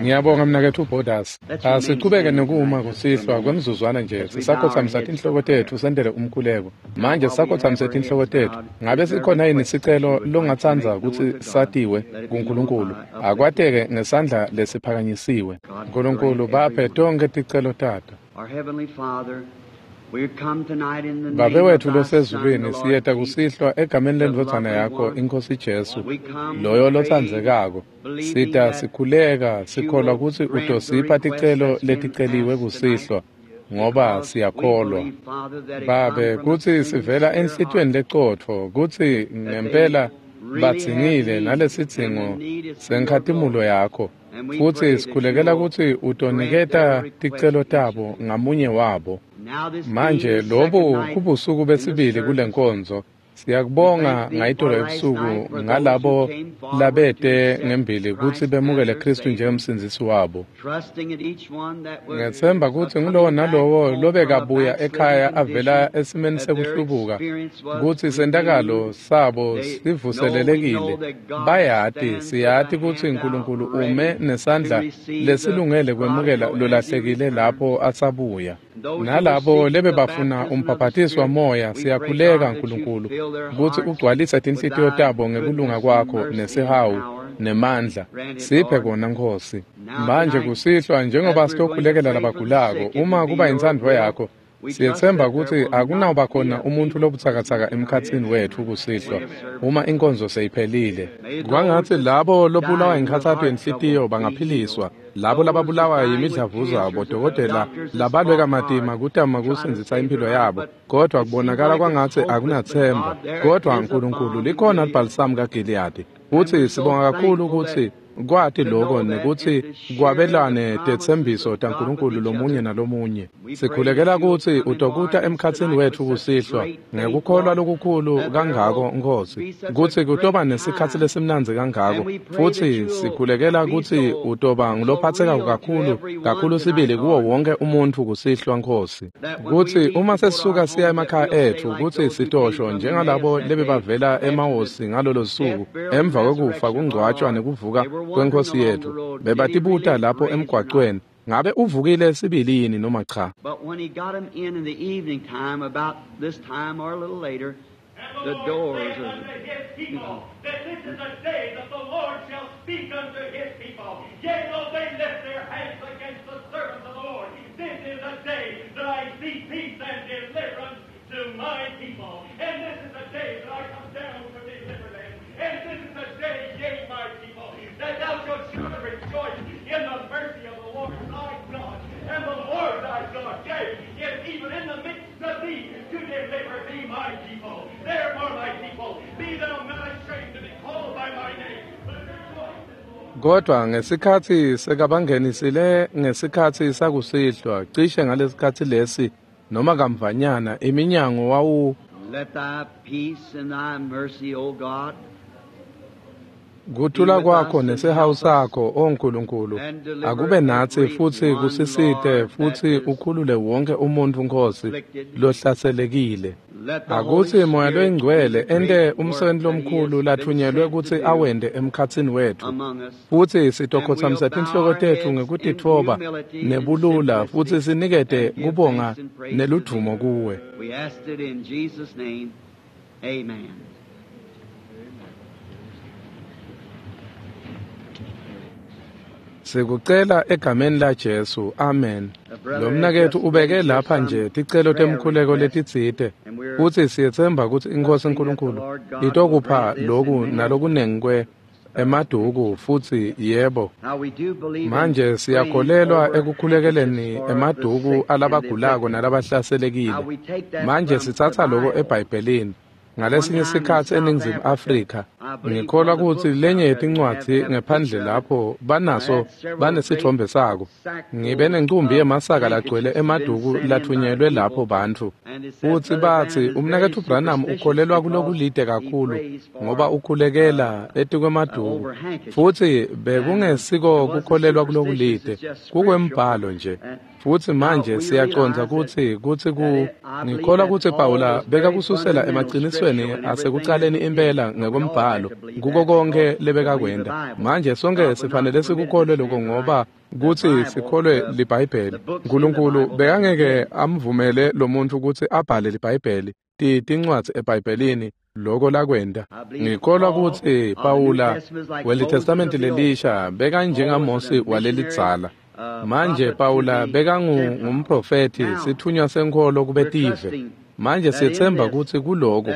Ngiyabonga mnaketfu Borders. Asichubeke nekuma kusihlwa kwemzuzwana nje sisakhothamisa tinhloko tetfu sentele umkhuleko. Manje sisakhothamise tinhloko tetfu. Ngabe sikhona yini sicelo longatsandza kutsi satiwe kuNkulunkulu? Akwateke ngesandla lesiphakanyisiwe. Nkulunkulu baphe tonkhe ticelo tato. Babe wetfu losezulwini, siyeta kusihlwa egameni lendvodzana yakho iNkhosi Jesu, loyo lotsandzekako. Sita sikhuleka sikholwa kutsi utosipha ticelo leticeliwe kusihlwa, ngoba siyakholwa. Babe, kutsi sivela enhlitiyweni lecotfo, kutsi ngempela badzingile nalesidzingo senkhatimulo yakho. Futsi sikhulekela kutsi utoniketa ticelo tabo ngamunye wabo. Manje lobu kubusuku besibili kulenkonzo. Siyakubonga ngayitolo ebusuku ngalabo labete ngembili kutsi bemukele Khristu njengemsindzisi wabo. Ngethemba kutsi ngulowo nalowo lobekabuya ekhaya avela esimeni sekuhlubuka kutsi sentakalo sabo sivuselelekile. Bayati, siyati kutsi Nkulunkulu ume nesandla lesilungele kwemukela lolahlekile lapho asabuya. Nalabo lebebafuna umbhaphatisi wamoya, siyakhuleka Nkulunkulu kutsi ugcwalise tinhlitiyo tabo ngekulunga kwakho nesihawu nemandla. Siphe kona Nkhosi. Manje kusihlwa njengoba sitokhulekela labagulako, uma kuba intsandvo yakho, siyetsemba kutsi akunawuba khona umuntfu lobutsakatsaka emkhatsini wetfu kusihlwa uma inkonzo seyiphelile. Kwangatsi labo lobulawa yinkhatsato yenhlitiyo bangaphiliswa, labo lababulawa yimidlavuza, bodokotela labalwe kamatima kutama kusindzisa impilo yabo, kodwa kubonakala kwangatsi akunathemba. Kodwa Nkulunkulu likhona libhalisamu kaGiliyadi, futsi sibonga kakhulu kutsi kwati lokho nekutsi kwabelane tetsembiso taNkulunkulu lomunye nalomunye. Sikhulekela kutsi utokuta emkhatsini wetfu kusihlwa ngekukholwa lokukhulu kangako Nkhosi, kutsi kutoba nesikhatsi lesimnandzi kangako, futsi sikhulekela kutsi utoba ngulophathekako kakhulu kakhulu sibili kuwo wonke umuntfu kusihlwa Nkhosi, kutsi uma sesisuka siya emakhaya etfu kutsi sitosho njengalabo lebebavela emahosi ngalolo suku emva kwekufa kungcwatshwa nekuvuka kweNkhosi yetfu, bebatibuta lapho emgwacweni, ngabe uvukile sibili yini noma cha? But when he got him in the evening time, about this time or a little later, the doors of unto his people that this is a day that the Lord shall speak unto his people. Yea, though they lift their hands against the servants of the Lord, this is a day that I see peace and deliverance to my people. And this is a day that I come down to deliver them. And this is a day, yea, my people, that thou shalt surely rejoice in the mercy of the Lord thy God. And the Lord thy God, yea, is even in the midst of thee to deliver thee, my people. Therefore, my people, be thou not ashamed to be called by my name, but rejoice in the Lord. Kodwa ngesikhatsi sekabangenisile ngesikhatsi sakusihlwa, cishe ngalesikhatsi lesi noma kamvanyana, iminyango wawu Let thy peace and thy mercy, O God, kuthula kwakho nesihawu sakho, O Nkulunkulu, akube natsi futsi kusisite futsi ukhulule wonke umuntfu Nkhosi lohlaselekile. let the Holy Akutsi Moya Spirit do loyiNgcwele the ente great work umsebenti that he lomkhulu has been lathunyelwe sent to kutsi do awente emkhatsini wetfu. among us. Futsi And we'll sitokhotsamisa bow tinhloko our tetfu heads in ngekutitfoba humility and nebulula futsi simplicity sinikete and give kubonga thanks and praise to thee. neludvumo kuwe. We asked it in Jesus' name. Amen. Sikucela egameni la Jesu. Amen. The brother Lo has mnaketfu just ubeke raised here lapha some nje ticelo prayer temkhuleko requests, letitsite. and we're Futsi siyetsemba kutsi iNkhosi trusting that the Nkulunkulu Lord God will itokupha grant this loku and many nalokunengi kwe emaduku futsi yebo. Now we do believe in Manje praying siyakholelwa over handkerchiefs ekukhulekeleni for the emaduku sick and the alabagulako afflicted. Now nalabahlaselekile. we take that Manje from the sitsatsa loko Bible. eBhayibhelini. One Ngalesinye time in sikhatsi South eNingizimu Africa, Afrika, I believe one ngikholwa of the kutsi books lenye out there yetincwadzi have a ngephandle picture of it. lapho I banaso had several great banesitfombe sako. Ngibe sackfuls nencumbi of yemasaka lagcwele handkerchiefs been emaduku sent in by the latfunyelwe lapho people, bantfu. and they said Futsi Brother batsi Branham is very umnaketfu Branham superstitious ukholelwa because kulokulide he kakhulu prays ngoba for ukhulekela etikwemaduku. over handkerchiefs. Futsi And it bekungesiko wasn't kukholelwa superstitious, kulokulide, it's just scriptural. kukwembhalo nje. And Futsi now manje we siyacondza realize that kutsi kutsi ku that it, I believe ngikholwa that kutsi Paul Pawula was very bekakususela fundamental emacinisweni scriptural in everything that asekucaleni he did. impela We all ngekwembhalo imibhalo kuko konke lebekakwenta. Manje sonke sifanele sikukholwe lokho ngoba kutsi sikholwe liBhayibheli. Nkulunkulu bekangeke amvumele lo muntu kutsi abhale liBhayibheli, tincwadzi eBhayibhelini, loko lakwenta. Ngikholwa kutsi Pawula weliTestamenti lelisha bekanjengaMosi walelidzala. Manje Pawula bekangumprofethi, sithunywa senkholo kubetive. Manje siyetsemba kutsi kuloko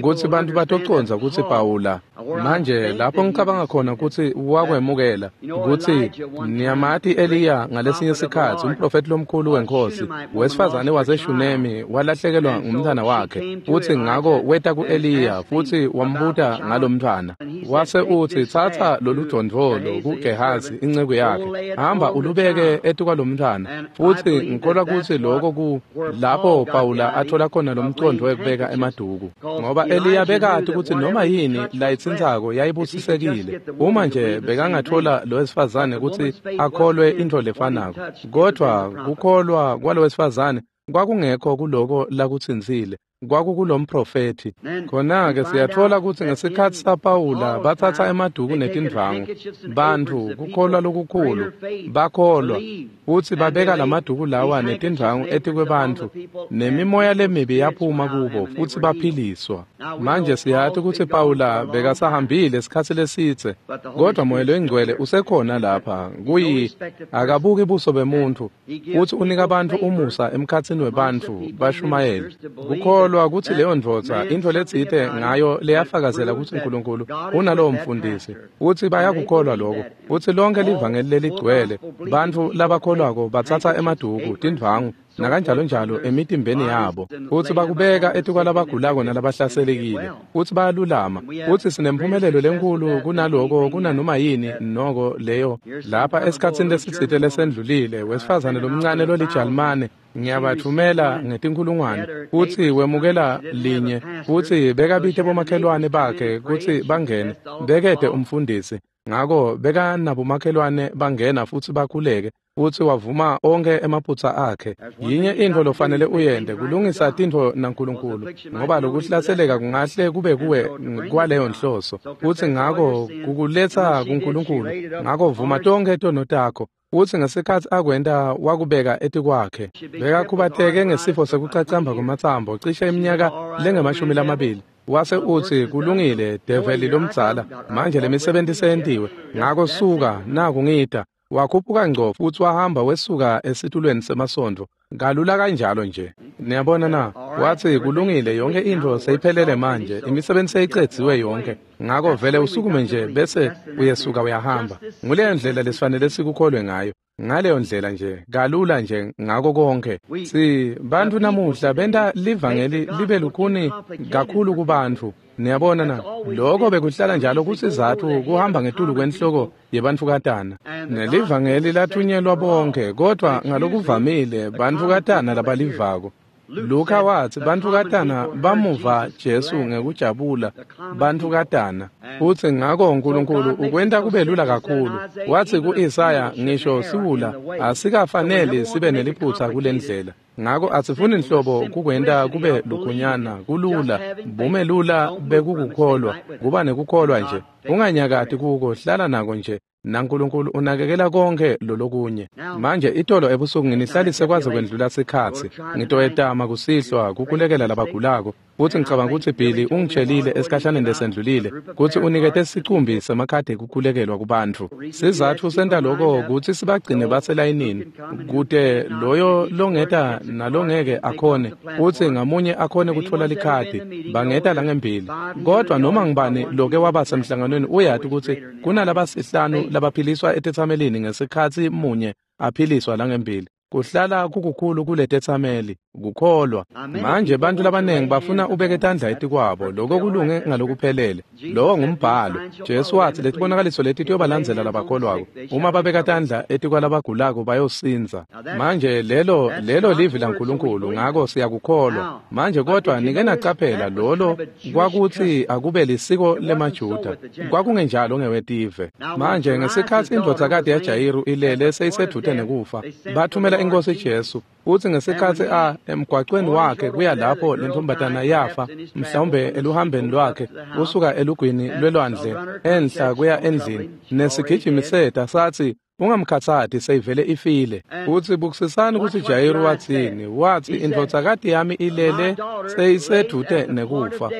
kutsi bantfu batocondza kutsi Pawula manje lapho ngicabanga khona kutsi wakwemukela kutsi niyamati Eliya ngalesinye sikhatsi, umprofethi lomkhulu wenkosi, wesifazane waseShunemi walahlekelwa ngumntwana wakhe, futsi ngako weta ku-Eliya futsi wambuta ngalomntwana. Wase utsi, tsatsa loludvondvolo kuGehazi inceku yakhe, hamba ulubeke etikwalomntwana. Futsi ngikholwa kutsi loko ku lapho Pawula athola khona lomcondvo wekubeka emaduku, ngoba Eliya bekati kutsi noma yini layitsintsako yayibusisekile uma nje bekangathola lo wesifazane kutsi akholwe intfo lefanako. Kodvwa kukholwa kwalo wesifazane kwakungekho kuloko lakutsintsile, kwakukulomprofethi. Khona-ke siyatfola kutsi ngesikhatsi saPawula batsatsa emaduku netindvwangu, bantfu kukholwa lokukhulu bakholwa, futsi babeka lamaduku lawa netindvwangu etikwebantfu, nemimoya lemibi yaphuma kubo futsi baphiliswa. Manje siyati kutsi Pawula bekasahambile isikhatsi lesidze, kodvwa Moya loyiNgcwele usekhona lapha. Kuyi akabuki buso bemuntfu, futsi unika bantfu umusa emkhatsini webantfu bashumayeli. Kukholwa kutsi leyo ndvodza intfo letsite ngayo leyafakazela kutsi Nkulunkulu unalowo mfundisi, futsi bayakukholwa lokho. Futsi lonke livangeli leligcwele bantfu labakholwako batsatsa emaduku, tindvwangu nakanjalo njalo emitimbeni yabo, futsi bakubeka etikwalabagulako nalabahlaselekile, futsi bayalulama. Futsi sinemphumelelo lenkhulu kunaloko kunanoma yini noko leyo. Lapha esikhatsini lesitsite lesendlulile, wesifazane lomncane lolijalimane ngiyabathumela ngetinkhulungwane, futsi wemukela linye, futsi bekabite bomakhelwane bakhe kutsi bangene, bekete umfundisi. Ngako bekanabomakhelwane bangena futsi bakhuleke, futsi wavuma onkhe emaphutsa akhe. Yinye intfo lofanele uyente, kulungisa tintfo naNkulunkulu, ngoba lokuhlaseleka kungahle kube kuwe kwaleyo nhloso, futsi ngako kukuletsa kuNkulunkulu. Ngako vuma tonkhe tono takho, futsi ngesikhatsi akwenta wakubeka etikwakhe. Bekakhubateke ngesifo sekucacamba kwematsambo cishe iminyaka lengama-20. Wase utsi, kulungile, develi lomdzala, manje lemisebenti seyentiwe, ngako suka, naku ngita. Wakhuphuka ngco futsi wahamba wesuka esitulweni semasontfo kalula kanjalo nje. Niyabona na? Watsi, kulungile, yonke intfo seyiphelele manje, imisebenzi seyicedziwe yonke, ngako vele usukume nje bese uyesuka uyahamba. Nguleyo ndlela lesifanele sikukholwe ngayo, ngaleyo ndlela nje, kalula nje ngako konke. Si bantfu namuhla benta livangeli libe lukhuni kakhulu kubantfu. Niyabona na? Lokho bekuhlala njalo kusizatfu kuhamba ngetulu kwenhloko yebantfukatana. Nelivangeli lathunyelwa bonke, kodvwa ngalokuvamile bantfukatana labalivako. Luka watsi bantfukatana bamuva Jesu ngekujabula, bantfukatana. Futsi ngako Nkulunkulu ukwenta kube lula kakhulu. Watsi ku-Isaya, ngisho siwula asikafaneli sibe neliphutsa kulendlela. Ngako asifuni nhlobo kukwenta kube lukhunyana, kulula, bumelula bekukukholwa, kuba nekukholwa nje. Unganyakati kuko, hlala nako nje. NaNkulunkulu unakekela konke lolokunye. Manje itolo ebusuku nginihlalise kwaze kwendlula sikhatsi. Ngitoyetama kusihlwa kukhulekela labagulako, futsi ngicabanga kutsi Billy ungitshelile esikhashaneni lesendlulile kutsi unikete sicumbi semakhadi ekukhulekelwa kubantfu. Sizatfu senta loko kutsi sibagcine baselayinini, kute loyo longeta nalongeke akhone, futsi ngamunye akhone kutfola likhadi, bangeta langembili. Kodvwa noma ngubani loke waba semhlanganweni uyati kutsi kunalabasihlanu labaphiliswa etetsamelini ngesikhatsi munye aphiliswa langembili. Kuhlala kukukhulu kuletetsameli, kukholwa. Manje bantfu labanengi bafuna ubeke tandla etikwabo, loko kulunge ngalokuphelele. Lowo ngumbhalo. Jesu watsi letibonakaliso leti tiyobalandzela labakholwako. Uma babeka tandla etikwalabagulako bayosindza. Manje lelo livi laNkulunkulu, ngako siyakukholwa. Manje kodvwa nike nacaphela lolo kwakutsi akube lisiko lemaJuda, kwakungenjalo ngewetive. Manje ngesikhatsi indvodzakati yaJayiru ilele seyisedvute nekufa, bathumela iNkosi Jesu, futsi ngesikhatsi a emgwacweni wakhe kuya lapho lentombatana yafa, mhlawumbe eluhambeni lwakhe kusuka elugwini lwelwandle enhla kuya endlini, nesigijimi seta sathi, ungamkhatsati, seyivele ifile. Futsi bukisisani kutsi Jayiru watsini. Watsi, indvodzakati yami ilele seyisedvute nekufa,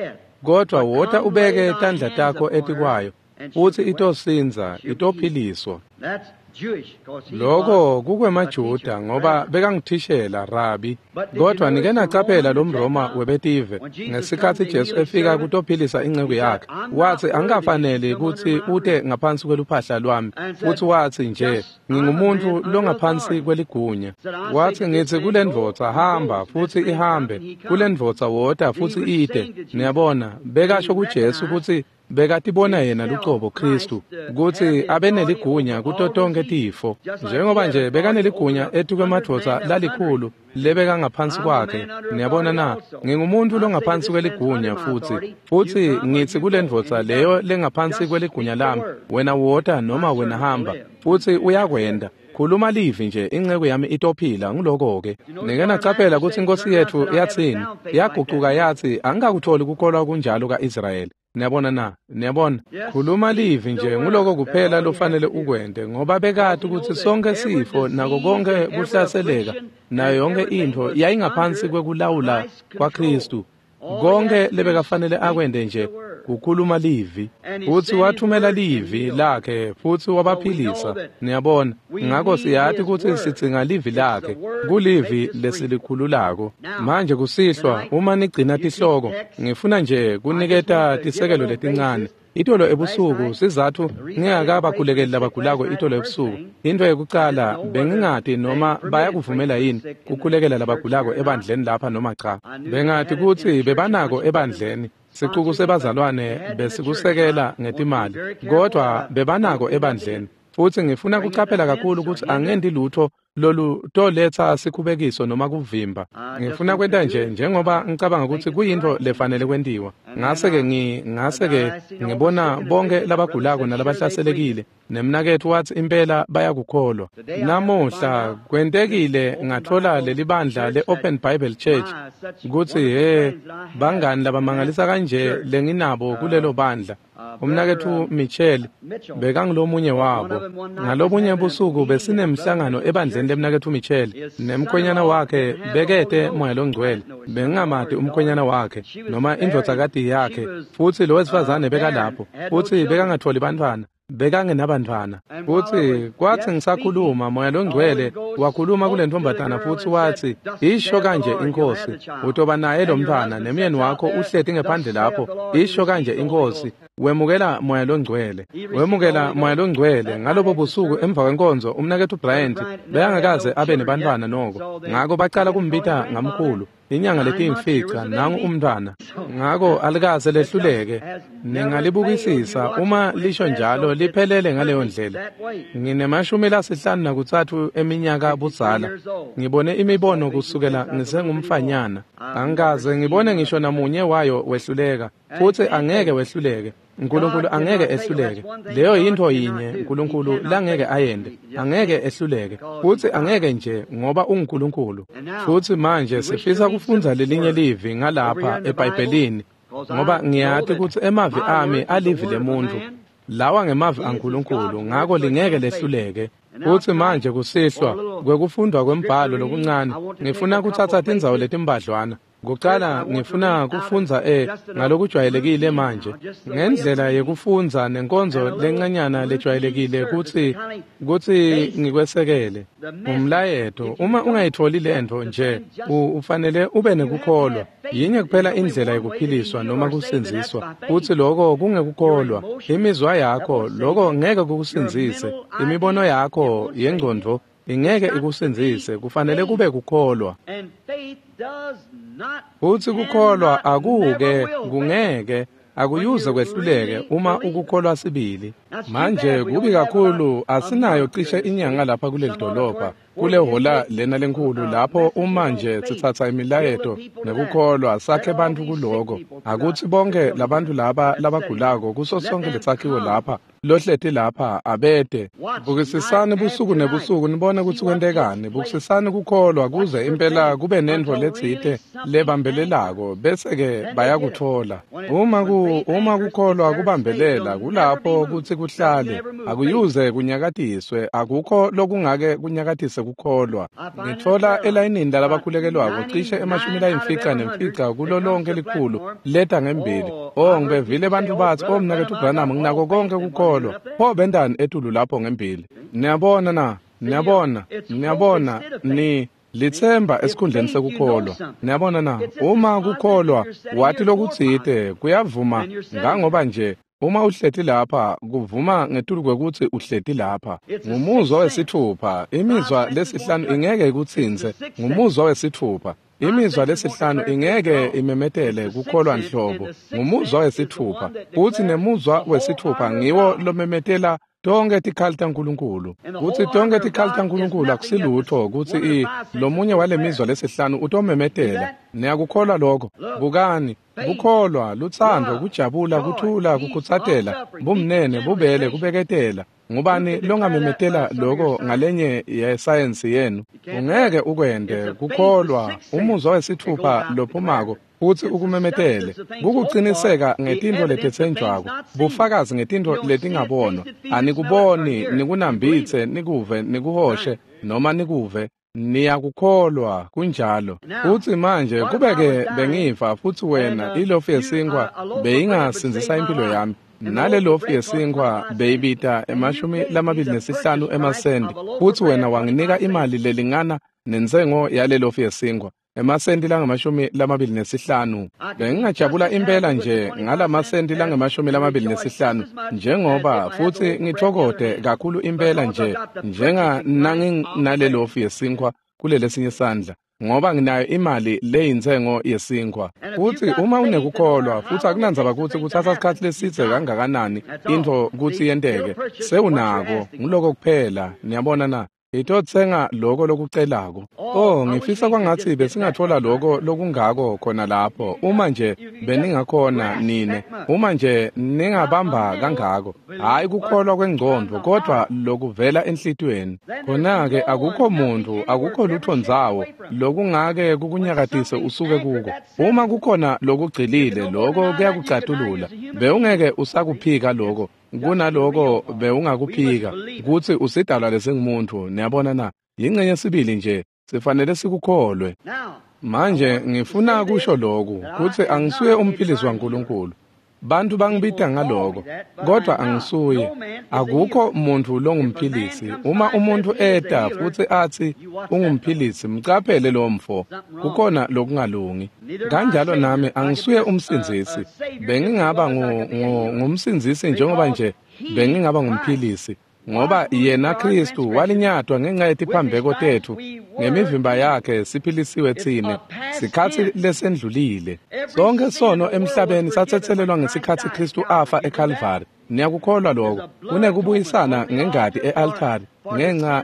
kodwa wota ubeke tandla takho etikwayo, futsi itosindza, itophiliswa. Lokho kukwemaJuda ngoba bekangithishela rabi. Kodwa nike nacaphela lo mRoma webetive ngesikhatsi Jesu efika kutophilisa inceku yakhe, watsi, angikafaneli kutsi ute ngaphansi kweluphahla lwami. Futsi watsi nje, ngingumuntu longaphansi kweligunya. Watsi, ngitsi kulendvodza hamba, futsi ihambe, kulendvodza wota, futsi ite. Niyabona, bekasho kuJesu kutsi bekatibona yena lucobo Kristu kutsi abeneligunya kuto tonkhe tifo, njengoba nje bekaneligunya etikwemadvodza lalikhulu lebekangaphansi kwakhe. Niyabona na? Ngingumuntu longaphansi kweligunya, futsi ngitsi kulendvodza leyo lengaphansi kweligunya lami, wena wota noma wena hamba, futsi uyakwenda. Khuluma livi nje, inceku yami itophila. Nguloko-ke. Nike nacaphela kutsi iNkosi yetfu yatsini? Yagucuka yathi, angikakutholi kukholwa kunjalo ka-Israyeli. Niyabona na? Niyabona? Khuluma livi nje, nguloko kuphela lofanele ukwente, ngoba bekati kutsi sonke sifo nako konke kuhlaseleka nayo yonke intfo yayingaphansi kwekulawula kwaKristu. Konke lebekafanele akwente nje kukhuluma livi, futsi wathumela livi lakhe futsi wabaphilisa. Niyabona? Ngako siyati kutsi sidzinga livi lakhe, kulivi lesilikhululako. Manje kusihlwa, uma nigcina tihloko, ngifuna nje kuniketa tisekelo letincane. Itolo ebusuku, sizatfu ngingakabakhulekeli labagulako itolo ebusuku, intfo yekucala bengingati noma bayakuvumela yini kukhulekela labagulako ebandleni lapha noma cha. Bengati kutsi bebanako ebandleni, sicuku sebazalwane besikusekela ngetimali, kodwa bebanako ebandleni. Futsi ngifuna kucaphela kakhulu kutsi angendi lutho lolutoletsa sikhubekiso noma kuvimba. Ngifuna kwenta nje njengoba ngicabanga kutsi kuyintfo lefanele kwentiwa. Ngase-ke ngibona bonke labagulako nalabahlaselekile, nemnaketfu watsi impela bayakukholwa. Namuhla kwentekile ngatfola lelibandla le-Open Bible Church kutsi he bangani labamangalisa kanje lenginabo kulelo bandla. Umnaketfu Michel bekangulomunye wabo. Ngalobunye busuku besinemhlangano ebandleni lemnaketfu Michel, nemkhwenyana wakhe bekete Moya Longcwele. Bengingamati umkhwenyana wakhe noma indvodzakati yakhe, futsi lo wesifazane bekalapho, futsi bekangatfoli bantfwana, bekangenabantfwana. Futsi kwatsi ngisakhuluma, Moya Longcwele wakhuluma kule ntombazana futsi watsi, isho kanje iNkhosi, utoba naye lo mntfwana, nemyeni wakho uhleti ngephandle lapho, isho kanje iNkhosi. Wemukela Moya Longcwele. Wemukela Moya Longcwele. Ngalobo busuku emva kwenkonzo, umnaketfu Bryant bekangakaze abe nebantfwana noko, ngako bacala kumbita ngamkhulu. Inyanga letiyimfica nangu umntfwana. Ngako alikaze lehluleke. Ningalibukisisa uma lisho njalo liphelele ngaleyo ndlela. Ngine-53 eminyaka budzala. Ngibone imibono kusukela ngisengumfanyana. Angikaze ngibone ngisho namunye wayo wehluleka, futsi angeke wehluleke. uNkulunkulu angeke ehluleke. Leyo yintfo yinye uNkulunkulu langeke ayente. Angeke ehluleke, futsi angeke nje ngoba unguNkulunkulu. Futsi manje sifisa kufundza lelinye livi ngalapha eBhayibhelini, ngoba ngiyati kutsi emavi ami alivi lemuntfu. Lawa ngemavi aNkulunkulu, ngako lingeke lehluleke. Futsi manje kusihlwa kwekufundwa kwembhalo lokuncane, ngifuna kutsatsa tindzawo letimbadlwana. Kucala ngifuna kufundza ngalokujwayelekile manje ngendlela yekufundza nenkonzo lencanyana lejwayelekile kutsi ngikwesekele umlayeto. Uma ungayitholi lentfo nje, ufanele ube nekukholwa. Yinye kuphela indlela yekuphiliswa noma kusindziswa, futsi loko kungekukholwa. Imizwa yakho loko ngeke kukusindzise, imibono yakho yengcondvo ingeke ikusindzise, kufanele kube kukholwa. Futsi kukholwa akuke kungeke akuyuze kwehluleke uma ukukholwa sibili. Manje kubi kakhulu asinayo cishe inyanga lapha kuleli dolobha. kule hola lena lenkhulu lapho uma nje sitsatsa imilayeto nekukholwa sakhe bantfu kuloko. Akutsi bonke labantu laba labagulako kuso sonke lesakhiwo lapha lohleti lapha abete. Bukisisani busuku nebusuku nibone kutsi kwentekani. Bukisisani kukholwa kuze impela kube nentfo letsite lebambelelako bese-ke bayakutfola. Uma kukholwa kubambelela kulapho kutsi kuhlale, akuyuze kunyakatiswe, akukho lokungake kunyakatise kukholwa. Ngitfola elayinini lalabakhulekelwako cishe 95 kulo lonke likhulu leta ngembili. Oh, ngibevile bantfu batsi, "Oh, mnaketfu Branham, nginako konke kukholwa." Pho bentani etulu lapho ngembili? Niyabona na? Niyabona? Niyabona ni litsemba esikhundleni sekukholwa. Niyabona na? Uma kukholwa wathi lokutsite kuyavuma ngangoba nje uma uhleti lapha kuvuma ngetulu kwekutsi uhleti lapha. Ngumuzwa wesitfupha. Imizwa lesihlanu ingeke ikutsintse. Ngumuzwa wesitfupha. Imizwa lesihlanu ingeke imemetele kukholwa nhlobo. Ngumuzwa wesitfupha. Futsi nemuzwa wesitfupha ngiwo lomemetela tonke tikhali taNkulunkulu. Kutsi tonke tikhali taNkulunkulu akusilutho kutsi lomunye walemizwa lesihlanu utomemetela. Niyakukholwa lokho? Bukani, kukholwa, lutsandvo, kujabula, kuthula, kukhutsatela, bumnene, bubele, kubeketela. Ngubani longamemetela lokho ngalenye yesayensi yenu? Ungeke ukwente. Kukholwa, umuzwa wesitfupha lophumako futsi ukumemetele, kukuciniseka ngetintfo letetsenjwako, bufakazi ngetintfo letingabonwa. Anikuboni, nikunambitse, nikuve, nikuhoshe noma nikuve. Niyakukholwa, kunjalo. Futsi manje kube-ke bengifa futsi wena ilofu yesinkwa beyingasindzisa impilo yami, nale lofu yesinkwa beyibita 25 emasenti, futsi wena wanginika imali lelingana nentsengo yale lofu yesinkwa, emasenti langama-25. Bengingajabula impela nje ngalamasenti langama-25 njengoba futsi ngitfokote kakhulu impela nje njenga nanginale lofu yesinkwa kulelesinye sandla, ngoba nginayo imali leyintsengo yesinkwa. Futsi uma unekukholwa, futsi akunandzaba kutsi kutsatsa sikhatsi lesidze kangakanani intfo kutsi yenteke, sewunako. Nguloko kuphela. Niyabona na? Itotsenga loko lokucelako. Oh, ngifisa kwangatsi besingatfola loko lokungako khona lapho. Uma nje beningakhona nine, uma nje ningabamba kangako, hhayi kukholwa kwengcondvo kodvwa lokuvela enhlitiyweni. Khona-ke akukho muntfu, akukho lutho ndzawo lokungake kukunyakatise usuke kuko. Uma kukhona lokugcilile, loko kuyakucatulula. Bewungeke usakuphika loko. Kunaloko bewungakuphika kutsi usidalwa lesingumuntu. Niyabona na? Yingcenye sibili nje sifanele sikukholwe. Manje ngifuna kusho lokhu kutsi angisuye umphilisi waNkulunkulu. Bantu bangibita ngaloko, kodvwa angisuye. Akukho muntfu longumphilisi. Uma umuntfu eta futsi atsi ungumphilisi, mcaphele lo mfo, kukhona lokungalungi. Kanjalo nami angisuye umsindzisi. Bengingaba ngumsindzisi njengoba nje bengingaba ngumphilisi, ngoba yena Kristu walinyatwa ngenxa yetiphambeko tetfu, ngemivimba yakhe siphilisiwe tsine. Sikhatsi lesendlulile. Sonke sono emhlabeni satsetselelwa ngesikhatsi Kristu afa eKalvari. Niyakukholwa lokho? Kunekubuyisana ngengati e-altari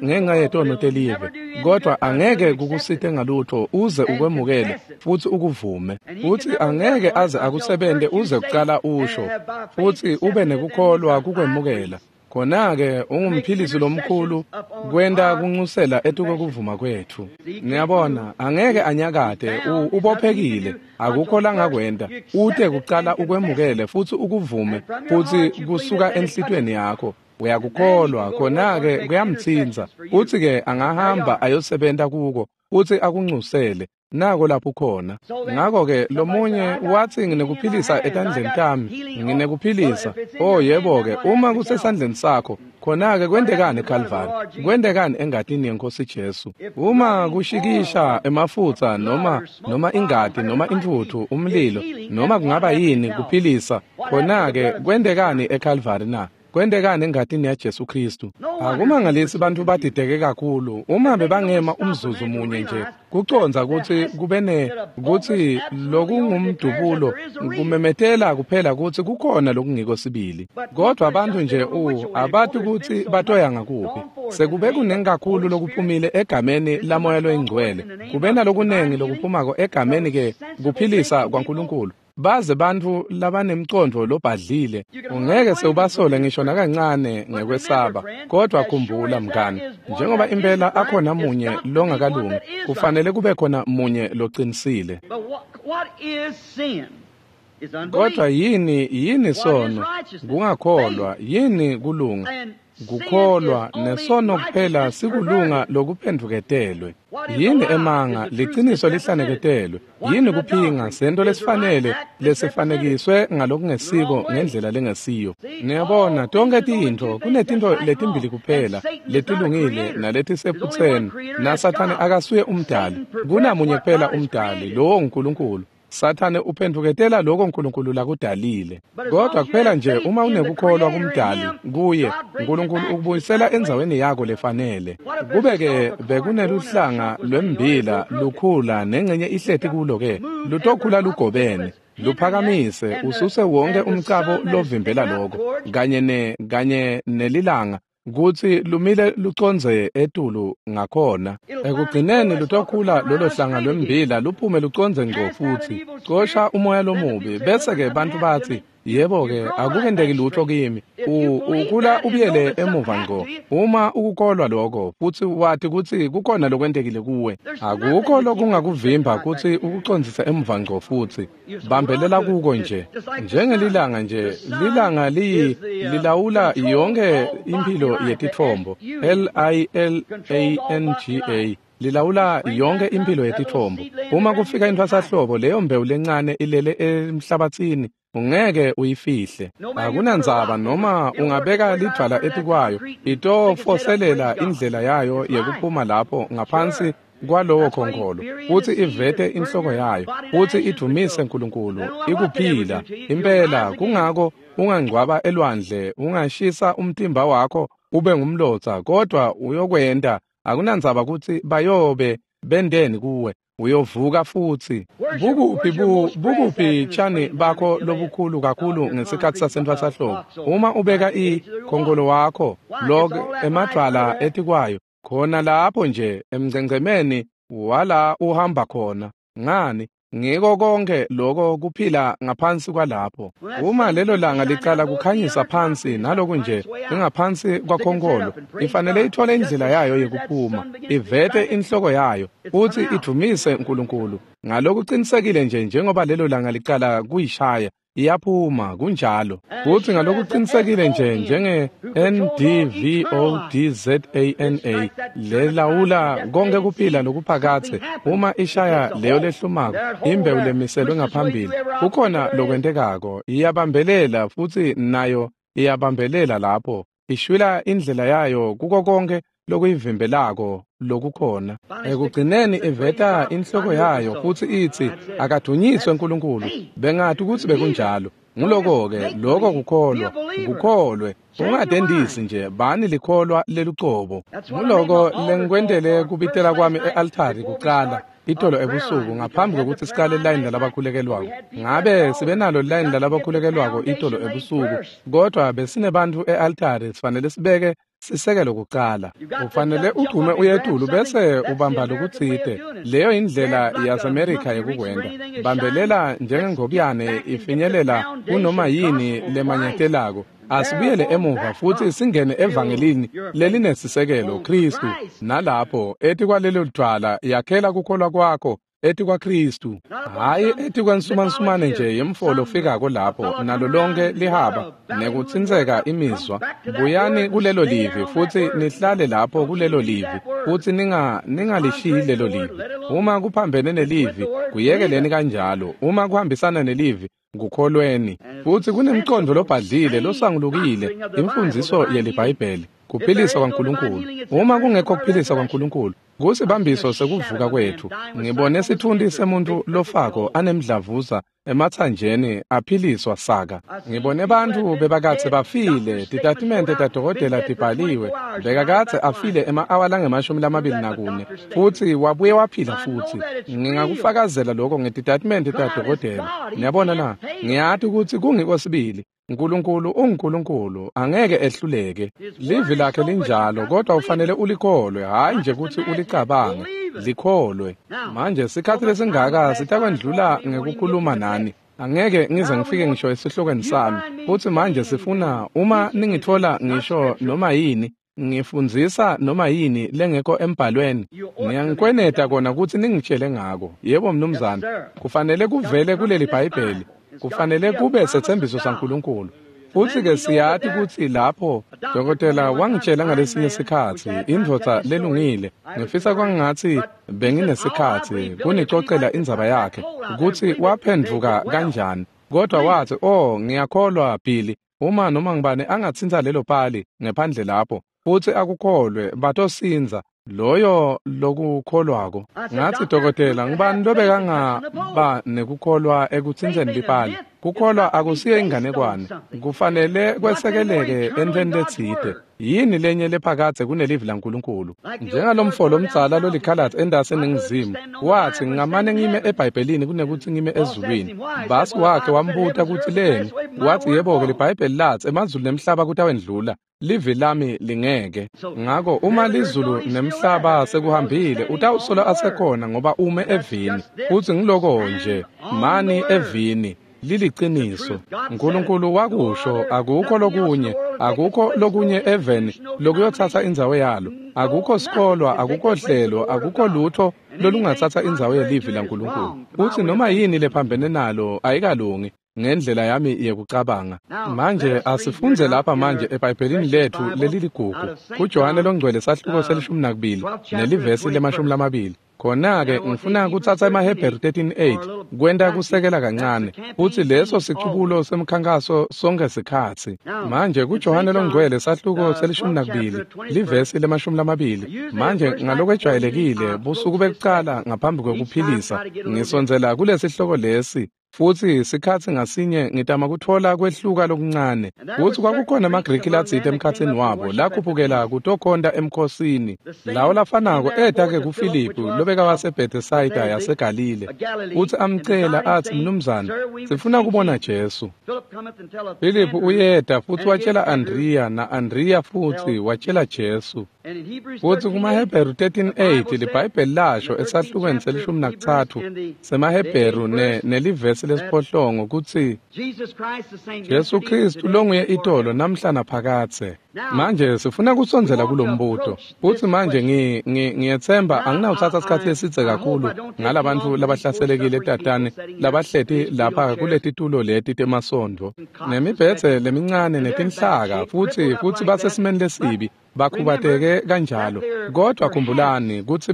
ngenxa yetono telive, kodvwa angeke kukusite ngalutho uze ukwemukele futsi ukuvume. Futsi angeke aze akusebente uze kucala usho futsi ube nekukholwa kukwemukela. Khona-ke ungumphilisi lomkhulu kwenta kunxusela etuko kuvuma kwetfu. Niyabona, angeke anyakate, ubophekile, akukho langakwenta. Ute kucala ukwemukele futsi ukuvume futsi kusuka enhlitiyweni yakho. Uyakukholwa, khona-ke kuyamtsintsa. Futsi-ke angahamba ayosebenta kuko futsi akunxusele. Nako lapho khona. Ngako-ke lomunye watsi nginekuphilisa etandleni tami, nginekuphilisa. Oh yebo-ke, uma kusesandleni sakho, khona-ke kwentekani eKalvari? Kwentekani engatini yeNkosi Jesu? Uma kushikisha emafutsa noma ingati noma intfutfu, umlilo, noma kungaba yini kuphilisa, khona-ke kwentekani eKalvari na? Kwentekani engatini yaJesu Kristu? Akumangalisi bantfu badideke kakhulu uma bebangema umzuzu munye nje kucondza kutsi kubene kutsi lokungumdubulo kumemetela kuphela kutsi kukhona lokungiko sibili. Kodwa bantfu nje abati kutsi batoya ngakuphi. Sekube kunengi kakhulu lokuphumile egameni laMoya loyiNgcwele, kube nalokunengi lokuphumako egameni ke kuphilisa kwaNkulunkulu. Baze bantfu labanemcondvo lobhadlile ungeke sewubasole ngisho nakancane ngekwesaba. Kodwa khumbula mngani, njengoba impela akhona munye longakalungi, kufanele kube khona munye locinisile. Kodwa yini sono? Kungakholwa. Yini kulunga? Kukholwa. Nesono kuphela sikulunga lokuphendvuketelwe. Yini emanga? Liciniso lihlaneketelwe. Yini kuphinga? Sento lesifanele lesifanekiswe ngalokungesiko ngendlela lengesiyo. Niyabona, tonke tintfo kunetintfo letimbili kuphela letilungile naletisephutseni, naSathane akasuye umdali. Kunamunye kuphela umdali, lowo nguNkulunkulu. Sathane uphendvuketela lokho uNkulunkulu lakudalile. Kodwa kuphela nje uma unekukholwa kumdali kuye, uNkulunkulu ukubuyisela endzaweni yakho lefanele. Kube-ke bekuneluhlanga lwembila lukhula nengcenye ihleti kulo-ke, lutokhula lugobene. Luphakamise ususe wonke umcabo lovimbela lokho kanye nelilanga kutsi lumile lucondze etulu ngakhona. Ekugcineni lutokhula lolo hlanga lwembila luphume lucondze ngco futsi. Cosha umoya lomubi bese-ke bantfu batsi, yebo-ke akukenteki lutho kimi. Ukhula ubuyele emuva ngco. Uma ukukholwa lokho futsi wati kutsi kukhona lokwentekile kuwe, akukho lokungakuvimba kutsi ukucondzise emuva ngco futsi. Bambelela kuko nje. Njengelilanga nje, lilanga lilawula yonke imphilo yetitfombo. L-I-L-A-N-G-A lilawula yonke imphilo yetitfombo. Uma kufika intfwasahlobo, leyo mbewu lencane ilele emhlabatsini, ungeke uyifihle. Akunandzaba noma ungabeka lidvwala etikwayo, itofoselela indlela yayo yekuphuma lapho ngaphansi kwalowo khonkholo, futsi ivete inhloko yayo, futsi idvumise uNkulunkulu, ikuphila. Impela kungako ungangcwaba elwandle, ungashisa umtimba wakho ube ngumlotsa, kodwa uyokwenta. Akunandzaba kutsi bayobe bendeni kuwe, uyovuka futsi. Bukuphi tshani bakho lobukhulu kakhulu ngesikhatsi sasentfwasahlobo? Uma ubeka ikhonkolo wakho lok emadvwala etikwayo, khona lapho nje emngcengcemeni wala uhamba khona. Ngani? Ngiko konke lokho kuphila ngaphansi kwalapho. Uma lelo langa licala kukhanyisa phansi naloku nje ingaphansi kwakhonkolo, ifanele ithole indlela yayo yekuphuma, ivete inhloko yayo, futsi idvumise uNkulunkulu. Ngalokuqinisekile nje njengoba lelo langa licala kuyishaya, iyaphuma kunjalo. Futsi ngalokuqinisekile nje njenge NDVODZANA lelawula konke kuphila lokuphakathe, uma ishaya leyo lehlumako, imbewu lemiselwe ngaphambili, kukhona lokwentekako, iyabambelela futsi nayo iyabambelela lapho, ishwila indlela yayo kuko konke lokuyivimbelako lokukhona. Ekugcineni iveta inhloko yayo futsi itsi, akadunyiswe uNkulunkulu. Bengati kutsi bekunjalo. Nguloko-ke, loko kukholwa. Kukholwe. Ungatendisi nje, bani likholwa lelucobo. Nguloko lengikwentele kubitela kwami e-altari kucala itolo ebusuku ngaphambi kwekutsi siqale line lalabakhulekelwako. Ngabe sibe nalo line lalabakhulekelwako itolo ebusuku, kodwa besinebantfu e-altari, sifanele sibeke sisekelo kucala. Ufanele ugcume uyetulu bese ubamba lokutsite. Leyo indlela yaseMerika yekukwenta. Bambelela njengengobiyane ifinyelela kunoma yini lemanyatelako. Asibuyele emuva futsi singene evangelini lelinesisekelo Kristu. Nalapho etikwalelo dvwala yakhela kukholwa kwakho etikwaKristu, hhayi etikwensumansumane nje yemfolo ofikako lapho nalo lonke lihaba nekutsintseka imizwa. Buyani kulelo livi futsi nihlale lapho kulelo livi, futsi ningalishiyi lelo livi. Uma kuphambene nelivi, kuyekeleni kanjalo. Uma kuhambisana nelivi, kukholweni. Futsi kunemcondvo lobhadlile losangulukile, imfundziso yeliBhayibheli, kuphilisa kwaNkulunkulu. Uma kungekho kuphilisa kwaNkulunkulu, Kusibambiso sekuvuka kwethu. Ngibone sitfunti semuntu lofako anemdlavuza emathanjeni aphiliswa saka. Ngibone bantfu bebakadze bafile, titatimende tadokotela tibhaliwe, bekakadze afile ema-awa lange-24 futsi wabuye waphila futsi. Ngingakufakazela lokho ngetitatimende tadokotela. Niyabona na? Ngiyati kutsi kungiko sibili. Nkulunkulu unguNkulunkulu, angeke ehluleke. Livi lakhe linjalo, kodwa ufanele ulikholwe, hhayi nje kutsi ulicabange, likholwe. Manje sikhatsi lesingaka sitakwendlula ngekukhuluma nani. Angeke ngize ngifike ngisho esihlokweni sami. Futsi manje sifuna uma ningitfola ngisho noma yini, ngifundzisa noma yini lengekho embhalweni, ngiyanikweneta kona kutsi ningitshele ngako. Yebo mnumzane, kufanele kuvele kuleli Bhayibheli. Kufanele kube setsembiso saNkulunkulu. Futsi-ke siyati kutsi lapho dokotela wangitshela ngalesinye sikhatsi, indvodza lelungile, ngifisa kwangatsi benginesikhatsi kunicocela indzaba yakhe, kutsi waphendvuka kanjani. Kodwa wathi, "Oh, ngiyakholwa Billy, uma noma ngibani angatsintsa lelo pali ngephandle lapho, futsi akukholwe, batosindza loyo lokukholwako." Ngathi, "Dokotela, ngibani lobekangaba nekukholwa ekutsintseni lipali? Kukholwa akusiyo inganekwane, kufanele kwesekeleke entweni letsite. Yini lenye lephakadze kunelivi laNkulunkulu?" Njengalomfo lomdzala lolikhalatsi entasi eNingizimu, wathi, "Ngingamane ngime eBhayibhelini kunekutsi ngime ezulwini." Basi wakhe wambuta kutsi leni, wathi, "Yebo-ke, liBhayibheli latsi emazulu nemhlaba kutawendlula, livi lami lingeke." Ngako uma lizulu nemhlaba sekuhambile, utawusola asekhona ngoba ume evini. Futsi ngiloko nje, mani evini. Liliciniso. Nkulunkulu wakusho, akukho lokunye, akukho lokunye eveni lokuyotsatsa indzawo yalo. Akukho sikolwa, akukho hlelo, akukho lutho lolungatsatsa indzawo yelivi laNkulunkulu. Futsi noma yini lephambene nalo ayikalungi ngendlela yami yekucabanga. Manje asifundze lapha manje eBhayibhelini lethu leliligugu, kuJohane loNgcwele sahluko se-12 nelivesi le-20. Khona-ke ngifuna kutsatsa emaHebheru 13:8 kwenta kusekela kancane, futsi leso sicubulo semkhankaso sonke sikhatsi. Manje kuJohane loNgcwele sahluko se-12 livesi le-20. Manje ngalokwejwayelekile busuku bekucala ngaphambi kwekuphilisa ngisondzela kulesihloko lesi, futsi sikhatsi ngasinye ngitama kutfola kwehluka lokuncane. Futsi kwakukhona amaGriki latsite emkhatsini wabo lakhuphukela kutokhonta emkhosini. Lawo lafanako eta-ke kuFiliphu lobekawaseBethesayida yaseGalile, futsi amcela atsi, "Mnumzane, sifuna kubona Jesu." Filiphu uyeta futsi watshela Andriya, na-Andriya futsi watshela Jesu. Futsi kumaHebheru 13:8 liBhayibheli lasho esahlukweni se-13 semaHebheru nelivesi lesiphohlongo kutsi Jesu Khristu longuye itolo namhla naphakadze. Manje sifuna kusondzela kulombuto. Futsi manje ngiyetsemba anginawutsatsa sikhatsi lesidze kakhulu ngalabantfu labahlaselekile tatane labahleti lapha kuletitulo leti temasondvo nemibhedze lemincane netinhlaka, futsi basesimeni lesibi, bakhubateke kanjalo. Kodwa khumbulani kutsi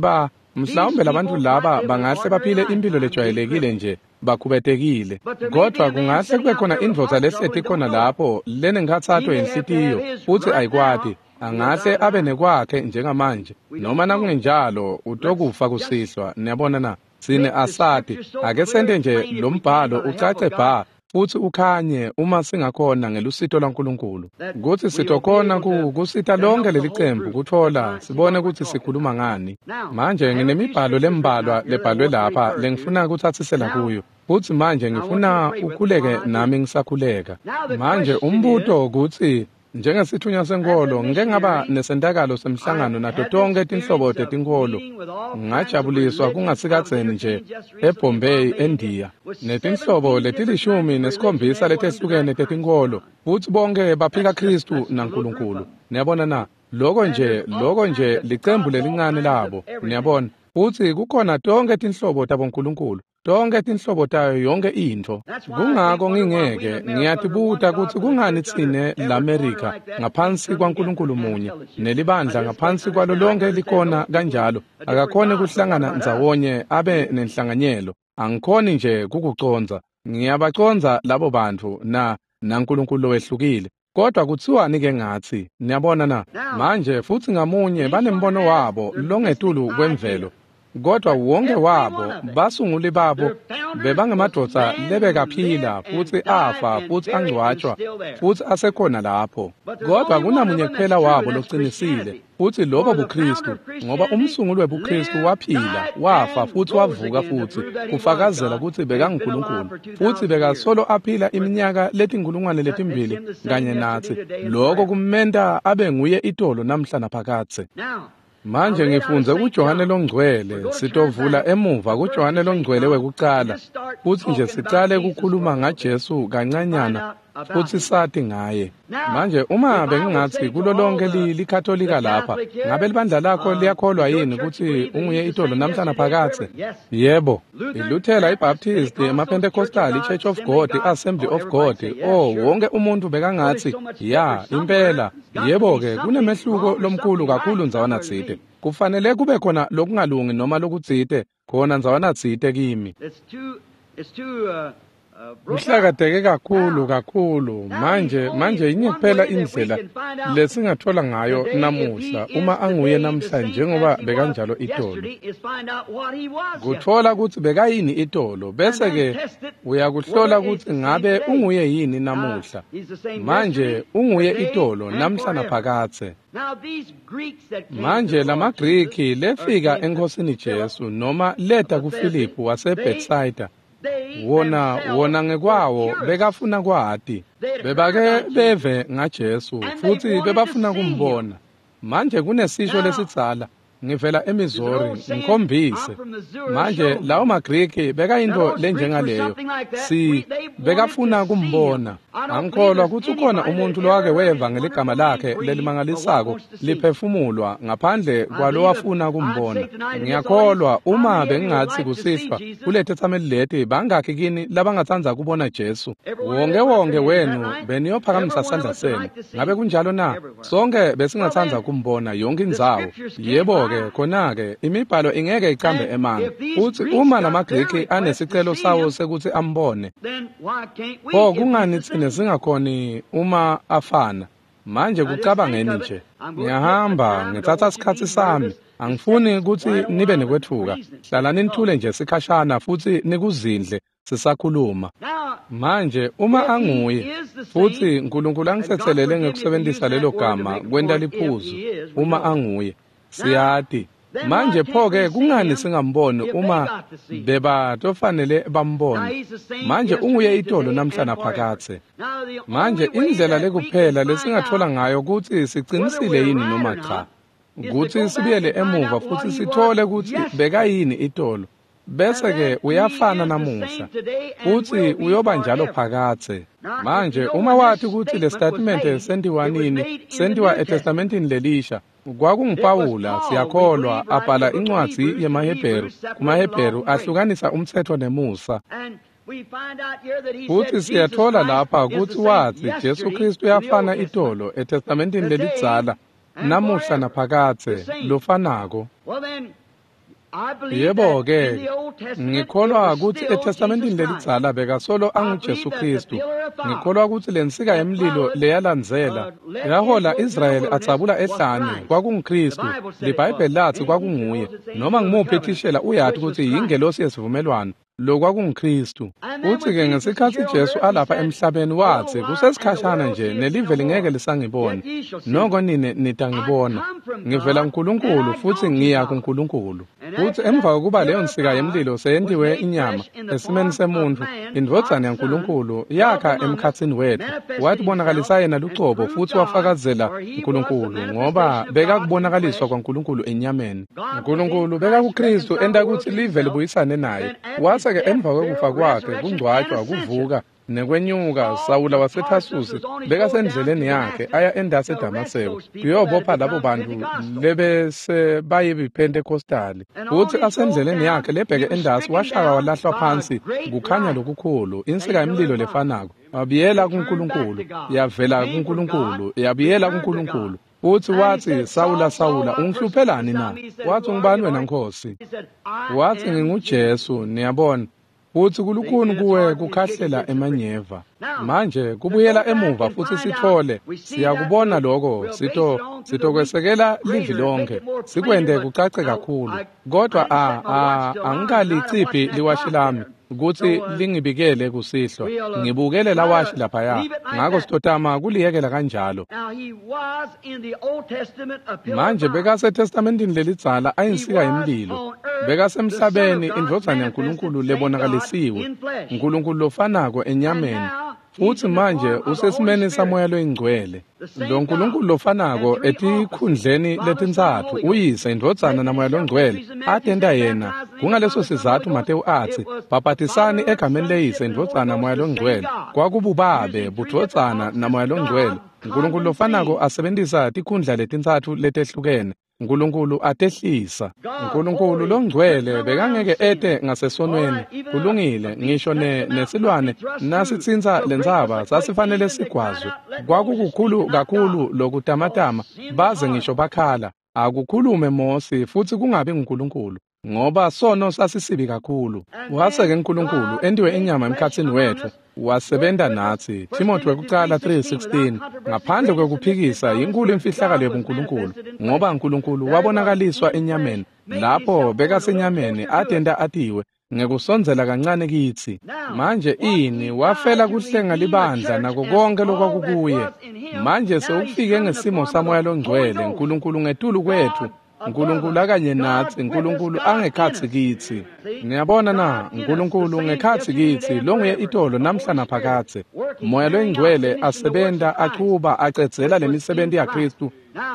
mhlawumbe labantfu laba bangahle baphile impilo lejwayelekile nje, bakhubatekile. Kodwa kungahle kube khona indvodza lehleti khona lapho lenenkhatsato yenhlitiyo, futsi ayikwati. Angahle abe nekwakhe njengamanje, noma nakungenjalo utokufa kusihlwa. Niyabona na? Tsine asati. Ake sente nje lo mbhalo ucace bha futsi ukhanye uma singakhona ngelusito lwaNkulunkulu, kutsi sitokhona kusita lonke lelicembu kutfola sibone kutsi sikhuluma ngani. Manje nginemibhalo lembalwa lebhalwe lapha lengifuna kutsatsisela kuyo, futsi manje ngifuna ukhuleke nami ngisakhuleka. Manje umbuto kutsi, njengesithunywa senkholo, ngike ngaba nesentakalo semhlangano nato tonkhe tinhlobo tetinkholo. Ngajabuliswa kungasikadzeni nje eBombay, eNdiya, netinhlobo leti-17 letehlukene tetinkholo, futsi bonke baphika Khristu naNkulunkulu. Niyabona na? Loko nje licembu lelincane labo. Niyabona? Futsi kukhona tonkhe tinhlobo tabonkulunkulu, tonkhe tinhlobo tayo yonke intfo. Kungako ngingeke ngiyatibuta kutsi kungani tsine l'Amerika ngaphansi kwaNkulunkulu munye nelibandla ngaphansi kwalo lonke likona kanjalo akakhoni kuhlangana ndzawonye abe nenhlanganyelo. Angikhoni nje kukucondza. Ngiyabacondza labo bantfu naNkulunkulu lowehlukile. Kodwa kuthiwani-ke ngathi, niyabona na? Manje futhi ngamunye banembono wabo longetulu kwemvelo. Kodwa wonke wabo basunguli babo bebangemadvodza lebekaphila futhi afa futhi angcwatshwa futhi asekhona lapho. Kodwa kunamunye kuphela wabo locinisile futhi lobo buKristu, ngoba umsunguli webuKristu waphila, wafa futhi wavuka futhi kufakazela ukuthi bekanguNkulunkulu futhi bekasolo aphila iminyaka letinkulungwane letimbili kanye nathi. Lokho kumenta abe nguye itolo namhla naphakadze. Manje ngifundze kuJohane loNgcwele, sitovula emuva kuJohane loNgcwele wekucala, futhi nje sicale kukhuluma ngaJesu kancanyana futhi sati ngaye. Manje uma bengingathi kulo lonke liKatolika lapha, ngabe libandla lakho liyakholwa yini ukuthi unguye itolo namhla naphakadze? Yebo. ILuthela, iBaptist, amaPentecostal, iChurch of God, iAssembly of God, oh wonke umuntu bekangathi ya impela. Yebo-ke kunemehluko lomkhulu kakhulu ndzawana tsite. Kufanele kube khona lokungalungi noma lokutsite khona ndzawana tsite kimi. Kuhlakateke kakhulu kakhulu. Manje yinye kuphela indlela lesingathola ngayo namuhla uma anguye namhla njengoba bekanjalo itolo. Kuthola ukuthi bekayini itolo bese ke uyakuhlola ukuthi ngabe unguye yini namuhla. Manje unguye itolo namhla naphakadze. Manje lamaGriki lefika eNkosini Jesu noma leta kuFilipu waseBethsaida, wona ngekwawo bekafuna kwati. Bebake beve ngaJesu futhi bebafuna kumbona. Manje kunesisho lesidzala, ngivela eMissouri, ngikhombise. Manje lawo maGriki bekayinto lenjengaleyo, si bekafuna kumbona. Angikholwa ukuthi ukhona umuntu lowake weva ngeligama lakhe lelimangalisako liphefumulwa ngaphandle kwalowafuna kumbona. Ngiyakholwa uma bengingathi kusihlwa kulethethameli leti bangakhi kini labangatsandza kubona Jesu. Wonke wonke wenu beniyophakamisa sandla senu. Ngabe kunjalo na? Sonke besingatsandza kumbona yonke indzawo. Yebo-ke khona-ke imibhalo ingeke icambe emanga. Futhi uma lamaGriki anesicelo sawo sekuthi ambone, pho kungani tsine singakhoni uma afana? Manje kucabangeni nje. Ngiyahamba ngitsatsa isikhatsi sami. Angifuni ukuthi nibe nekwethuka. Hlalani nithule nje sikhashana futhi nikuzindle sisakhuluma. Manje uma anguye futhi uNkulunkulu angisethelele ngekusebenzisa lelo gama kwenta liphuzu, uma anguye siyati. Manje pho-ke kungani singamboni uma bebatofanele bambone? Manje unguye itolo namhla naphakadze. Manje indlela lekuphela lesingathola ngayo ukuthi sicinisile yini noma cha, ukuthi sibuyele emuva futhi sithole ukuthi bekayini itolo, bese-ke uyafana namuhla futhi uyoba njalo phakadze. Manje uma wathi ukuthi le statement sentiwa nini, sentiwa eTestamentini lelisha, kwakunguPawula siyakholwa abhala incwadzi yemaHebheru, kumaHebheru ahlukanisa umthetho nemusa. Futhi siyathola lapha ukuthi wathi Jesu Kristu uyafana itolo eTestamentini lelidzala namuhla naphakadze lofanako. Yebo-ke, ngikholwa ukuthi eTestamentini lelidzala bekasolo anguJesu Kristu. Ngikholwa ukuthi lensika yemlilo leyalandzela yahola Israyeli atsabula ehlane kwakunguKristu. LiBhayibheli lathi kwakunguye. Noma ngimuphi thishela uyati ukuthi yingelosi yesivumelwano, lo kwakunguKristu. Futhi-ke ngesikhathi Jesu alapha emhlabeni wathi kusesikhashana nje nelive lingeke lisangibona, noko nine nitangibona. Ngivela kuNkulunkulu futhi ngiya kuNkulunkulu. Futhi emva kokuba leyo nsika yemlilo seyentiwe inyama esimeni semuntu, indvodzana yaNkulunkulu yakha emkhatsini wethu, watibonakalisa yena lucobo futhi wafakazela uNkulunkulu, ngoba bekakubonakaliswa kwaNkulunkulu enyameni. uNkulunkulu bekakuKristu enta ukuthi live libuyisane naye. Wase-ke emva kwekufa kwakhe, kungcwatshwa, kuvuka nekwenyuka, Sawula waseThasusi bekasendleleni yakhe aya endasi eDamaseko kuyobopha labo bantu lebese bayiPentecostali. Futhi asendleleni yakhe lebheke endasi washaka walahlwa phansi kukhanya lokukhulu, insika yemlilo lefanako. Wabuyela kuNkulunkulu, yavela kuNkulunkulu, yabuyela kuNkulunkulu. Futhi wathi, Sawula, Sawula, ungihluphelani na? Wathi, ungubani wena Nkosi? Wathi, nginguJesu, niyabona. Futsi kulukhuni kuwe kukhahlela emanyeva. Manje kubuyela emuva futsi sithole, siyakubona lokho, sitokwesekela livi lonke, sikwente kucace kakhulu. Kodwa angikaliciphi liwashi lami kutsi lingibikele kusihlwa. Ngibukele lawashi laphaya, ngako sitotama kuliyekela kanjalo. Manje bekaseTestamentini lelidzala ayinsika yemlilo. Bekasemhlabeni indvodzana yaNkulunkulu lebonakalisiwe, Nkulunkulu lofanako enyameni. Futsi manje usesimeni saMoya loyiNgcwele. Lo Nkulunkulu lofanako etikhundleni letintsatfu, uYise, iNdvodzana naMoya loNgcwele, atenta yena. Kungaleso sizatfu Matewu atsi, bhabhatisani egameni leYise, iNdvodzana naMoya loNgcwele. Kwakububabe, buDvodzana naMoya loNgcwele. Nkulunkulu lofanako asebentisa tikhundla letintsatfu letehlukene. Nkulunkulu atehlisa. Nkulunkulu longcwele bekangeke ete ngasesonweni. Kulungile, ngisho nesilwane nasitsintsa lentsaba sasifanele sigwazwe. Kwakukukhulu kakhulu lokutamatama baze ngisho bakhala. Akukhulume Mosi futsi kungabi nguNkulunkulu, ngoba sono sasisibi kakhulu. Wase-ke Nkulunkulu entiwe inyama emkhatsini wetfu, wasebenta natsi. Timothy wekucala 3:16. Ngaphandle kwekuphikisa inkulu imfihlakalo yebuNkulunkulu, ngoba Nkulunkulu wabonakaliswa enyameni. Lapho bekasenyameni atenta atiwe ngekusondzela kancane kitsi. Manje ini wafela kuhlenga libandla nako konke lokwakukuye. Manje sewufike ngesimo saMoya loNgcwele, Nkulunkulu ngetulu kwetfu, Nkulunkulu akanye natsi, Nkulunkulu angekhatsi kitsi. Niyabona na, Nkulunkulu ngekhatsi kitsi, longuye itolo namhla naphakadze. Moya loyiNgcwele asebenta achuba acedzela lemisebenti yaKhristu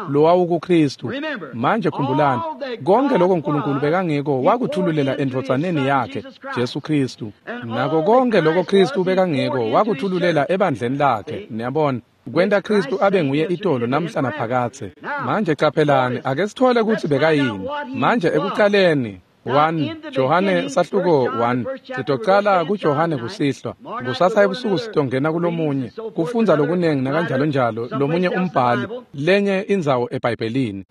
lowawukuKhristu. Manje khumbulani, konke lokho Nkulunkulu bekangiko wakuthululela endvodzaneni yakhe Jesu Khristu. Nako konke lokho Khristu bekangiko wakuthululela ebandleni lakhe. Niyabona, kwenta Khristu abe nguye itolo namhla naphakadze. Manje caphelani, ake sithole kutsi bekayini. Manje ekucaleni 1 Johane sahluko 1, sitocala kuJohane kusihlwa. Kusasa ebusuku sitongena kulomunye, kufundza lokunengi nakanjalo njalo, lomunye umbhali, lenye indzawo eBhayibhelini.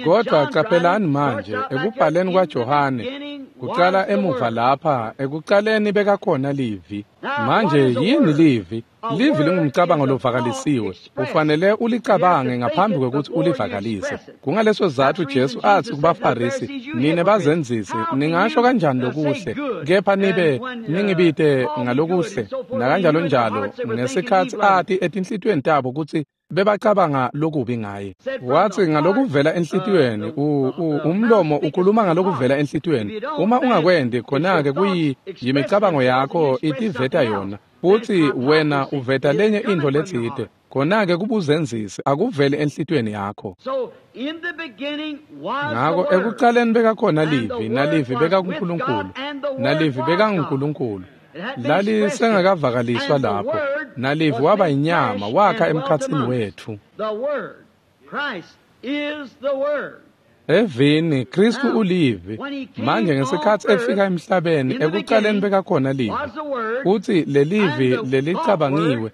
Kodwa caphelani manje, ekubhaleni kwaJohane, kucala emuva lapha, ekucaleni bekakhona livi. Manje yini livi? Livi lingumcabango lovakalisiwe. Ufanele ulicabange ngaphambi kwekutsi ulivakalise. Kungaleso sizatfu Jesu atsi kubaFarisi, nine bazenzisi, ningasho kanjani lokuhle, kepha nibe ningibite ngalokuhle, nakanjalo njalo, ngesikhatsi ati etinhlitiyweni tabo kutsi bebacabanga lokubi ngaye. Watsi ngalokuvela enhlitiyweni, umlomo ukhuluma ngalokuvela enhlitiyweni. Uma ungakwenti, khona-ke kuyimicabango yakho itiveta yona. Futsi wena uveta lenye intfo letsite, khona-ke kubuzenzisi, akuveli enhlitiyweni yakho. Ngako ekucaleni bekakhona livi, nalivi bekakuNkulunkulu, nalivi bekanguNkulunkulu. Lalisengakavakaliswa lapho, nalivi waba inyama, wakha emkhatsini wetfu. Evini, Khristu ulivi. Manje ngesikhatsi efika emhlabeni, ekucaleni bekakhona livi. Futsi lelivi lelicabangiwe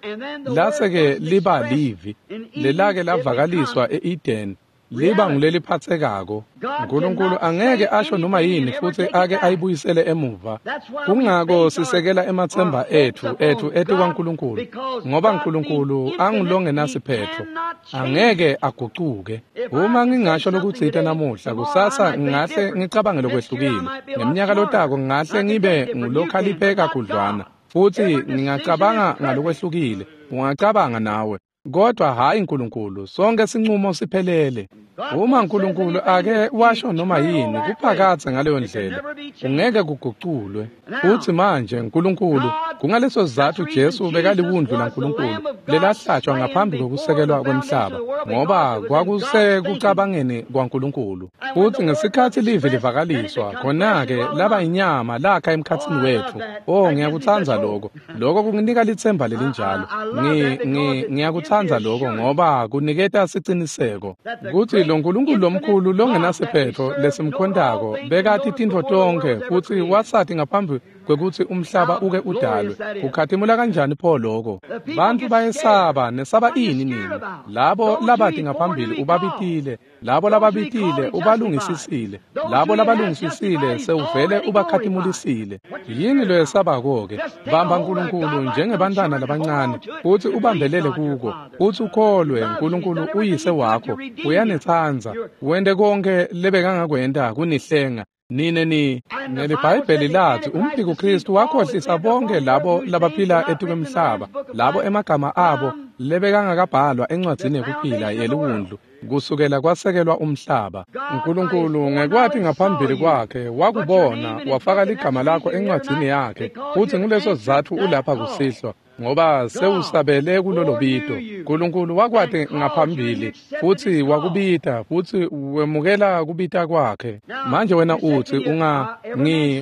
lase-ke liba livi, lelake lavakaliswa e-Eden, liba nguleliphathekako. Nkulunkulu angeke asho noma yini futsi ake ayibuyisele emuva. Kungako sisekela ematsemba etfu etikwaNkulunkulu, ngoba Nkulunkulu angulongenasiphetho, angeke agucuke. Uma ngingasho lokutsite namuhla, kusasa ngingahle ngicabange lokwehlukile. Ngemnyaka lotako ngingahle ngibe ngulokhaliphe kakhudlwana, futsi ngingacabanga ngalokwehlukile. Ungacabanga nawe. Kodwa hhayi Nkulunkulu, sonke sinqumo siphelele. Uma Nkulunkulu ake washo noma yini, kuphakatse ngaleyo ndlela, kungeke kuguculwe. Futsi manje Nkulunkulu, kungaleso sizatfu Jesu bekaliwundlu laNkulunkulu lelahlatshwa ngaphambi kokusekelwa kwemhlaba, ngoba kwakusekucabangeni kwaNkulunkulu. Futsi ngesikhatsi livi livakaliswa, khona-ke laba inyama lakha emkhatsini wetfu. Oh, ngiyakutsandza lokho. Lokho kunginika litsemba lelinjalo. Ngiyakutsandza lokho ngoba kuniketa siciniseko kutsi lo Nkulunkulu lomkhulu longenasiphetho lesimkhontako bekati tintfo tonkhe futsi wasati ngaphambi kwekutsi umhlaba uke udalwe. Kukhatimula kanjani pho lokho? Bantfu bayesaba, nesaba ini nini? Labo labati ngaphambili ubabitile, labo lababitile ubalungisisile, labo labalungisisile sewuvele ubakhatimulisile. Yini loyesabako-ke? Bamba Nkulunkulu njengebantwana labancane, futsi ubambelele kuko, futsi ukholwe Nkulunkulu uyise wakho, uyanitsandza, wente konke lebekangakwenta kunihlenga. Nine ni neliBhayibheli lathi umphikuKristu wakhohlisa bonke labo labaphila etikwemhlaba, labo emagama abo lebekangakabhalwa encwadzini yekuphila yeliwundlu kusukela kwasekelwa umhlaba. Nkulunkulu ngekwati ngaphambili kwakhe wakubona, wafaka ligama lakho encwadzini yakhe, futsi nguleso sizatfu ulapha kusihlwa, ngoba sewusabele kulolo bito. Nkulunkulu wakwati ngaphambili futsi wakubita, futsi wemukela kubita kwakhe. Manje wena utsi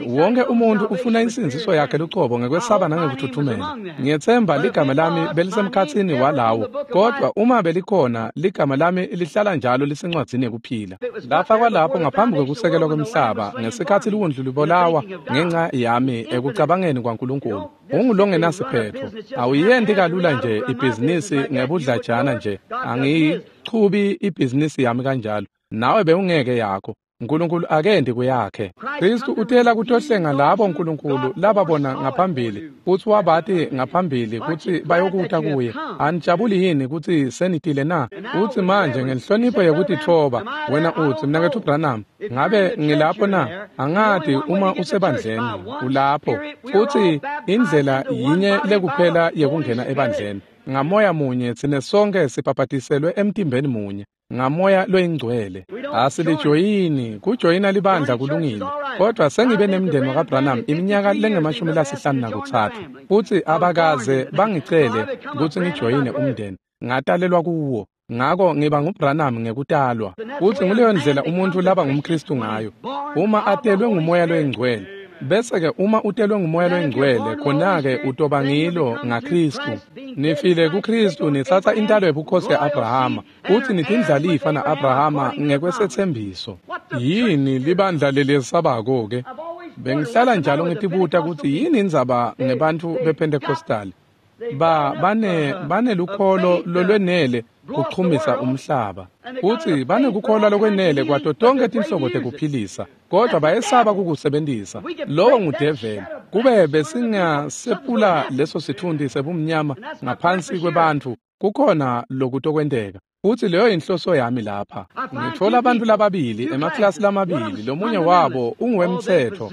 wonke umuntu ufuna insindziso yakhe lucobo ngekwesaba nangekuthuthumela. Ngiyetsemba ligama lami belisemkhatsini walawo, kodwa uma belikhona ligama lami lihlala njalo lisencwadzini yekuphila. Lafakwa lapho ngaphambi kwekusekelwa kwemhlaba, ngesikhatsi liwundlu libolawa ngenca yami ekucabangeni kwaNkulunkulu. Ungulongenasiphetho. Awuyenti kalula nje ibhizinisi ngebudlajana nje. Angiyichubi ibhizinisi yami kanjalo. Nawe bewungeke yakho. Nkulunkulu akendi kuyakhe. Kristu utela kutohlenga labo Nkulunkulu lababona ngaphambili, futsi wabati ngaphambili kutsi bayokuta kuye. Anijabuli yini kutsi senitile na? Utsi manje ngenhlonipho yekutitfoba, wena utsi, Mnaketfu Branham, ngabe ngilapho na? Angati uma usebandleni, ulapho. Futsi indlela yinye lekuphela yekungena ebandleni. Ngamoya munye tsine sonke sibhabhatiselwe emtimbeni munye. Ngamoya loyingcwele. Asilijoyini, kujoyina libandla kulungile. Kodwa sengibe nemndeni wakaBranham iminyaka lengu-53, futsi abakaze bangicele kutsi ngijoyine umndeni. Ngatalelwa kuwo. Ngako ngiba nguBranham ngekutalwa. Futsi nguleyo ndlela umuntu laba ngumKristu ngayo. Uma atelwe ngumoya loyingcwele. Bese-ke uma utelwe ngumoya loyingcwele, khona-ke utoba ngilo ngaKristu. Nifile kuKristu, nitsatsa intalo yebukhosi ya-Abrahama, futsi nitindlalifa na-Abrahama ngekwesethembiso. Yini libandla lelesabako-ke? Bengihlala njalo ngitibuta kutsi yini indzaba ngebantfu bePentecostal. Banelukholo lolwenele kuchumisa umhlaba, futsi banekukholwa lokwenele kwato tonke tinhlobo tekuphilisa, kodwa bayesaba kukusebentisa. Lowo ngudeveli. Kube besingasephula leso sitfunti sebumnyama ngaphansi kwebantfu, kukhona lokutokwenteka. Futsi leyo inhloso yami lapha. Ngitfola abantu lababili emaklasi lamabili, lomunye wabo unguwemtsetfo.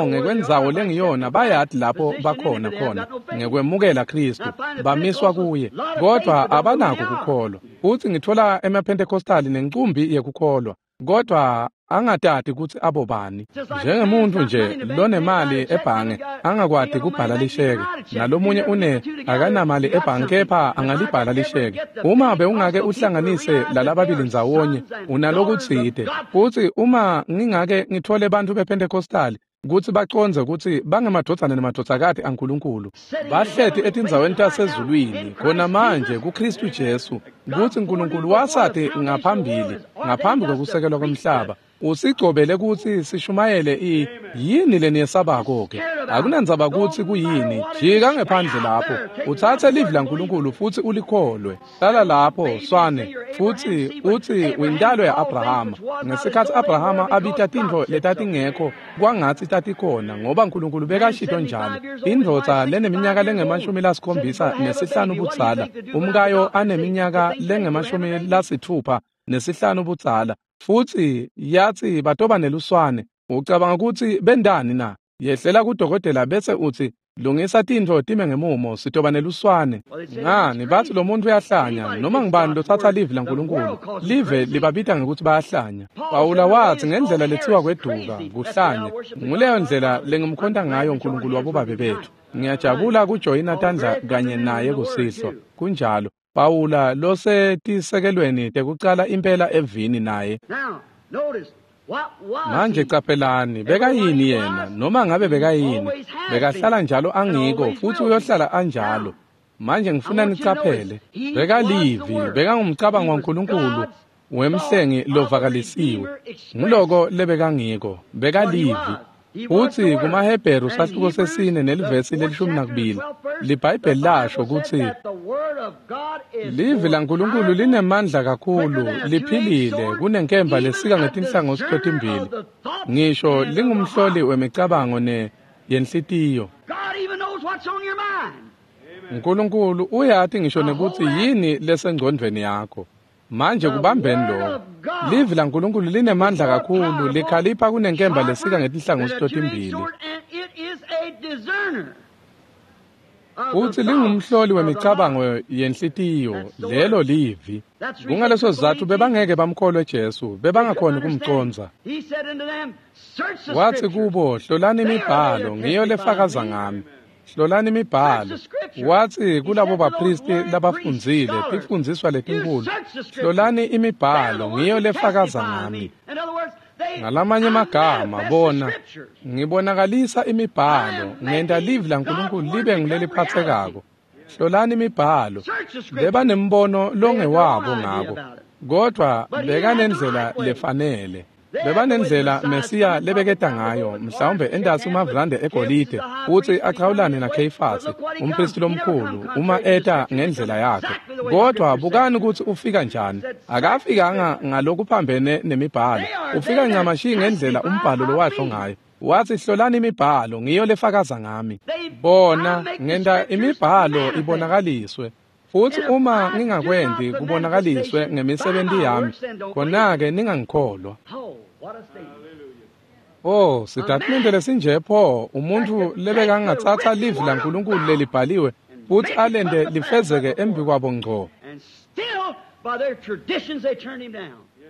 Ngekwendzawo lengiyona bayati lapho bakhona khona ngekwemukela Kristu, bamiswa kuye, kodwa abanako kukholwa. Futsi ngitfola emaPentecostali nencumbi yekukholwa, kodwa angatati kutsi abobani. Njengemuntu nje lonemali ebhange angakwati kubhala lisheke, nalomunye akanamali ebhange kepha angalibhala lisheke. Uma bewungake uhlanganise lalababili ndzawonye, unalokutsite. Futsi uma ngingake ngitfole bantfu bePentecostali kutsi bacondze kutsi bangemadvodzana nemadvodzakati aNkulunkulu, bahleti etindzaweni tasezulwini khona manje kuKristu Jesu, kutsi Nkulunkulu wasati ngaphambili ngaphambi kwekusekelwa kwemhlaba, usigcobele kutsi sishumayele yini leniyesabako-ke? Akunandzaba kutsi kuyini, jika ngephandle lapho, utsatse livi laNkulunkulu futsi ulikholwe. Hlala lapho, swane, futsi utsi uyintalo ya-Abrahama. Ngesikhatsi Abrahama abita tintfo letatingekho kwangatsi tatikhona, ngoba Nkulunkulu bekashito njalo. Indvodza leneminyaka lengu-75 budzala, umkayo aneminyaka lengu-65 budzala, futsi yatsi batoba neluswane. Ucabanga kutsi bendani na? Yehlela kudokotela bese utsi, lungisa tintfo time ngemumo, sitoba neluswane. Ngani batsi lo muntu uyahlanya, noma ngubani lotsatsa livi laNkulunkulu, live libabita ngekutsi bayahlanya. Pawula watsi ngendlela letsiwa kweduka, kuhlanya. Nguleyo ndlela lengimkhonta ngayo Nkulunkulu wabobabe bethu. Ngiyajabula kujoyina tandla kanye naye kusihlwa. Kunjalo. Pawula losetisekelweni tekucala impela evini naye. Manje caphelani, bekayini yena? Noma ngabe bekayini, bekahlala njalo angiko, futsi uyohlala anjalo. Manje ngifuna nicaphele, bekalivi, bekangumcabango waNkulunkulu wemhlengi lovakalisiwe. Nguloko lebekangiko, bekalivi. Futsi kumaHebheru sahluko sesine nelivesi leli-12 liBhayibheli lasho kutsi livi laNkulunkulu linemandla kakhulu, liphilile kunenkemba lesika ngetinhlangothi totimbili, ngisho lingumhloli wemicabango yenhlitiyo. Nkulunkulu uyati ngisho nekutsi yini lesengcondvweni yakho. Manje kubambeni lokho. Livi laNkulunkulu linemandla kakhulu, likhalipha kunenkemba lesika ngetinhlangothi totimbili. Futsi lingumhloli wemicabango yenhlitiyo, lelo livi. Kungaleso sizatfu bebangeke bamkholwe Jesu, bebangakhoni kumcondza. Watsi kubo, hlolani imibhalo, ngiyo lefakaza ngami. Hlolani imibhalo. Watsi kulabo bapristi labafundzile, tifundziswa letinkulu, hlolani imibhalo, ngiyo lefakaza ngami. Ngalamanye amagama, bona, ngibonakalisa imibhalo, ngenta livi laNkulunkulu libe nguleliphathekako. Hlolani imibhalo. Bebanembono longewabo ngako, kodvwa bekanendlela lefanele. Bebanendlela Mesiya lebeketa ngayo, mhlawumbe entasi umavrande egolide, futsi achawulane naKheyifasi, umpristi lomkhulu, uma eta ngendlela yakhe. Kodwa bukani kutsi ufika njani. Akafikanga ngalokuphambene nemibhalo. Ufika ncamashi ngendlela umbhalo lowasho ngayo. Watsi hlolani imibhalo, ngiyo lefakaza ngami. Bona, ngenta imibhalo ibonakaliswe. Futsi uma ngingakwenti kubonakaliswe ngemisebenti yami, khona-ke ningangikholwa. Oh, sitatimende lesinje pho, umuntfu lebekangatsatsa livi laNkulunkulu lelibhaliwe futsi alente lifezeke embikwabo ngco.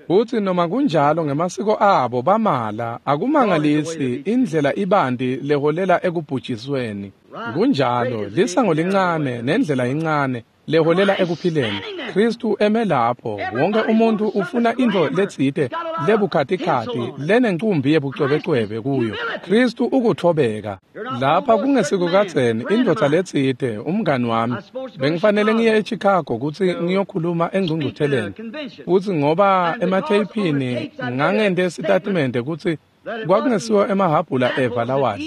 Futsi noma kunjalo ngemasiko abo bamala, akumangalisi indlela ibanti leholela ekubhujisweni. Kunjalo, lisango lincane nendlela incane leholela ekuphileni. Kristu eme lapho, wonke umuntu ufuna intfo letsite lebukhatikhathi lenencumbi yebucwebecwebe kuyo. Kristu ukuthobeka. Lapha kungesikukadzeni indvodza letsite, umngani wami, bengifanele ngiye eChicago kutsi ngiyokhuluma engcungcutheleni. Futsi ngoba ematheyiphini ngangente sitatimende kutsi kwakungesiwo emahhabhula eva lawadla.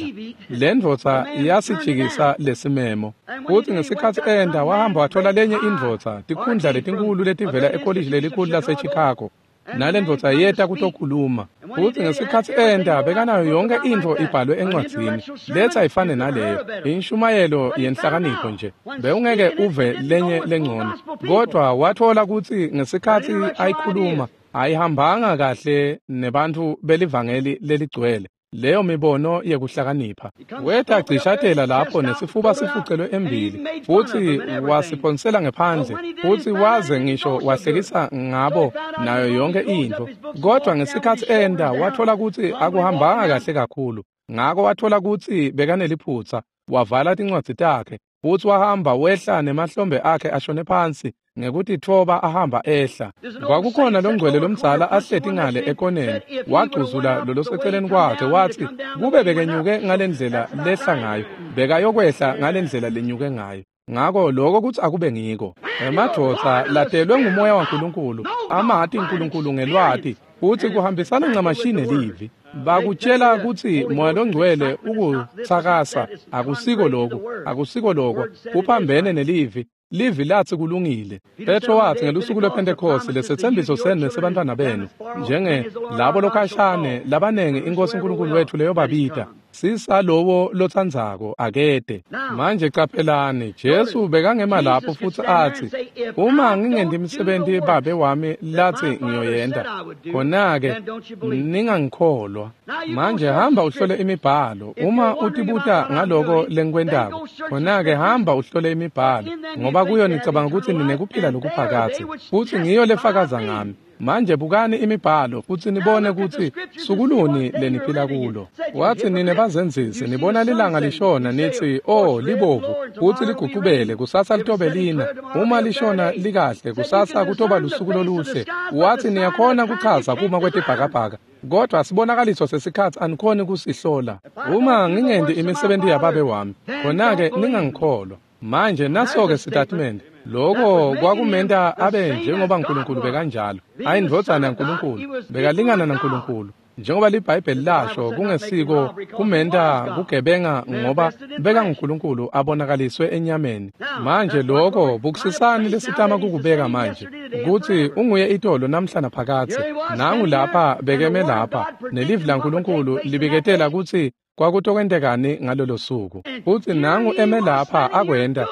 Le ndvodza yasijikisa lesimemo. Futsi ngesikhatsi enda wahamba wathola lenye indvodza, tikhundla letinkulu letivela ekolishi lelikhulu laseChicago. Nale ndvodza yeta kutokhuluma. Futsi ngesikhatsi enda bekanayo yonke intfo ibhalwe encwadzini. Letsi ayifane naleyo. Inshumayelo yenhlakanipho nje. Bewungeke uve lenye lengcono. Kodwa wathola kutsi ngesikhatsi ayikhuluma, ayihambanga kahle nebantfu belivangeli leligcwele. Leyo mibono yekuhlakanipha. Weta cishatela lapho nesifuba sifucelwe embili, futsi wasiphonsela ngephandle, futsi waze ngisho wahlekisa ngabo nayo yonke intfo. Kodwa ngesikhatsi enda wathola kutsi akuhambanga kahle kakhulu. Ngako wathola kutsi bekaneliphutsa, wavala tincwadzi takhe, futsi wahamba wehla nemahlombe akhe ashone phansi, ngekutitfoba ahamba ehla. Kwakukhona longcwele lomdzala ahleti ngale ekoneni, wagcuzula loloseceleni kwakhe watsi kube bekenyuke ngalendlela lehla ngayo, bekayokwehla ngalendlela lenyuke ngayo. Ngako lokho kutsi akube ngiko. Emadvodza latelwe ngumoya waNkulunkulu, amati uNkulunkulu ngelwati, futsi kuhambisana ncamashi nelivi. Bakutshela kutsi moya longcwele ukutsakasa, akusiko lokho, akusiko lokho, kuphambene nelivi. Livi latsi kulungile. Petro watsi ngelusuku lwePhentekhosti lesetsembiso senu nesebantfwana benu, njenge labo lokhashane labanengi iNkosi uNkulunkulu wethu leyobabita, sisalowo lotsandzako akede. Manje caphelani, Jesu bekangema lapho futsi atsi, uma ngingenti imisebenti Babe wami latsi ngiyoyenta, khona-ke ningangikholwa. Manje hamba uhlole imibhalo. Uma utibuta ngaloko lengikwentako, khona-ke hamba uhlole imibhalo, ngoba kuyo nicabanga kutsi ninekuphila lokuphakadze, futsi ngiyo lefakaza ngami. Manje bukani imibhalo futsi nibone kutsi sukuluni leniphila kulo. Watsi nine bazenzisi, nibona lilanga lishona nitsi, oh libovu, futsi ligucubele, kusasa litobe lina. Uma lishona likahle, kusasa kutoba lusuku loluhle. Watsi niyakhona kuchaza kuma kwetibhakabhaka, kodwa sibonakaliso sesikhatsi anikhoni kusihlola. Uma ngingenti imisebenti yaBabe wami, khona-ke ningangikholwa. Manje naso-ke sitatimende. Lokho kwakumenta abe njengoba uNkulunkulu bekanjalo. Ayindvodzana yaNkulunkulu, bekalingana naNkulunkulu. Njengoba liBhayibheli lasho, kungesiko kumenta kugebenga ngoba beka nguNkulunkulu abonakaliswe enyameni. Manje lokho bukusisani lesitama kukubeka manje, ukuthi unguye itolo namhla naphakadze. Nangu lapha bekeme lapha, nelivi laNkulunkulu libiketela ukuthi kwakutokwentekani ngalolo suku. Futhi nangu eme lapha akwenda,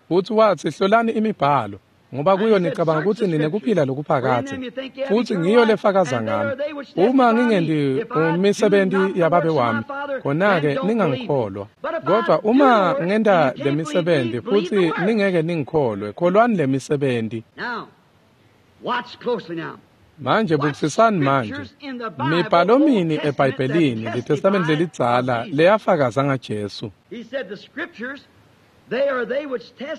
futhi wathi hlolani imibhalo, ngoba kuyo nicabanga ukuthi ninekuphila lokuphakadze, futhi ngiyo lefakaza ngami. Uma ngingendi umisebenti yababe wami, khona-ke ningangikholwa. Kodwa uma ngenta le misebenti futhi ningeke ningikholwe, kholwani le misebenti. Manje bukisisani manje, mibhalo mini eBhayibhelini, liTestamente lelidzala leyafakaza ngaJesu.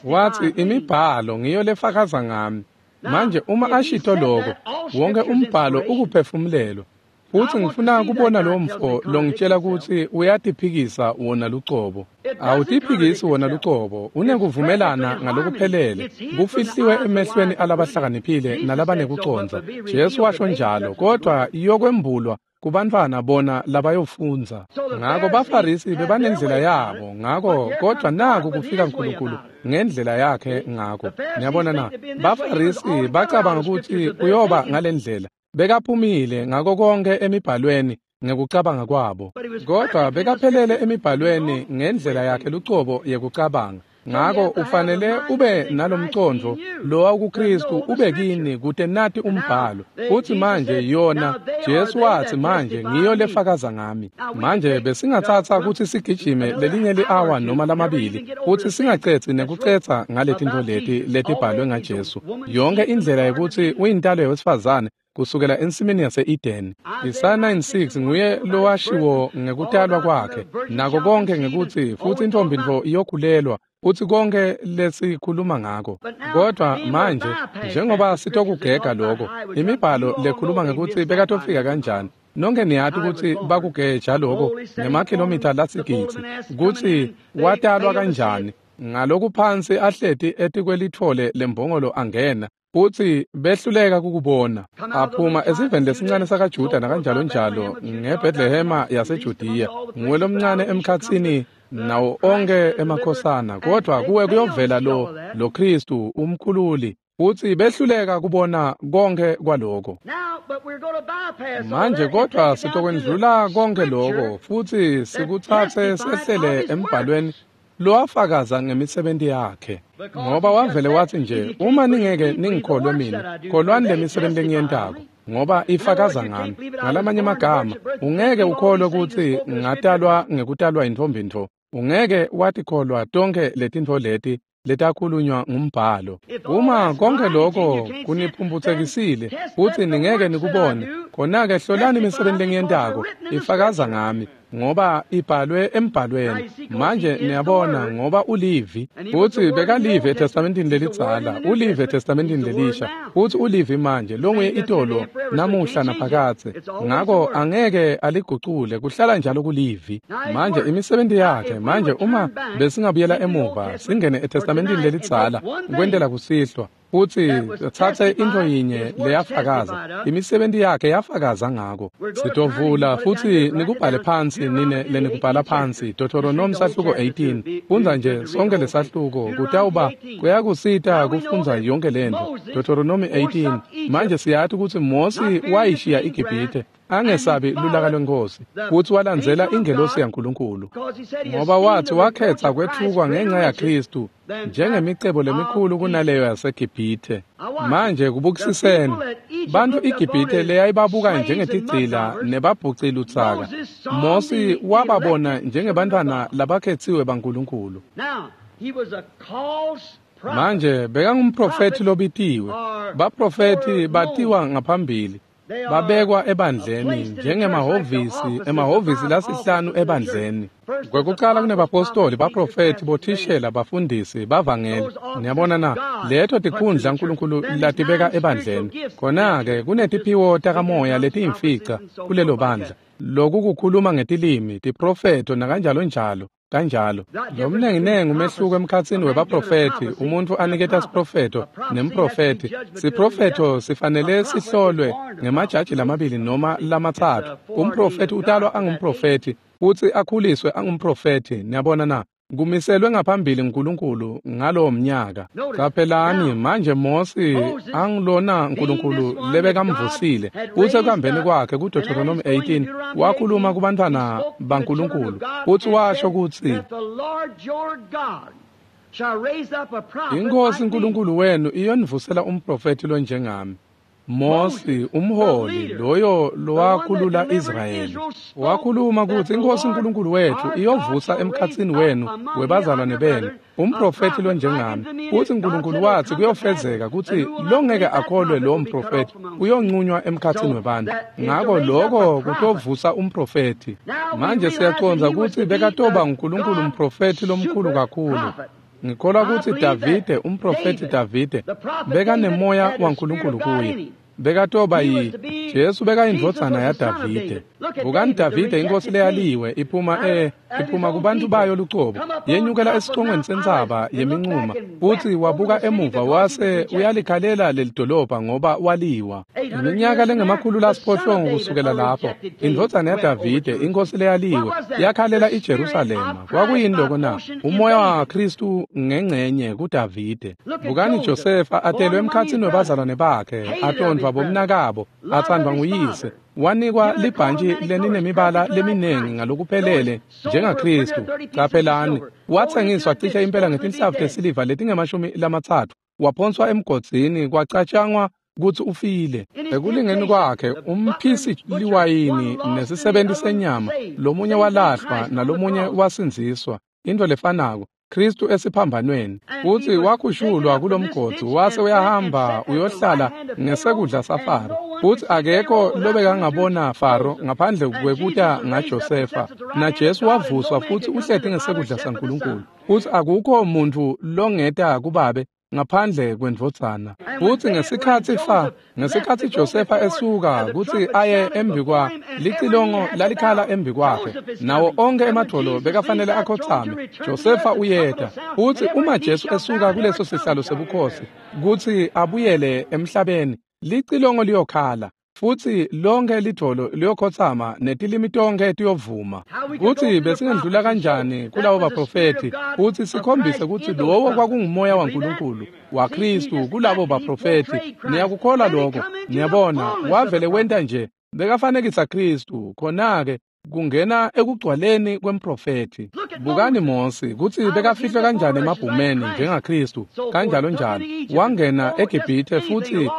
Wathi imibhalo ngiyo lefakaza ngami. Manje uma ashito lokho, wonke umbhalo ukuphefumulelwa. Futhi ngifuna kubona lo mfo longitshela ukuthi uyatiphikisa wona lucobo. Awutiphikisi wona lucobo, unekuvumelana ngalokuphelele. Kufihliwe emehlweni alabahlakaniphile nalabanekucondza. Jesu washo njalo, kodwa iyokwembulwa kubantwana bona labayofundza. Ngako baFarisi bebanendlela yabo, ngako kodwa naku kufika uNkulunkulu ngendlela yakhe ngako. Niyabona na, baFarisi bacabanga ukuthi kuyoba ngalendlela. Bekaphumile ngako konke emibhalweni ngekucabanga kwabo, kodwa bekaphelele emibhalweni ngendlela yakhe lucobo yekucabanga. Ngako ufanele ube nalomcondvo lowa kuKristu ube kini kute nati umbhalo. Uthi manje yona, Jesu wathi manje ngiyo lefakaza ngami. Manje besingatsatsa ukuthi sigijime lelinye li-awa noma lamabili, futhi singacetsi nekucetsa ngaletintfo leti letibhalwe ngaJesu. Yonke indlela yokuthi uyintalo yewesifazane kusukela ensimini yase-Eden. Isaya 9:6 nguye lowashiwo ngekutalwa kwakhe, nako konke ngekuthi futhi intombi ntfo iyokhulelwa, futhi konke lesikhuluma ngako. Kodwa manje njengoba sitokugega lokho, imibhalo lekhuluma ngekuthi bekatofika kanjani, nonke niyati ukuthi bakugeja lokho ngemakhilomitha lasigidzi, kutsi watalwa kanjani, ngalokuphansi ahleti etikwelitfole lembongolo angena, futhi behluleka kukubona. Aphuma esiveni lesincane sakaJuda nakanjalo njalo ngeBethlehema yaseJudiya, nguwe lomncane emkhatsini nawo onke emakhosana, kodwa kuwe kuyovela lo Kristu umkhululi, futhi behluleka kubona konke kwaloko. Manje kodwa sitokwendlula konke lokho futhi sikutsatse sehlele embhalweni lowafakaza ngemisebenti yakhe. Ngoba wavele wathi nje, uma ningeke ningikholwe mina, kholwani le misebenzi lengiyentako, ngoba ifakaza ngami. Ngalamanye amagama, ungeke ukholwe ukuthi ngatalwa ngekutalwa yintfombi ntfo. Ungeke watikholwa tonke letintfo leti letakhulunywa ngumbhalo. Uma konke lokho kuniphumphutsekisile futhi ningeke nikubone, khona-ke hlolani imisebenzi lengiyentako, ifakaza ngami, ngoba ibhalwe embhalweni. Manje niyabona, ngoba ulivi, futhi bekalivi eTestamentini lelidzala, ulivi eTestamentini lelisha, futhi ulivi manje longuye itolo namuhla naphakadze. Ngako angeke aligucule, kuhlala njalo kulivi. Manje imisebenzi yakhe, manje uma besingabuyela emuva singene eTestamentini lelidzala kwentela kusihlwa, futhi thathe into yinye leyafakaza, imisebenzi yakhe yafakaza ngako. Sitovula futhi nikubhale phansi nine lenikubhala phansi, Deuteronomy sahluko 18. Fundza nje sonke lesahluko, kutawuba kuyakusita kufundza yonke lento. Deuteronomy 18. Manje siyati ukuthi Mosi wayishiya iGibhithe angesabi lulaka lwenkosi, futhi walandzela ingelosi yaNkulunkulu, ngoba wathi wakhetha kwethukwa ngenxa yaKristu njengemicebo lemikhulu kunaleyo yaseGibhithe. Manje kubukisiseni, bantu iGibhithe leyayibabuka njengetigcila nebabhucilutsaka, Mosi wababona njengebantwana labakhetsiwe baNkulunkulu. Manje bekangumprofethi lobitiwe. Baprofethi batiwa ngaphambili, babekwa ebandleni njengemahhovisi, emahhovisi lasihlanu ebandleni. Kwekucala kunebapostoli, baprofethi, bothishela, bafundisi, bavangeli. Niyabona na, leto tikhundla uNkulunkulu latibeka ebandleni. Khona-ke kunetiphiwo takamoya letiyimfica kulelo bandla. Loku kukhuluma ngetilimi, tiprofetho nakanjalo njalo. Kanjalo lomnenginengi umehluko emkhatsini webaprofethi, umuntu aniketa siprofetho nemprofethi. Siprofetho sifanele sihlolwe ngemajaji lamabili noma lamatsatfu. Umprofethi utalwa angumprofethi futsi akhuliswe angumprofethi. Niyabona na? Kumiselwe ngaphambili uNkulunkulu ngalowo mnyaka. Qaphelani manje Mosi angilona uNkulunkulu lebekamvusile. Futsi ekuhambeni kwakhe kuDeuteronomy 18 wakhuluma kubantwana baNkulunkulu futsi washo kutsi iNkosi uNkulunkulu wenu iyonivusela umprofethi lonjengami. Mosi umholi loyo lowakhulula Israyeli wakhuluma kutsi iNkosi uNkulunkulu wethu iyovusa emkhatsini wenu webazalwane benu umprofethi lonjengami. Futsi uNkulunkulu wathi kuyofezeka kutsi longeke akholwe lo mprofethi uyonqunywa emkhatsini webantu. Ngako lokho kutovusa umprofethi. Manje siyacondza kutsi bekatoba uNkulunkulu umprofethi lomkhulu kakhulu. Ngikholwa kutsi Davide, umprofethi Davide, bekanemoya waNkulunkulu kuye. Bekatoba yi Jesu bekayindvodzana yaDavide. Bukani Davide inkosi leyaliwe iphuma kubantu bayo lucobo, yenyukela esicongweni sentsaba yeminquma, futsi wabuka emuva wase uyalikhalela lelidolobha ngoba waliwa. Iminyaka lengama-800 kusukela lapho, indvodzana yaDavide inkosi leyaliwe yakhalela iJerusalema. Kwakuyini lokho na? Umoya waKristu ngengcenye kuDavide. Bukani Josefa atelwe emkhatsini webazalwane bakhe, atondvwa bomnakabo, athandwa nguyise, wanikwa libhantshi lelinemibala leminingi ngalokuphelele njengaKristu. Qaphelani, wathengiswa cishe impela ngetinhlavu tesiliva letingama-30, waphonswa emgodzini, kwacatshangwa kutsi ufile. Ekulingeni kwakhe umphisi liwayini nesisebenti senyama, lomunye walahlwa nalomunye wasindziswa. Into lefanako Kristu esiphambanweni, futsi wakhushulwa kulomgodzi wase uyahamba uyohlala ngesekudla saFaro. Futsi akekho lobekangabona Faro ngaphandle kwekuta ngaJosefa. Na Jesu wavuswa futsi uhleti ngesekudla saNkulunkulu. Futsi akukho muntfu longeta kubabe ngaphandle kwendvodzana. Futsi ngesikhatsi Josefa esuka kutsi aye embikwa licilongo lalikhala embikwakhe, nawo onke emadvolo bekafanele akhotsame. Josefa uyeta. Futsi uma Jesu esuka kuleso sihlalo sebukhosi kutsi abuyele emhlabeni, licilongo liyokhala, futsi lonke lidvolo liyokhotsama netilimi tonkhe tiyovuma. Kutsi besingendlula kanjani kulabo baprofethi futsi sikhombise kutsi lowo kwakungumoya waNkulunkulu waKristu kulabo baprofethi. Niyakukholwa lokho? Niyabona, wavele wenta nje bekafanekisa Kristu. Khona-ke kungena ekugcwaleni kwemprofethi. Bukani Mosi kutsi bekafihlwe kanjani emabhumeni njengaKristu, kanjalo njalo. Wangena eGibhithe futsi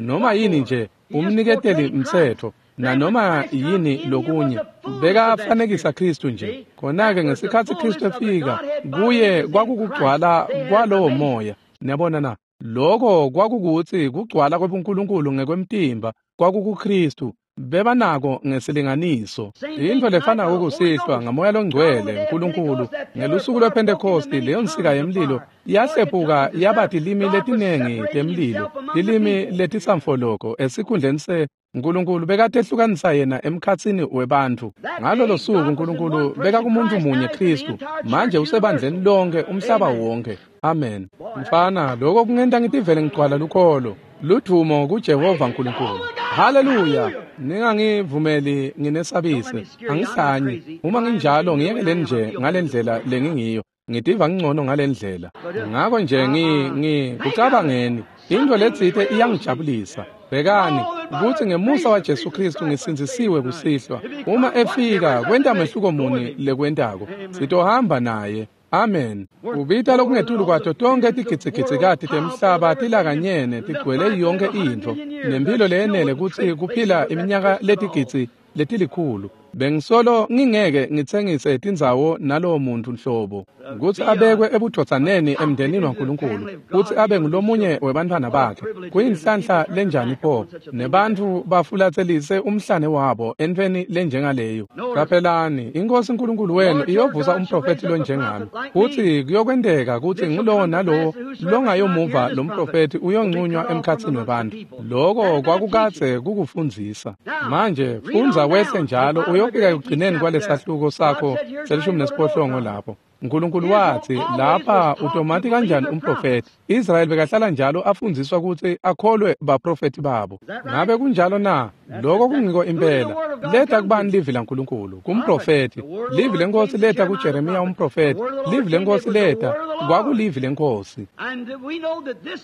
noma yini nje umniketeli mtsetfo nanoma yini lokunye, bekafanekisa Kristu nje. Khona-ke ngesikhatsi Kristu efika kuye kwakukugcwala kwalowo moya. Niyabona na? Lokho kwakukutsi kugcwala kwebuNkulunkulu ngekwemtimba kwakukuKristu. Bebanako ngesilinganiso. Into lefanako kusihlwa ngamoya longcwele uNkulunkulu ngelusuku lwePhentekosti, leyo nsika yemlilo yahlephuka yaba tilimi letinengi temlilo, tilimi letisamfoloko esikhundleni se uNkulunkulu bekatehlukanisa yena emkhatsini webantfu. Ngalolo suku uNkulunkulu bekakumuntu munye Kristu, manje usebandleni lonke umhlaba wonke. Amen. Mfana, lokho kungenta ngitivele ngigcwala lukholo. Ludvumo kuJehova uNkulunkulu. Haleluya. Ningangivumeli nginesabise. Angihlanyi. Uma nginjalo ngiyekeleni nje ngalendlela lengingiyo. Ngitiva ngcono ngalendlela. Ngako nje ngikucabangeni. Into letsite iyangijabulisa. Bhekani kutsi ngemusa waJesu Kristu ngisindzisiwe kusihlwa. Uma efika kwenta mehluko muni lekwentako. Sitohamba naye. Amen. Ubita lokungetulu kwato tonke tigidzigidzi temhlaba tilakanyene tigcwele yonke intfo nemphilo leyenele kutsi kuphila iminyaka letigidzi letilikhulu. Bengisolo ngingeke ngitsengise tindzawo nalowo muntu nhlobo kutsi abekwe ebudvodzaneni emndenini waNkulunkulu kutsi abe ngulomunye webantfwana bakhe. Kuyinhlanhla lenjani pho nebantfu bafulatselise umhlane wabo entfweni lenjengaleyo. Qaphelani, iNkosi uNkulunkulu wenu iyovusa umprofethi lonjengami, futsi kuyokwenteka kutsi ngulowo nalowo longayomuva lo mprofethi uyonqunywa emkhatsini webantfu. Loko kwakukadze kukufundzisa. Manje fundza wehle njalo Uyofika ekugcineni kwalesahluko sakho se-18 lapho. uNkulunkulu wathi lapha utomati kanjani umprofeti. Israel bekahlala njalo afundziswa ukuthi akholwe baprofeti babo. Ngabe kunjalo na? Lokho kungiko impela. Leta kubani livi laNkulunkulu? Kumprofeti. Livi lenkosi leta kuJeremiya umprofeti. Livi lenkosi leta kwakulivi lenkosi.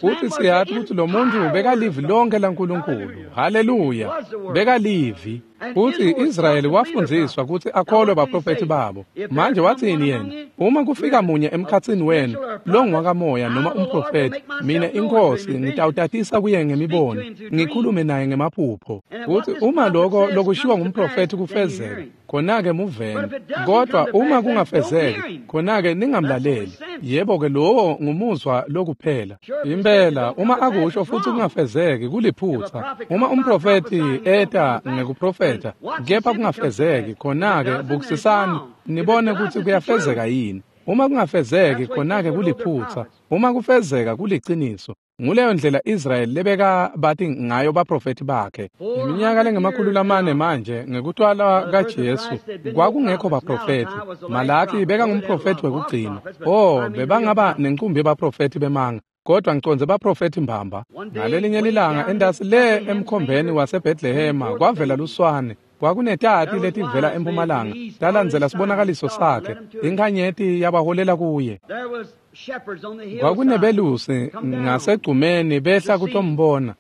Futhi siyathi ukuthi lo muntu bekalivi lonke laNkulunkulu. Haleluya. Bekalivi. Futhi Israyeli wafundziswa ukuthi akholwe baprofeti babo. Manje wathini yena? Uma kufika munye emkhatsini wenu longwakamoya noma umprofeti, mina inkosi ngitawutatisa kuye ngemibono, ngikhulume naye ngemaphupho. Futhi uma lokho lokushiwo ngumprofeti kufezeka, khona-ke muveni. Kodwa uma kungafezeki, khona-ke ningamlaleli. Yebo-ke lowo ngumuzwa lokuphela. Impela uma akusho futhi kungafezeki kuliphutha. Uma umprofeti eta ngekuprofetha kepha kungafezeki, khona-ke bukisisani nibone ukuthi kuyafezeka yini. Uma kungafezeki, khona-ke kuliphutha. Uma kufezeka kuliciniso. Nguleyo ndlela Israel lebeka bathi ngayo baprofeti bakhe. Iminyaka lengama-400 manje ngekutwala kaJesu kwakungekho baprofeti. Malaki beka ngumprofeti wekugcina. Oh, bebangaba nenqumbi yebaprofeti bemanga, kodwa ngicondze baprofeti mbamba. Ngalelinye lilanga endasi le emkhombeni waseBethlehema kwavela luswane. Kwakunetati letivela empumalanga talandzela sibonakaliso sakhe. Inkhanyeti yabaholela kuye. Kwakunebelusi ngasegcumeni behla kutombona.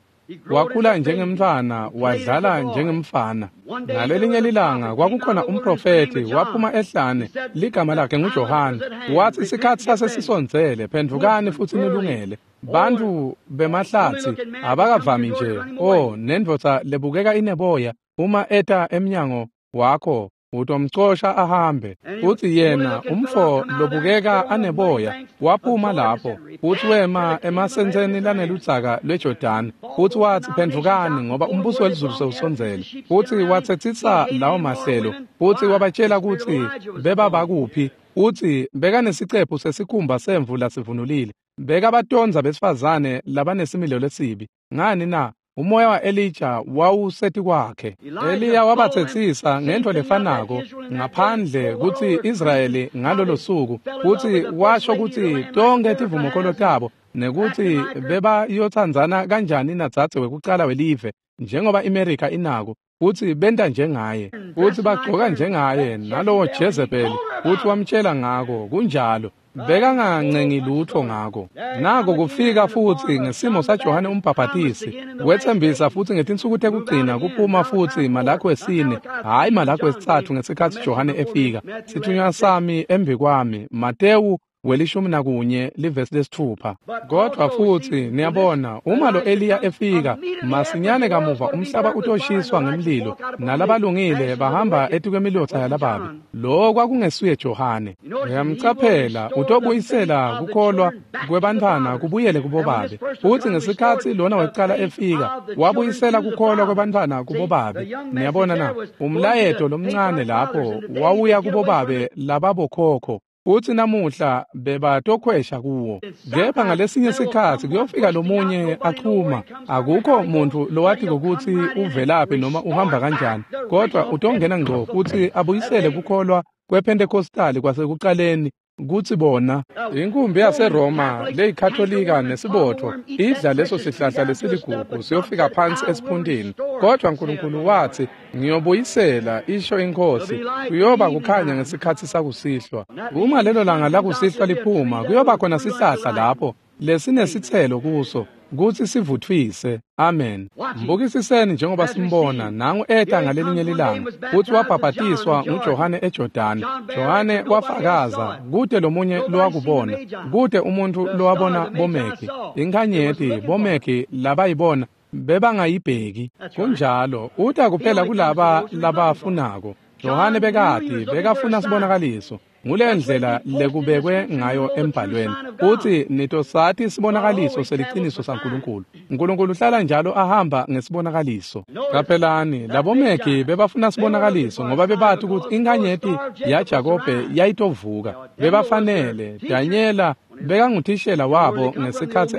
Wakhula njengemntfwana, wadlala njengemfana. Ngalelinye lilanga kwakukhona umprofeti waphuma ehlane, ligama lakhe nguJohane. Wathi isikhathi sasesisondzele, phendvukani futhi nilungele. Bantu bemahlatsi abakavami nje. Oh, nendvodza lebukeka ineboya uma eta emnyango wakho utomcosha ahambe. Uthi yena umfo lobukeka aneboya waphuma lapho, uthi wema emasentseni laneludzaka lweJordani, uthi wathi phendvukani ngoba umbuso welizulu sewusondzele. Uthi watsetsisa lawo mahlelo, uthi wabatshela ukuthi bebabakuphi. Uthi bekanesicephu sesikhumba semvu lasivunulile. Bekabatondza besifazane labanesimilo lesibi. Ngani na? Umoya wa-Elija wawuseti kwakhe. Eliya wabatsetsisa ngento lefanako ngaphandle kutsi Israyeli ngalolo suku, kutsi washo kutsi tonke tivumokolo tabo nekutsi bebayotsandzana kanjani nadzadze wekucala welive njengoba iMerika inako, kutsi benta njengaye, kutsi bagcoka njengaye nalowo Jezebeli, kutsi wamtshela ngako kunjalo. Bekangancengi lutho ngako. Nako kufika futsi ngesimo saJohane umbhabhatisi. Wetsembisa futsi ngetinsuku tekugcina kuphuma futsi Malaki wesine, hhayi Malaki wesitsatfu ngesikhatsi Johane efika. Sithunywa sami embi kwami, Matewu 11 livesi 6. Kodwa futsi niyabona uma lo Eliya efika masinyane kamuva umhlaba utoshiswa ngemlilo nalabalungile bahamba etikwemilotsa yalababi. Lo kwakungesuye Johane. Uyamcaphela utobuyisela kukholwa kwebantfwana kubuyele kubobabe. Futsi ngesikhatsi lona wekucala efika wabuyisela kukholwa kwebantfwana kubobabe. Niyabona na? Umlayeto lomncane lapho wawuya kubobabe lababokhokho. Uthi namuhla bebatokhwesha kuwo. Kepha ngalesinye sikhatsi kuyofika lomunye achuma. Akukho muntu lowati ukuthi uvelaphi noma uhamba kanjani, kodwa utongena ngqo futhi abuyisele kukholwa kwePentecostal kwasekuqaleni kutsi bona inkumbi yaseRoma leyikatholika nesibotho idla leso sihlahla lesiligugu siyofika phansi esiphuntini. Kodwa uNkulunkulu wathi ngiyobuyisela, isho inkosi, kuyoba kukhanya ngesikhatsi sakusihlwa. Uma lelo langa lakusihlwa liphuma, kuyoba khona sihlahla lapho lesinesitselo kuso kutsi sivuthwise. Amen. Mbukisiseni njengoba simbona nangu eta ngalelinye lilanga, futhi wabhabhatiswa nguJohane eJordani. Johane wafakaza, kute lomunye lowakubona, kute umuntu lowabona bomeki inkhanyeti, bomeki labayibona bebangayibheki. Kunjalo, uta kuphela kulaba labafunako. Johane bekati, bekafuna sibonakaliso. Ngule ndlela lekubekwe ngayo embhalweni. Uthi nitosati sibonakaliso seliciniso saNkulunkulu. uNkulunkulu uhlala njalo ahamba ngesibonakaliso. Qaphelani, labomegi bebafuna sibonakaliso ngoba bebathi ukuthi inkhanyeti yaJakobe yayitovuka. Bebafanele. Danyela bekanguthishela wabo ngesikhatsi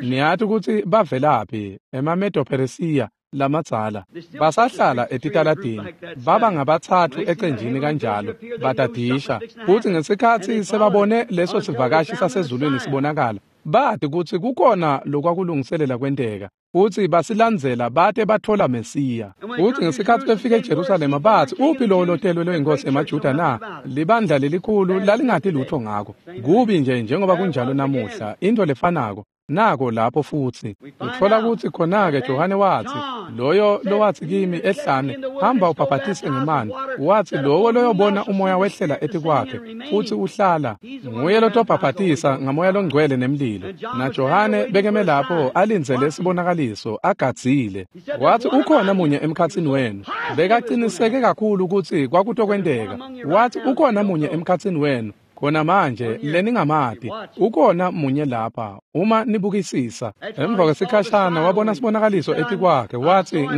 niyathi ukuthi bavelaphi emaMedo-Persia. lamadzala. Basahlala etitaladini, baba ngabatsatfu ecenjini kanjalo, batadisha. Futsi ngesikhatsi sebabone leso sivakashi sasezulwini sibonakala, bati kutsi kukhona lokwakulungiselela kwenteka. Futsi basilandzela bate bathola Mesiya. Futsi ngesikhatsi befika eJerusalema batsi, uphi lowo lotelwe loyinkosi emaJuda na? Libandla lelikhulu lalingati lutho ngako. Kubi nje njengoba kunjalo namuhla, into lefanako. Nako lapho futsi. Utfola kutsi khona-ke Johane watsi, loyo lowatsi kimi ehlane, hamba ubhabhatise ngemanti. Watsi lowo loyobona umoya wehlela etikwakhe, futsi uhlala. Nguye lotobhabhatisa ngamoya longcwele nemlilo. Na Johane bekeme lapho alindzele sibonakaliso, agadzile. Watsi ukhona munye emkhatsini wenu. Bekaqiniseke kakhulu kutsi kwakutokwenteka. Watsi ukhona munye emkhatsini wenu. Khona manje leningamati, ukhona munye lapha, uma nibukisisa. Emva kwesikhashana wabona sibonakaliso etikwakhe, watsi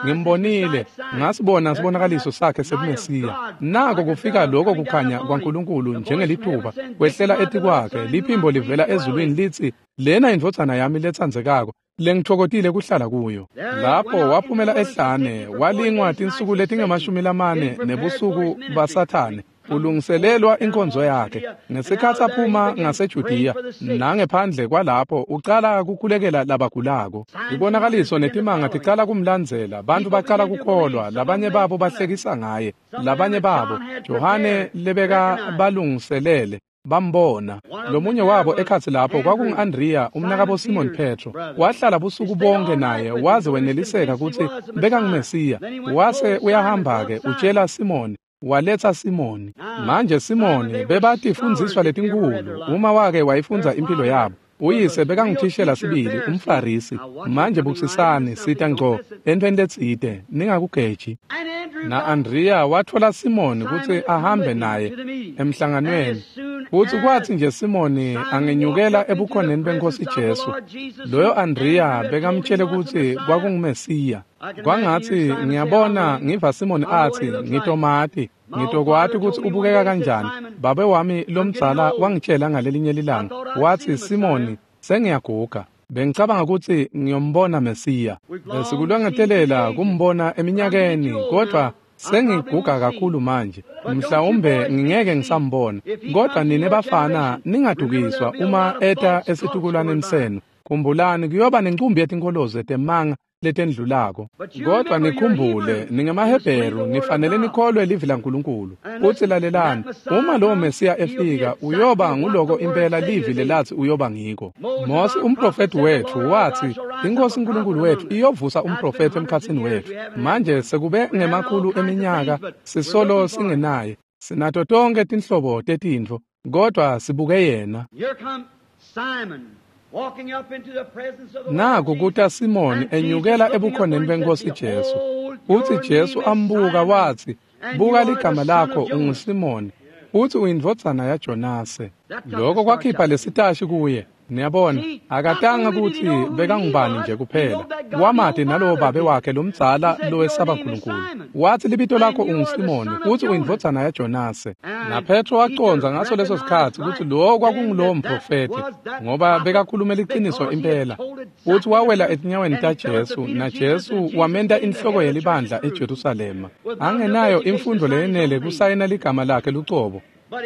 ngimbonile, ngasibona sibonakaliso sakhe sebuMesiya. Nako kufika lokho kukhanya kwaNkulunkulu njengelithuba, kwehlela etikwakhe, liphimbo livela ezulwini litsi, lena indvodzana yami letsandzekako, lengitfokotile kuhlala kuyo. Lapho waphumela ehlane, walingwa tinsuku letinge-40 nebusuku baSathane, ulungiselelwa inkonzo yakhe. Ngesikhatsi aphuma ngaseJudiya nangephandle kwalapho, ucala kukhulekela labagulako. Ibonakaliso netimanga ticala kumlandzela, bantu bacala kukholwa, labanye babo bahlekisa ngaye, labanye babo Johane lebeka balungiselele bambona. Lomunye wabo ekhatsi lapho kwakungu-Andriya, umnakabo Simon Petro. Wahlala busuku bonke naye waze weneliseka kutsi bekanguMesiya. Wase uyahamba-ke utshela Simoni, waletsa Simoni. Manje Simoni bebatifundziswa letinkhulu, uma wake wayifundza impilo yabo. Uyise bekanguthishela sibili, umFarisi. Manje bukisisani, sita ngco entweni letsite, ningakugeji. Na-Andriya watfola Simoni kutsi ahambe naye emhlanganweni. Futsi kwatsi nje Simoni angenyukela ebukhoneni beNkhosi Jesu, loyo Andriya bekamtshele kutsi kwakunguMesiya. Kwangatsi ngiyabona ngiva Simoni atsi, ngitomati, ngitokwati kutsi ubukeka kanjani. Babe wami lomdzala wangitshela ngalelinye lilanga, watsi Simoni, sengiyaguga. Bengicabanga kutsi ngiyombona Mesiya. Besikulwangetelela kumbona eminyakeni, kodwa sengiguga kakhulu manje. Mhlawumbe ngingeke ngisambona. Kodwa nine bafana ningadukiswa uma eta esitukulwaneni senu. Khumbulani kuyoba nencumbi yetinkolozo temanga letendlulako. Kodwa nikhumbule, ningemaHebheru, nifanele nikholwe livi laNkulunkulu. Futsi lalelani, uma lowo Mesiya efika, uyoba nguloko impela livi lelatsi uyoba ngiko. Mosi umprofethi wetfu watsi, iNkhosi uNkulunkulu wetfu iyovusa umprofethi emkhatsini wetfu. Manje sekube ngemakhulu eminyaka sisolo singenaye. Sinato tonke tinhlobo tetintfo, kodwa sibuke yena. Naku kuta Simoni enyukela ebukhoneni beNkhosi Jesu. Futsi Jesu ambuka watsi, buka ligama lakho unguSimoni, futsi uyindvodzana yaJonase. Lokho kwakhipha lesitashi kuye. Niyabona, akatanga kutsi bekangubani nje kuphela. Wamati nalowo babe wakhe lomdzala lowesaba Nkulunkulu. Watsi libito lakho unguSimoni, futsi uyindvodzana yaJonase. NaPetro wacondza ngaso leso sikhatsi kutsi lowo kwakungulowo mprofethi, ngoba bekakhulume liciniso impela. Futsi wawela etinyaweni taJesu, naJesu wamenta inhloko yelibandla eJerusalema. Angenayo imfundvo leyenele kusayina ligama lakhe lucobo,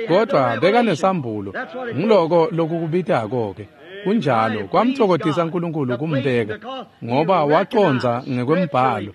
kodwa bekanesambulo. Nguloko lokukubitako-ke. Kunjalo, kwamtfokotisa Nkulunkulu kumbeka, ngoba wacondza ngekwembhalo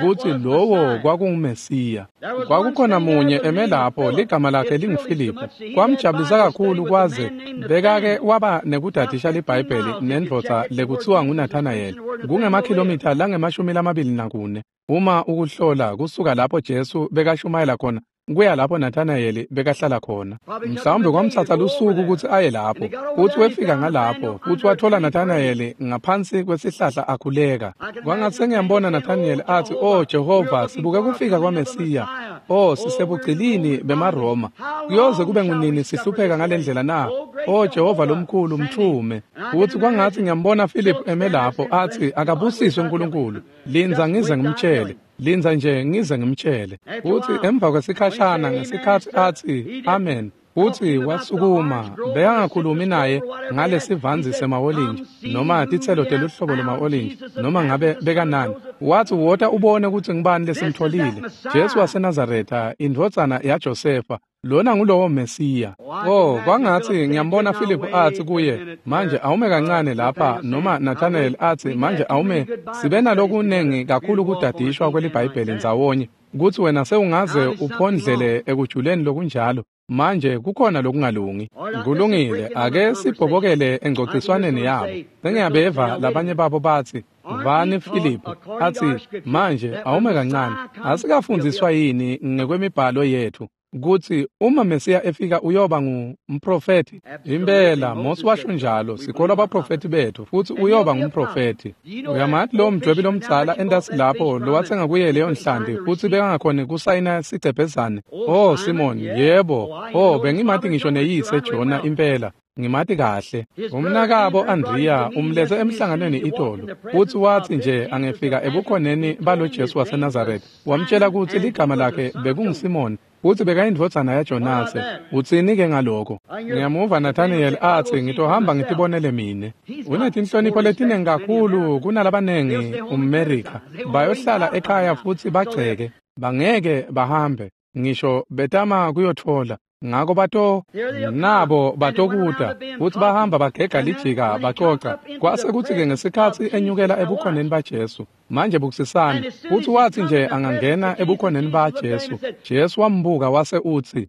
kutsi lowo kwakunguMesiya. Kwakukhona munye eme lapho, ligama lakhe linguFiliphu. Kwamjabulisa kakhulu kwaze bekake waba nekudadisha liBhayibheli nendvodza lekutsiwa nguNathanayeli, kungemakhilomitha lange-24 uma ukuhlola kusuka lapho Jesu bekashumayela khona kuya lapho Nathanayeli bekahlala khona. Mhlawumbe kwamtsatsa lusuku kutsi aye lapho. Futsi wefika ngalapho, futsi wathola Nathanayeli ngaphansi kwesihlahla akhuleka. Kwangatsi sengiyambona Nathanayeli atsi, "Oh Jehova, sibuke kufika kwaMesiya. Oh, sisebugcilini bemaRoma. Kuyoze kube ngunini sihlupheka ngalendlela na? Oh Jehova lomkhulu, mthume." Futsi kwangatsi ngiyambona Philip eme lapho atsi, "Akabusiswe uNkulunkulu. Lindza ngize ngimtshele. Lindza nje ngize ngimtshele." Futsi emva kwesikhashana ngesikhatsi atsi, "Amen," Futsi wasukuma, bekangakhulumi naye ngalesivanzi sema-olinji noma titselo teluhlobo lwema-olinji noma ngabe bekanani. Wathi, wota ubone kutsi ngubani lesimtfolile, Jesu waseNazaretha, indvodzana yaJosefa. Lona ngulowo Mesiya. Oh, kwangatsi ngiyambona Philip atsi kuye, manje awume kancane lapha, noma Nathanael atsi, manje awume, sibe nalokunengi kakhulu kudadishwa kweliBhayibheli ndzawonye, kutsi wena sewungaze uphondlele ekujuleni lokunjalo. Manje kukhona lokungalungi. Kulungile, ake sibhobokele engcociswaneni yabo. Sengiyabeva labanye babo batsi, vani Philip, atsi, manje awume kancane, asikafundziswa yini ngekwemibhalo yethu kutsi uma Mesiya efika uyoba ngumprofethi? Impela, Mose washo njalo, sikholwa abaprofethi bethu, futsi uyoba ngumprofethi. Uyamati lowo mdwebi lomdzala entasi lapho lowatsenga kuye leyo nhlanti futsi bekangakhoni kusayina sigcebhezane? Oh, Simon, yebo. Oh, bengimati ngisho neyise Jona impela. Ngimati kahle. Umnakabo Andrea umlethe emhlanganweni itolo. Futsi watsi nje angefika ebukhoneni balo Jesu waseNazaretha, wamtshela kutsi ligama lakhe bekunguSimon, futsi bekayindvodzana yaJonase. Utsini-ke ngaloko? Ngiyamuva Nathaniel atsi, ngitohamba ngitibonele mine. Unetinhlonipho letinengi kakhulu kunalabanengi umMerika. Bayohlala ekhaya futsi bagceke. Bangeke bahambe, ngisho betama kuyotfola. Ngako bato nabo batokuta, futsi bahamba bagega lijika bacoca. Kwase kutsi-ke ngesikhatsi enyukela ebukhoneni baJesu, manje bukisisani, futsi watsi nje angangena ebukhoneni baJesu, Jesu wambuka wase utsi,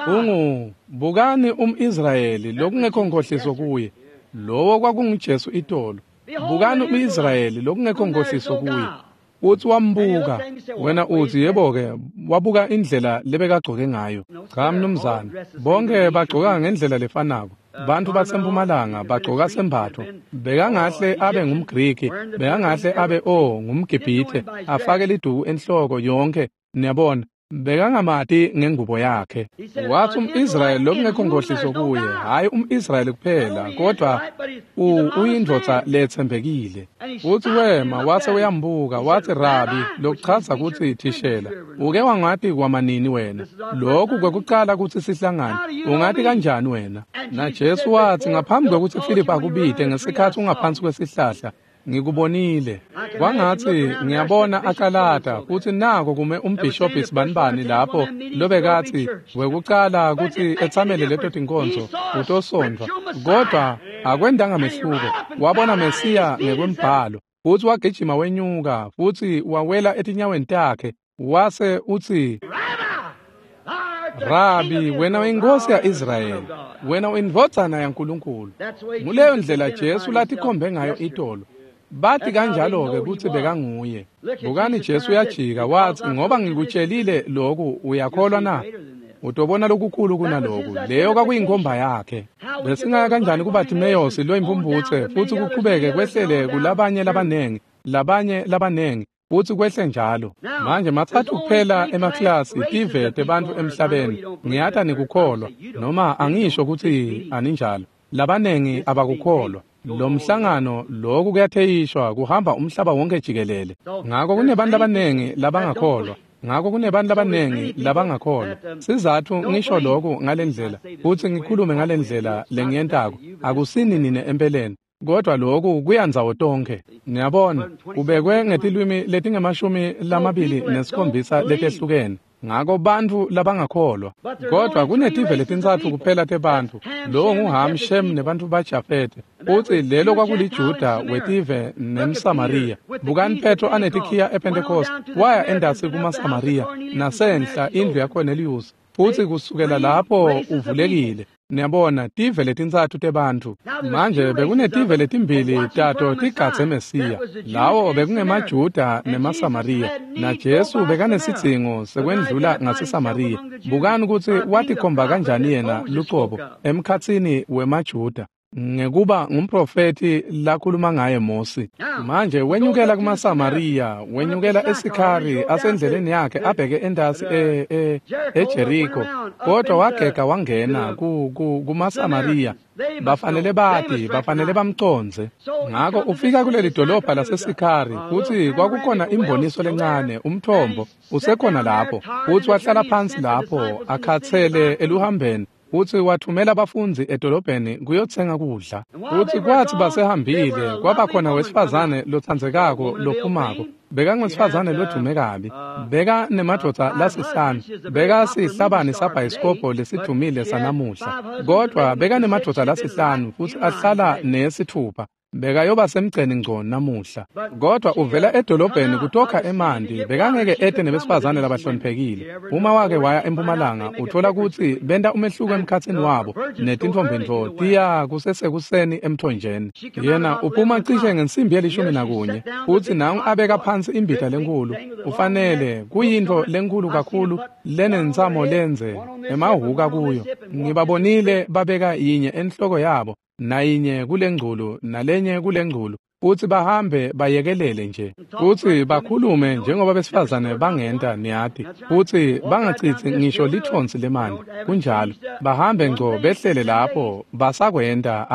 ungu bukani umIsrayeli lokungekho nkhohliso kuye. Lowo kwakunguJesu itolo. Bukani umIsrayeli lokungekho nkhohliso kuye. Uthi wambuka, wena uthi yebo-ke, wabuka indlela lebekagcoke ngayo. Cha mnumzane, bonke bagcoka ngendlela lefanako. Bantfu basempumalanga bagcoka sembatfo. Bekangahle abe ngumGriki, bekangahle abe ngumGibhithe, afake liduku enhloko yonke, niyabona. Bekangamati ngengubo yakhe. Wathi umIsrayeli lokungekho nkhohliso kuye, hhayi umIsrayeli kuphela, kodwa uyindvodza letsembekile. Futsi wema wase uyambuka, watsi, Rabi, lokuchaza kutsi thishela, uke wangati kwamanini wena? Lokhu kwekucala kutsi sihlangane, ungati kanjani wena? Na Jesu watsi, ngaphambi kwekutsi Philip akubite ngesikhatsi ungaphansi kwesihlahla, ngikubonile. Kwangatsi ngiyabona akalata, futsi nako kume umbhishobhi sibanibani lapho lobekatsi wekucala kutsi etsamele leto tinkonzo utosondvwa, kodwa akwendanga mehluko. Wabona Mesiya ngekwembhalo, futsi wagijima wenyuka, futsi wawela etinyaweni takhe, wase utsi, Rabi, wena uyinkosi ya-Israyeli, wena uyindvodzana yaNkulunkulu. Nguleyo ndlela Jesu latikhombe ngayo itolo. Bathi kanjalo-ke kutsi bekanguye. Bukani Jesu uyajika watsi, ngoba ngikutshelile loku, uyakholwa na? Utobona lokukhulu kunaloku. Leyo kwakuyinkhomba yakhe. Besingaya kanjani kuBartimeyosi loyimphumphutse futsi kuqhubeke kwehlele kulabanye labanengi, labanye labanengi, futsi kwehle njalo. Manje matsatfu kuphela emaklasi tive tebantfu emhlabeni. Ngiyata nikukholwa, noma angisho kutsi aninjalo. Labanengi abakukholwa. Lo mhlangano lokhu kuyatheyishwa kuhamba umhlaba wonke jikelele. Ngako kunebantu labanengi labangakholwa. Ngako kunebantu labanengi labangakholwa. Sizatfu ngisho lokhu ngalendlela, futsi ngikhulume ngalendlela lengiyentako. Akusini nine empeleni, kodwa lokhu kuyandzawo tonkhe. Niyabona, kubekwe ngetilwimi letingama-27 letehlukene. Ngako bantfu labangakholwa. Kodwa kunetive letintsatfu kuphela tebantfu. Lowo nguHam, Shem nebantfu baJafete. Utsi lelo kwakuliJuda wetive nemSamariya. Bukani Petro anetikhiya ePentecost, waya endasi kumaSamariya nasenhla indlu yaKorneliyusi. Futsi kusukela lapho uvulekile. Niyabona, tive letintsatfu tebantfu. Manje bekunetive letimbili tato tigadze Mesiya. Lawo bekungemaJuda nemaSamariya. Na Jesu bekanesidzingo sekwendlula ngaseSamariya. Bukani kutsi watikhomba kanjani yena lucobo emkhatsini wemaJuda. Ngekuba ngumprofeti lakhuluma ngaye Mosi. Manje wenyukela kumaSamariya, wenyukela eSikhari asendleleni yakhe abheke endasi eJeriko, kodwa wagega wangena kumaSamariya. Bafanele bati, bafanele bamcondze. Ngako ufika kuleli dolobha laseSikhari, kutsi kwakukhona imboniso lencane, umthombo usekhona lapho. Futsi wahlala phansi lapho akhatsele eluhambeni. Futsi wathumela abafundzi edolobheni kuyotsenga kudla. Futsi kwathi basehambile, kwaba khona wesifazane lotsandzekako lophumako. Bekangwesifazane lodume kabi. Beka nemadvodza lasihlanu. Beka sihlabani sabhayisikobho lesidumile sanamuhla. Kodwa beka nemadvodza lasihlanu futsi ahlala nesithupha. Bekayoba semgceni ngco namuhla. Kodwa uvela edolobheni kutokha emanti, bekangeke ete nebesifazane labahloniphekile. Uma wake waya empumalanga, uthola kutsi benta umehluko emkhatsini wabo netintombi tiya kusesekuseni emthonjeni. Yena uphuma cishe ngensimbi ye-11, futsi nangu abeka phansi imbita lenkulu. Ufanele kuyintfo lenkulu kakhulu lenentsamo lenze emahhuka kuyo. Ngibabonile babeka yinye enhloko yabo, nayinye kulengculu nalenye kulengculu, futsi bahambe bayekelele nje, futsi bakhulume njengoba besifazane bangenta, niyati, futsi bangacitsi ngisho lithonsi lemanti. Kunjalo, bahambe ngco behlele lapho basakwenta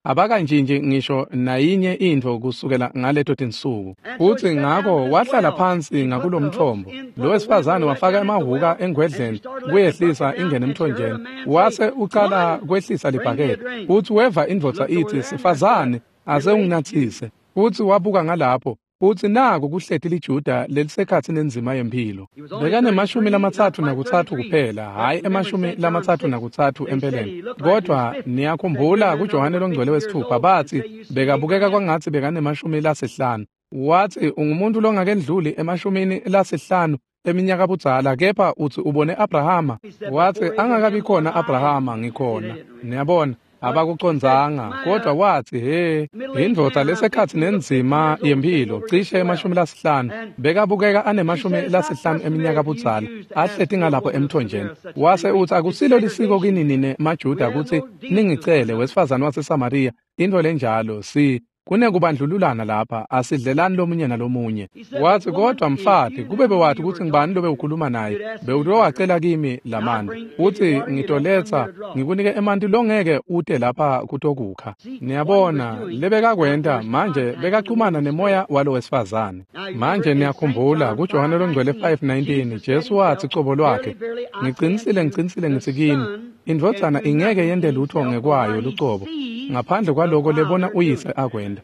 abakantshintshi ngisho nayinye intfo kusukela ngaleto tinsuku. Futsi ngako wahlala phansi ngakulomthombo. Lo wesifazane wafaka emahhuka engwedleni kuyehlisa ingene emthonjeni, wase ucala kwehlisa libhakede. Futsi weva indvodza itsi, "Sifazane, ase unginatsise." Futsi wabuka ngalapho, futsi naku kuhleti liJuda lelisekhatsi nenzima yemphilo. Bekanemashumi 33 kuphela, hhayi 33 empeleni. Kodwa niyakhumbula kuJohane longcwele wesithupha batsi bekabukeka kwangatsi bekanemashumi 50. Watsi ungumuntu longakendluli 50 eminyaka budzala, kepha utsi ubone Abrahama. Watsi angakabi khona Abrahama ngikhona. Niyabona, abakucondzanga, kodwa watsi he, indvodza lesekhatsi nenzima yemphilo cishe 50, bekabukeka ane-50 eminyaka budzala, ahleti ngalapho emthonjeni. Wase utsi akusilo lisiko kini nine maJuda kutsi ningicele, wesifazane waseSamariya, intfo lenjalo. Si kunekubandlululana lapha, asidlelani lomunye nalomunye. Watsi kodwa mfati, kube bewati kutsi ngibani lobe ukhuluma naye, bewutowacela kimi lamanti, futsi ngitoletsa ngikunike emanti longeke ute lapha kutokukha. Niyabona lebekakwenta manje, bekachumana nemoya walo wesifazane. Manje niyakhumbula kuJohane longcwele 5:19 Jesu watsi cobo lwakhe, "Ngicinisile, ngicinisile ngitsi kini, indvodzana ingeke yente lutho ngekwayo lucobo, ngaphandle kwaloko lebona uyise akwenta."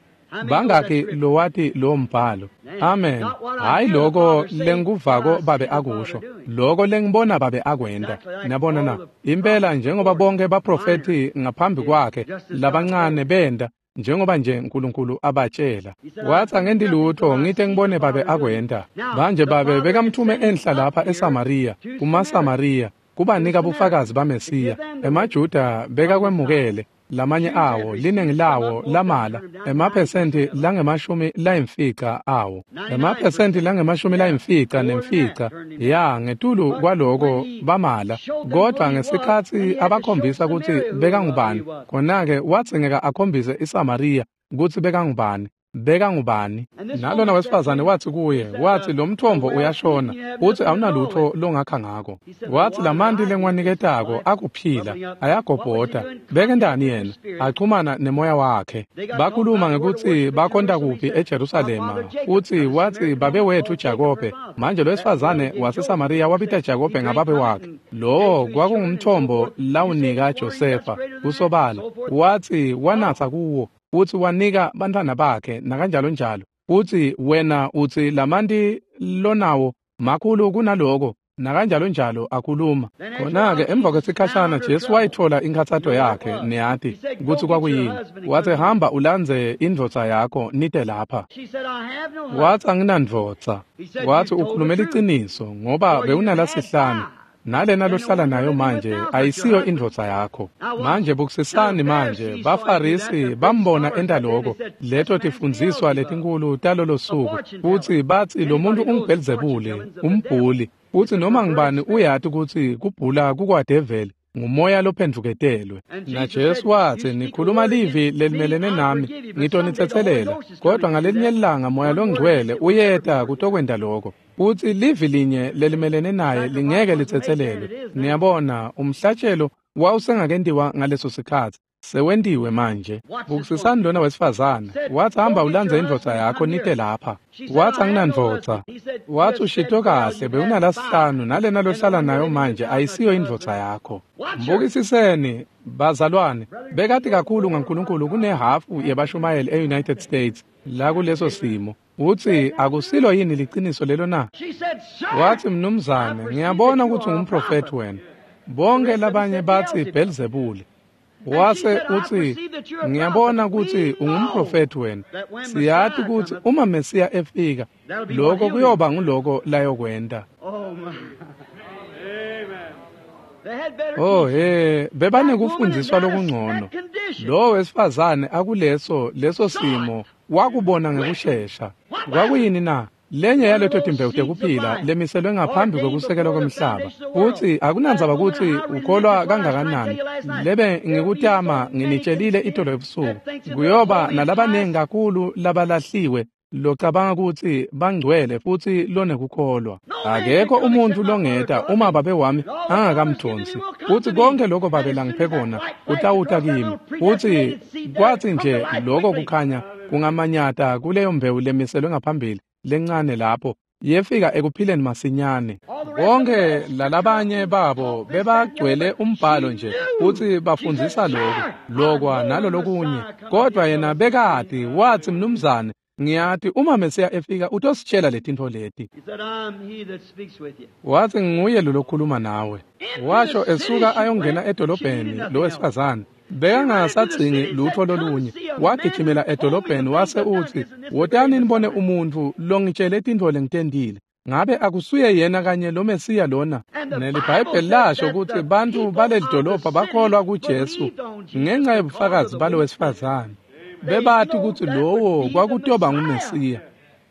Bangaki lowati lo mbhalo? Amen. Hayi loko lengikuvako babe akusho, loko lengibona babe akwenta. Niyabona na? Impela njengoba bonke baprofethi ngaphambi kwakhe labancane benta, njengoba nje uNkulunkulu abatshela. Watsi angenti lutho ngite ngibone babe akwenta. Manje babe bekamthume enhla lapha eSamariya, kumaSamariya, kubanika bufakazi baMesiya. EmaJuda bekakwemukele lamanye awo, liningi lawo lamala, emaphesenti lange-95 awo, emaphesenti lange-95 ya ngetulu kwaloko bamala. Kodwa ngesikhatsi abakhombisa kutsi bekangubani, khona-ke wadzingeka akhombise iSamariya kutsi bekangubani. Bekangubani. Nalona wesifazane watsi kuye, watsi lo mthombo uyashona, utsi awunalutho longakha ngako. Watsi lamanti lengiwaniketako akuphila, ayagobhota. Bekentani yena? Achumana nemoya wakhe. Bakhuluma ngekutsi bakhonta kuphi eJerusalema. Utsi watsi babe wethu Jakobe. Manje lo wesifazane waseSamariya wabita Jakobe ngababe wakhe. Lowo kwakungumthombo lawunika Josefa kusobala. Watsi wanatsa kuwo, utsi wanika bantfwana bakhe nakanjalo njalo. Utsi wena utsi lamanti lonawo makhulu kunaloko nakanjalo njalo akhuluma. Khona-ke emva kwesikhashana Jesu wayitfola inkhatsato yakhe, niyati kutsi kwakuyini. Watsi hamba ulandze indvodza yakho nite lapha. Watsi anginandvodza. Watsi ukhulume liciniso ngoba bewunalasihlanu, nalena lohlala nayo manje ayisiyo indvodza yakho. Manje bukisisani manje, baFarisi bambona enta loko, leto tifundziswa letinkulu talolo suku, futsi batsi lo muntu unguBhelzebule, umbhuli. Futsi noma ngubani uyati kutsi kubhula kukwadeveli. Ngumoya lophendvuketelwe. NaJesu watsi, nikhuluma livi lelimelene nami, ngitonitsetselela. Kodwa ngalelinye ilanga Moya loNgcwele uyeta kutokwenta lokho. Futsi livi linye lelimelene naye lingeke litsetselelwe. Niyabona, umhlatshelo wawusengakentiwa ngaleso sikhatsi. Sewentiwe manje. Bukisisani lona wesifazane. Wathi, hamba ulandze indvodza yakho nite lapha. Wathi, anginandvodza. Wathi, ushito kahle, bewunalasihlanu nalena lohlala nayo manje ayisiyo indvodza yakho. Mbukisiseni bazalwane, bekati kakhulu ngaNkulunkulu kunehafu yebashumayeli e-United States la kuleso simo. Uthi, akusilo yini liciniso lelo na? Wathi, mnumzane, ngiyabona ukuthi ungumprofethi wena. Bonke labanye bathi Belzebuli. Wase uthi, ngiyabona ukuthi ungumprofethi wena. Siyati ukuthi uma Mesiya efika, lokho kuyoba nguloko layokwenta. Oh he, bebanekufundiswa lokungcono. Lo wesifazane akuleso leso simo wakubona ngekushesha. Kwakuyini na? Lenye yaleto timbewu tekuphila lemiselwe ngaphambi kwekusekelwa kwemhlaba. Futsi akunandzaba kutsi ukholwa kangakanani. Lebe ngikutama nginitshelile itolo ebusuku. Kuyoba nalabanengi kakhulu labalahliwe locabanga kutsi bangcwele futsi lonekukholwa. Akekho umuntu longeta uma babe wami angakamdonsi. Futsi konke lokho babe langiphe kona kutawuta kimi. Futsi kwatsi nje lokho kukhanya kungamanyata kuleyo mbewu lemiselwe ngaphambili lencane lapho yefika ekuphileni masinyane. Bonke lalabanye babo bebagcwele umbhalo nje futsi bafundzisa lokhu lokwa nalolokunye, kodwa yena bekati. Wathi, mnumzane, ngiyati uma Mesiya efika utositshela letintfo leti. Wathi, nguye lo lokhuluma nawe. Washo esuka ayongena edolobheni lo wesifazane. Bekangasadzingi lutho lolunye. Wagijimela edolobheni wase uthi, wotani nibone umuntu longitshele tintfo lengitentile. Ngabe akusuye yena kanye lo Mesiya lona? NeliBhayibheli lasho ukuthi bantfu baleli dolobha bakholwa kuJesu ngenxa yobufakazi balo wesifazane. Bebati ukuthi lowo kwakutoba nguMesiya.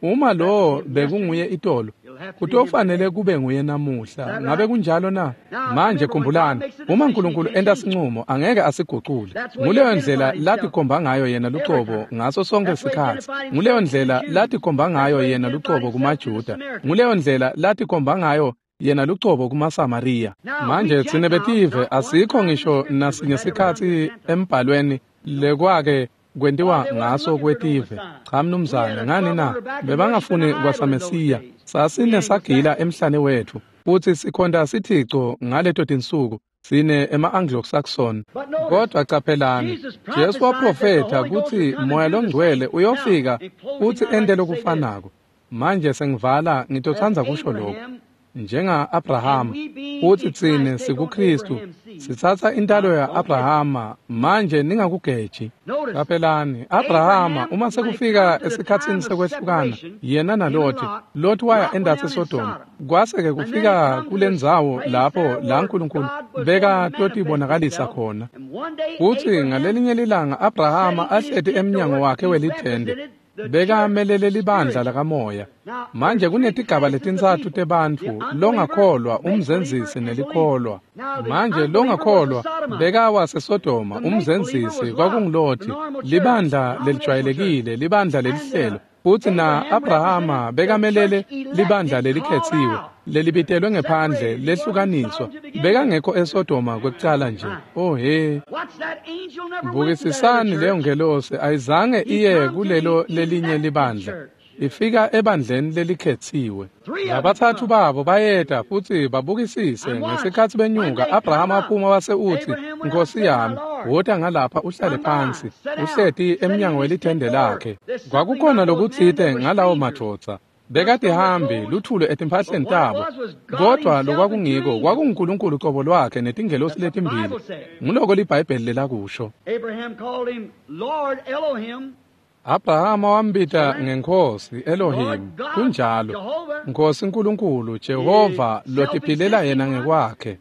Uma lowo bekunguye itolo, kutofanele kube nguye namuhla. Ngabe kunjalo na? Manje khumbulani, uma uNkulunkulu enta sinqumo angeke asigucule. Nguleyo ndlela latikhomba ngayo yena lucobo ngaso sonke sikhatsi. Nguleyo ndlela latikhomba ngayo yena lucobo kumaJuda. Nguleyo ndlela latikhomba ngayo yena lucobo kumaSamariya. Manje tsine betive asikho ngisho nasinye sikhatsi embhalweni lekwake kwentiwa ngaso kwetive. Cha mnumzane, ngani na? Bebangafuni kwasaMesiya. Sasinesagila emhlane wethu futsi sikhonta sithico ngaleto tinsuku sine ema-Anglo-Saxon. Kodwa caphelani, Jesu waprofetha kutsi Moya loNgcwele uyofika futsi ente lokufanako. Manje sengivala, ngitotsandza kusho lokhu. Njenga-Abrahama, futsi tsine sikuKristu, sitsatsa intalo ya-Abrahama. Manje ningakugeji. Caphelani, Abrahama uma sekufika esikhatsini sekwehlukana, yena naLoti, Loti waya endasi eSodoma. Kwase-ke kufika kulendzawo lapho la Nkulunkulu bekatotibonakalisa khona. Futsi ngalelinye lilanga Abrahama ahleti emnyango wakhe welithende, bekamelele libandla lakamoya. Manje kunetigaba letintsatfu tebantfu, longakholwa, umzenzisi nelikholwa. Manje longakholwa bekawaseSodoma, umzenzisi kwakunguLoti, libandla lelijwayelekile, libandla lelihlelo. Futsi na-Abrahama bekamelele libandla lelikhetsiwe, lelibitelwe ngephandle, lehlukaniswa. Bekangekho eSodoma kwekucala nje. Oh he. Bukisisani leyo ngelosi ayizange iye kulelo lelinye libandla. Ifika ebandleni lelikhetsiwe. Labatsatfu babo bayeta futsi babukisise ngesikhatsi benyuka. Abrahama waphuma wase utsi, Nkosi yami, wota ngalapha uhlale phansi. Uhleti emnyango welithende lakhe. Kwakukhona lokutsite ngalawo madvodza. Bekatihambi luthule etimphahleni tabo. Kodwa lokwakungiko kwakunguNkulunkulu cobo lwakhe netingelosi letimbili. Nguloko liBhayibheli lelakusho. Abraham called him Lord Elohim. Abrahama wambita ngenkosi Elohim, kunjalo, Nkosi Nkulunkulu Jehova lotiphilela yena ngekwakhe.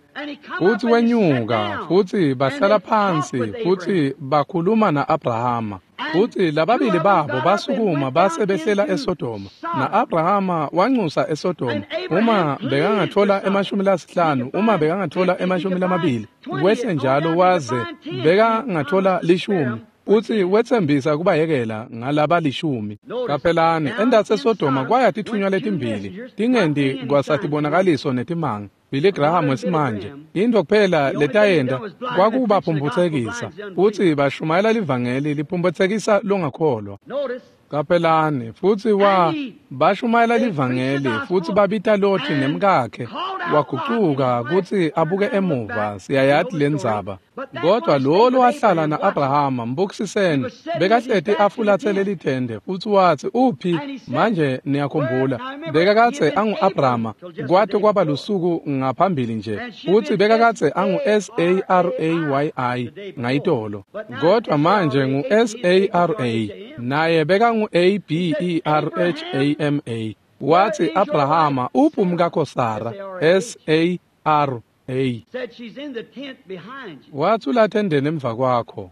Futhi wenyuka, futhi bahlala phansi, futhi bakhuluma na-Abrahama. Futhi lababili babo basukuma base behlela eSodoma. Na-Abrahama wanxusa eSodoma. Uma bekangathola 50, uma bekangathola 20, wehle njalo waze bekangathola 10. Uthi wethembisa kubayekela ngalaba 10. Qaphelani, endatsi eSodoma kwaya tithunywa letimbili, tingendi kwasatibonakaliso netimanga. Billy Graham wesimanje, into kuphela letayenda kwakubaphumphutsekisa, futhi bashumayela livangeli liphumphutsekisa longakholwa. Qaphelani, futhi bashumayela livangeli futhi babita Loti nemkakhe, wagucuka kutsi abuke emuva. Siyayati lendzaba. Kodwa lo lowahlala na-Abrahama, mbukisiseni, bekahleti afulathele lithende, futhi watsi, uphi? Manje niyakhumbula, bekakadze angu-Abrahama kwate kwaba lusuku ngaphambili nje, futhi bekakadze angu-Sarayi ngayitolo, kodwa manje ngu-Sara, naye bekangu-Aberhama. Watsi, Abrahama, uphi umkakho Sara? Sara. Watsi, ulathendeni emva kwakho.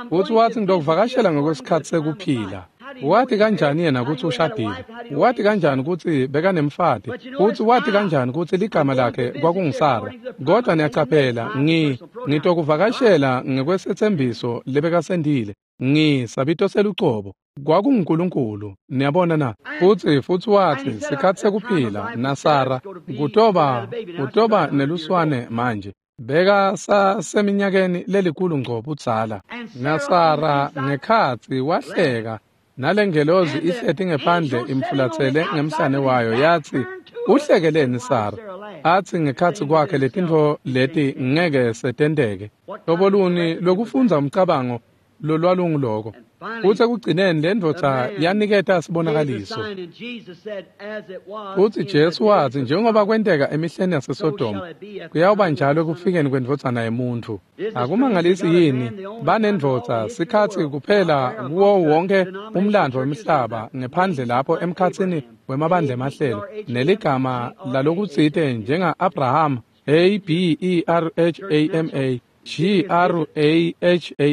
Futhi watsi, ngitokuvakashela ngokwesikhatsi sekuphila. Wathi kanjani yena kutsi ushadile? Wathi kanjani kutsi bekanemfati? Futhi wathi kanjani kutsi ligama lakhe kwakunguSara? Kodwa niyacaphela, ngitokuvakashela ngekwesethembiso lebekasendile. Sabito selucobo. KwakunguNkulunkulu, niyabona na? Futhi wathi, sikhatsi sekuphila naSara kutoba neluswane manje. Beka saseminyakeni lelikhulu ngco budzala. NaSara ngekhatsi wahleka, nalengelozi ihleti ngephandle imfulathele ngemhlane wayo, yathi, uhlekeleni Sara? Athi ngekhatsi kwakhe letintfo leti ngeke setenteke. Hlobo luni lokufundza umcabango lolwalunguloko? Futsi ekugcineni lendvodza yaniketa sibonakaliso. Futsi Jesu watsi, njengoba kwenteka emihleni yaseSodoma, kuyawuba njalo ekufikeni kwendvodzana yemuntfu. Akumangalisi yini banendvodza sikhatsi kuphela kuwo wonke umlandvo wemhlaba, ngephandle lapho emkhatsini wemabandla emahlelo, neligama lalokutsite njenga-Abraham, Aberhama,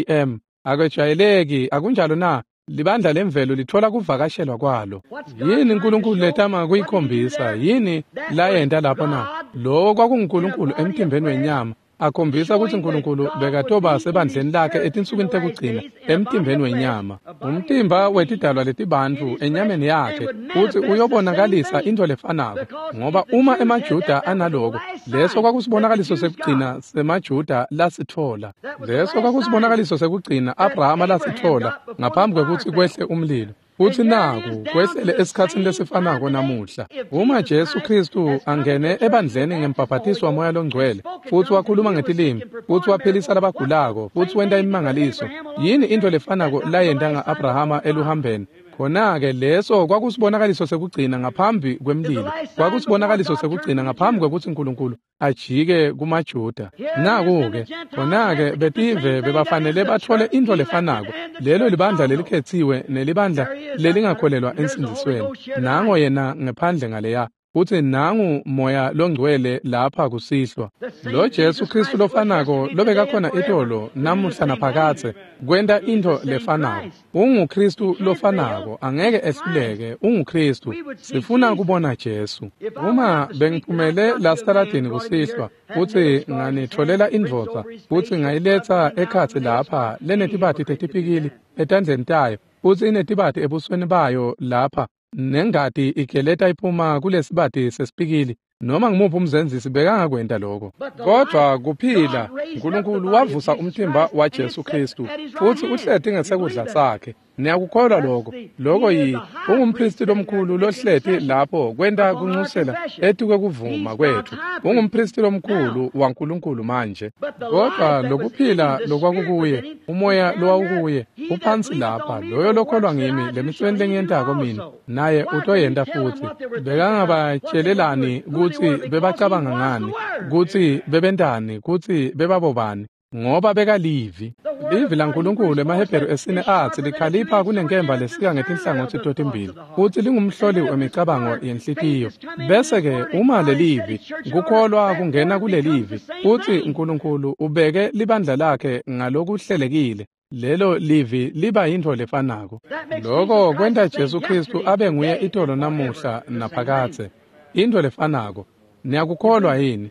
Graham. Akwejwayeleki, akunjalo na? Libandla lemvelo lithola kuvakashelwa kwalo. Yini uNkulunkulu letama kuyikhombisa? Yini layenta lapho na? Lowo kwakunguNkulunkulu emtimbeni wenyama, akhombisa kutsi uNkulunkulu bekatoba sebandleni lakhe etinsukwini tekugcina emtimbeni wenyama, umtimba wetidalwa letibantfu enyameni yakhe, futsi uyobonakalisa into lefanako. Ngoba uma emaJuda analoko, leso kwakusibonakaliso sekugcina semaJuda lasitfola. Leso kwakusibonakaliso sekugcina Abrahama lasitfola ngaphambi kwekutsi kwehle umlilo. Futsi naku kwehlele esikhatsini lesifanako namuhla. Uma Jesu Khristu angene ebandleni ngembhaphathiso waMoya loNgcwele, futhi wakhuluma ngetilimi, futhi waphilisa labagulako, futhi wenta imimangaliso, yini into lefanako layenta nga-Abrahama eluhambeni? Khona-ke leso kwakusibonakaliso sekugcina ngaphambi kwemlilo. Kwakusibonakaliso sekugcina ngaphambi kwekutsi uNkulunkulu ajike kumaJuda. Naku-ke, khona-ke betive bebafanele batfole intfo lefanako. Lelo libandla lelikhetsiwe nelibandla lelingakholelwa ensindzisweni. Nango yena ngephandle ngaleya. Futsi nangu Moya loNgcwele lapha kusihlwa. Lo Jesu Khristu lofanako lobekakhona itolo, namuhla naphakadze, kwenta intfo lefanako. UnguKhristu lofanako, angeke ehluleke, unguKhristu. Sifuna kubona Jesu. Uma bengiphumele la sitaladini kusihlwa, futsi nganitfolela indvodza, futsi ngayiletsa ekhatsi lapha lenetibati tetipikili etandleni tayo, futsi inetibati ebusweni bayo lapha, nengati igeleta iphuma kulesibati sesipikili, noma ngimuphi umzenzisi bekangakwenta lokho. Kodwa kuphila, uNkulunkulu wavusa umtimba waJesu Khristu, futsi uhleti ngesekudla sakhe. Niyakukholwa lokho? Lokho yi ungumpristi lomkhulu lohleti lapho kwenta kunxusela etikwe kuvuma kwetfu. Ungumpristi lomkhulu waNkulunkulu manje. Kodwa lokuphila lokwakukuye, umoya lowawukuye, uphansi lapha. Loyo lokholwa ngimi, lemisebenti lengiyentako mina, naye utoyenta futhi. Bekangabatshelelani kutsi bebacabanga ngani, kutsi bebentani, kutsi bebabobani. ngoba bekalivi. Livi laNkulunkulu emaHebheru esine atsi likhalipha kunenkemba lesika ngetinhlangotsi totimbili, futsi lingumhloli wemicabango yenhlitiyo. Bese-ke uma lelivi, kukholwa kungena kulelivi, futsi Nkulunkulu ubeke libandla lakhe ngalokuhlelekile, lelo livi liba yintfo lefanako. Loko kwenta Jesu Khristu abe nguye itolo namuhla naphakadze. Intfo lefanako. Niyakukholwa yini?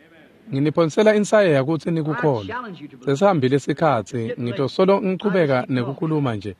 Nginiphonsela insayeya kutsi nikukholwe. Sesihambile isikhatsi, ngitosolo ngichubeka nekukhuluma nje.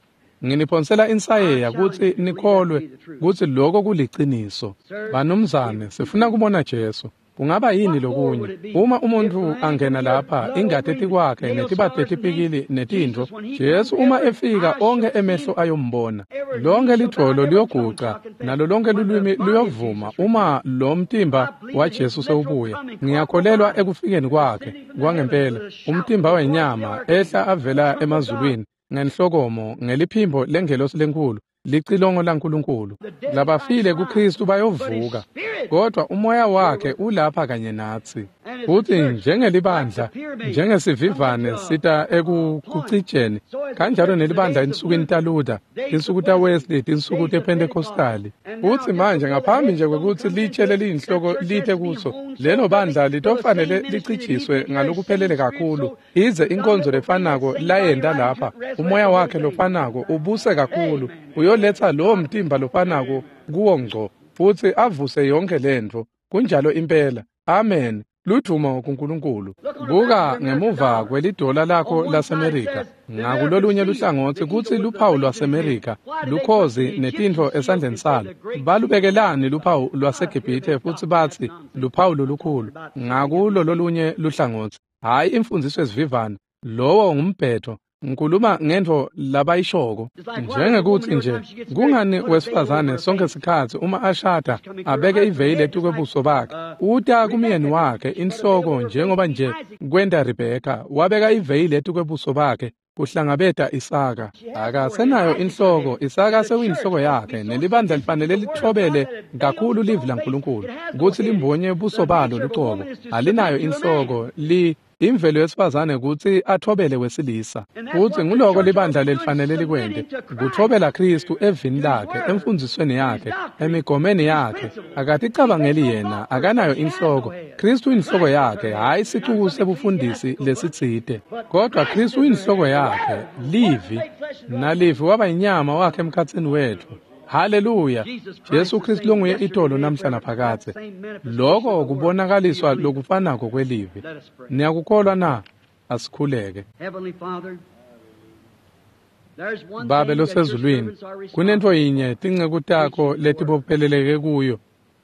Nginiphonsela insayeya kutsi nikholwe kutsi loko kuliciniso. Banumzane, sifuna kubona Jesu. Kungaba yini lokunye? Uma umuntfu angena lapha, ingati etikwakhe netibati letipikili netintfo, Jesu uma efika onkhe emehlo ayombona. Lonke lidvolo liyoguca, nalo lonke lulwimi luyovuma uma lo mtimba waJesu sewubuya. Ngiyakholelwa ekufikeni kwakhe kwangempela, umtimba wenyama ehla avela emazulwini ngenhlokomo, ngeliphimbo lengelosi lenkhulu, licilongo laNkulunkulu. Labafile kuKristu bayovuka, kodwa umoya wakhe ulapha kanye natsi. Futsi njengelibandla, njengesivivane sita ekucijeni, kanjalo nelibandla ensukwini taLuther, tinsuku taWesley, tinsuku tePentecostali. Futsi manje ngaphambi nje kwekutsi litshe leliyinhloko lite kuso, lelo bandla litofanele licijiswe ngalokuphelele kakhulu, ize inkonzo lefanako layenta lapha, umoya wakhe lofanako ubuse kakhulu, uyoletsa lowo mtimba lofanako kuwo ngco, futsi avuse yonkhe lentfo. Kunjalo impela. Amen. Ludvumo kuNkulunkulu. Buka ngemuva kwelidola lakho laseMerika, ngakulolunye luhlangotsi kutsi luphawu lwaseMerika, lukhozi netintfo esandleni salo. Balubekelani luphawu lwaseGibhithe futsi batsi luphawu lolukhulu ngakulo lolunye luhlangotsi? Hhayi imfundziso esivivane, lowo ngumbhetho. Ngikhuluma ngentfo labayishoko, njengekuthi nje kungani wesifazane sonke sikhatsi uma ashada abeke iveyili etukwebuso bakhe, uta kumyeni wakhe inhloko njengoba nje kwenta Rebheka, wabeka iveyili etukwebuso bakhe kuhlangabeta Isaka. Akasenayo inhloko, Isaka sewuyinhloko yakhe, nelibandla lifanele lithobele kakhulu livi laNkulunkulu kutsi limbonye buso balo lucobo. Alinayo inhloko, li imvelo yesifazane kutsi athobele wesilisa. Futsi nguloko libandla lelifanele likwente, kuthobela Khristu evini lakhe, emfundzisweni yakhe, emigomeni yakhe. Akaticabangeli yena, akanayo inhloko. Khristu inhloko yakhe, hhayi sicuku sebufundisi lesitsite, kodwa Khristu inhloko yakhe, livi, nalivi waba inyama wakhe emkhatsini wetfu. Haleluya! Jesu Khristu longuye itolo namhla naphakadze. Loko kubonakaliswa lokufanako kwelivi. Niyakukholwa na? Asikhuleke. Babe losezulwini, kunentfo yinye tinceku takho letibopheleleke kuyo,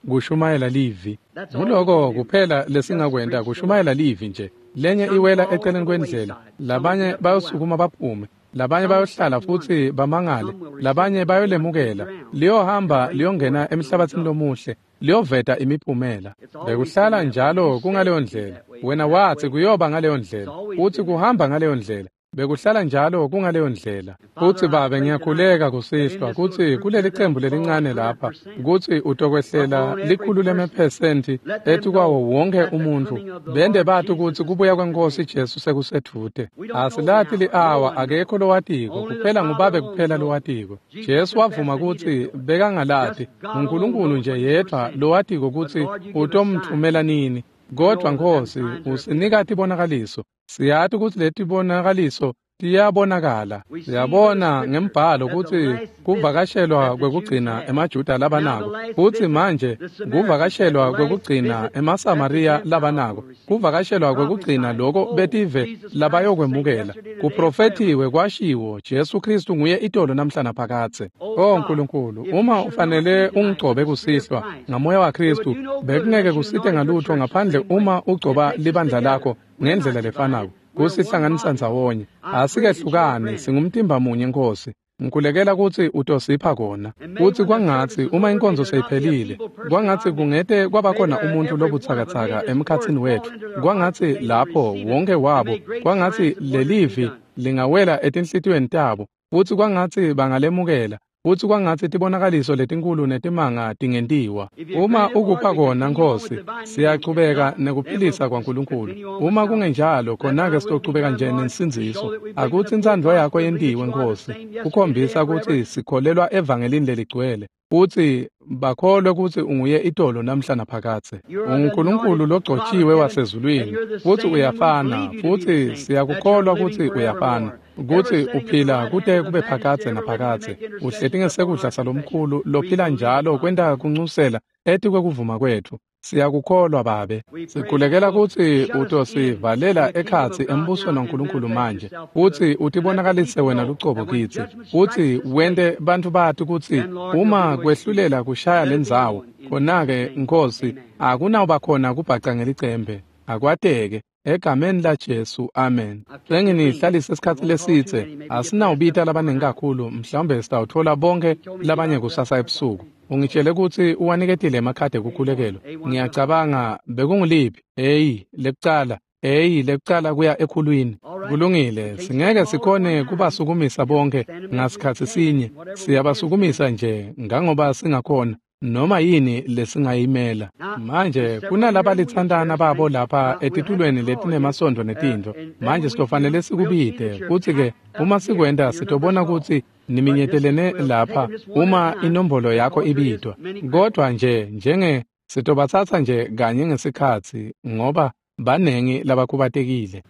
kushumayela livi. Nguloko kuphela lesingakwenta, kushumayela livi nje. Lenye iwela eceleni kwendlela, labanye bayosukuma baphume, labanye bayohlala futsi bamangale, labanye bayolemukela, liyohamba liyongena emhlabathini lomuhle, liyoveta imiphumela. Bekuhlala njalo kungaleyo ndlela. Wena watsi kuyoba ngaleyo ndlela, utsi kuhamba ngaleyo ndlela. Bekuhlala njalo kungaleyo ndlela. Futsi Babe, ngiyakhuleka kusihlwa kutsi kuleli cembu lelincane lapha, kutsi utokwehlela 100% etukwawo wonke umuntfu, bende bati kutsi kubuya kweNkosi Jesu sekusedvute. Asilati li-awa, akekho lowatiko, kuphela nguBabe kuphela lowatiko. Jesu wavuma kutsi bekangalati, nguNkulunkulu nje yedvwa lowatiko kutsi utomtfumela nini. Kodwa Nkosi, usinika tibonakaliso. Siyati kutsi letibonakaliso tiyabonakala. Siyabona ngembhalo kutsi kuvakashelwa kwekugcina emaJuda labanako, futsi manje kuvakashelwa kwekugcina emaSamariya labanako, kuvakashelwa kwekugcina loko betive labayokwemukela. Kuprofethiwe kwashiwo, Jesu Khristu nguye itolo namhla naphakadze. O Nkulunkulu, uma ufanele ungigcobe kusihlwa ngamoya waKhristu, bekungeke kusite ngalutho ngaphandle uma ugcoba libandla lakho ngendlela lefanako, kusihlanganisa ndzawonye. Asikehlukani, singumtimba munye Nkosi. Ngikhulekela kutsi utosipha kona. Futsi kwangatsi uma inkonzo seyiphelile, kwangatsi kungete kwabakhona umuntfu lobutsakatsaka emkhatsini wetfu. Kwangatsi lapho wonke wabo, kwangatsi lelivi lingawela etinhlitiyweni tabo, futsi kwangatsi bangalemukela. Futsi kwangatsi tibonakaliso letinkulu netimanga tingentiwa. Uma ukupha kona, Nkhosi, siyachubeka nekuphilisa kwaNkulunkulu. Uma kungenjalo, khona-ke sitochubeka nje nensindziso. Akutsi intsandvo yakho yentiwe, Nkhosi, kukhombisa kutsi sikholelwa evangelini leligcwele, futsi bakholwe kutsi unguye itolo namhla naphakadze. UnguNkulunkulu logcotjiwe wasezulwini, futsi uyafana, futsi siyakukholwa kutsi uyafana, kutsi uphila kute kube phakadze naphakadze. Uhleti ngesekudla salomkhulu lophila njalo kwenta kuncusela etikwekuvuma kwetfu. Siyakukholwa, Babe. Sikhulekela kutsi utosivalela ekhatsi embusweni waNkulunkulu manje, futsi utibonakalise wena lucobo kitsi, futsi wente bantfu bati kutsi uma kwehlulela kushaya lendzawo, khona-ke, Nkhosi, akunawuba khona kubhaca ngelicembe. Akwateke. Egameni laJesu, amen. Senginihlalise isikhatsi lesidze, asinawubita labaningi kakhulu, mhlawumbe sitawutfola bonke labanye kusasa ebusuku. Ungitshele kutsi uwaniketile emakhadi ekukhulekelwa. Ngiyacabanga bekunguliphi? Hey, lekucala. Hey, lekucala kuya ekhulwini. Kulungile, singeke sikhone kubasukumisa bonke ngasikhatsi sinye. Siyabasukumisa nje ngangoba singakhona, noma yini lesingayimela. Manje kunalabalitsantana babo lapha etitulweni letinemasondvo netintfo. Manje sitofanele sikubite, futsi-ke uma sikwenta sitobona kutsi niminyetelene lapha uma inombolo yakho ibitwa. Kodwa nje njenge sitobatsatsa nje kanye ngesikhatsi ngoba banengi labakhubatekile.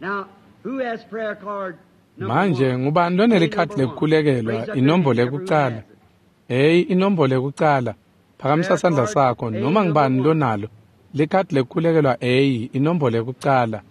Manje ngubani lonelikhadi lekukhulekelwa inombolo yekucala? Hey, inombolo yekucala. Phakamisa sandla sakho noma ngubani lonalo likhadi lekukhulekelwa. A, inombolo yekucala.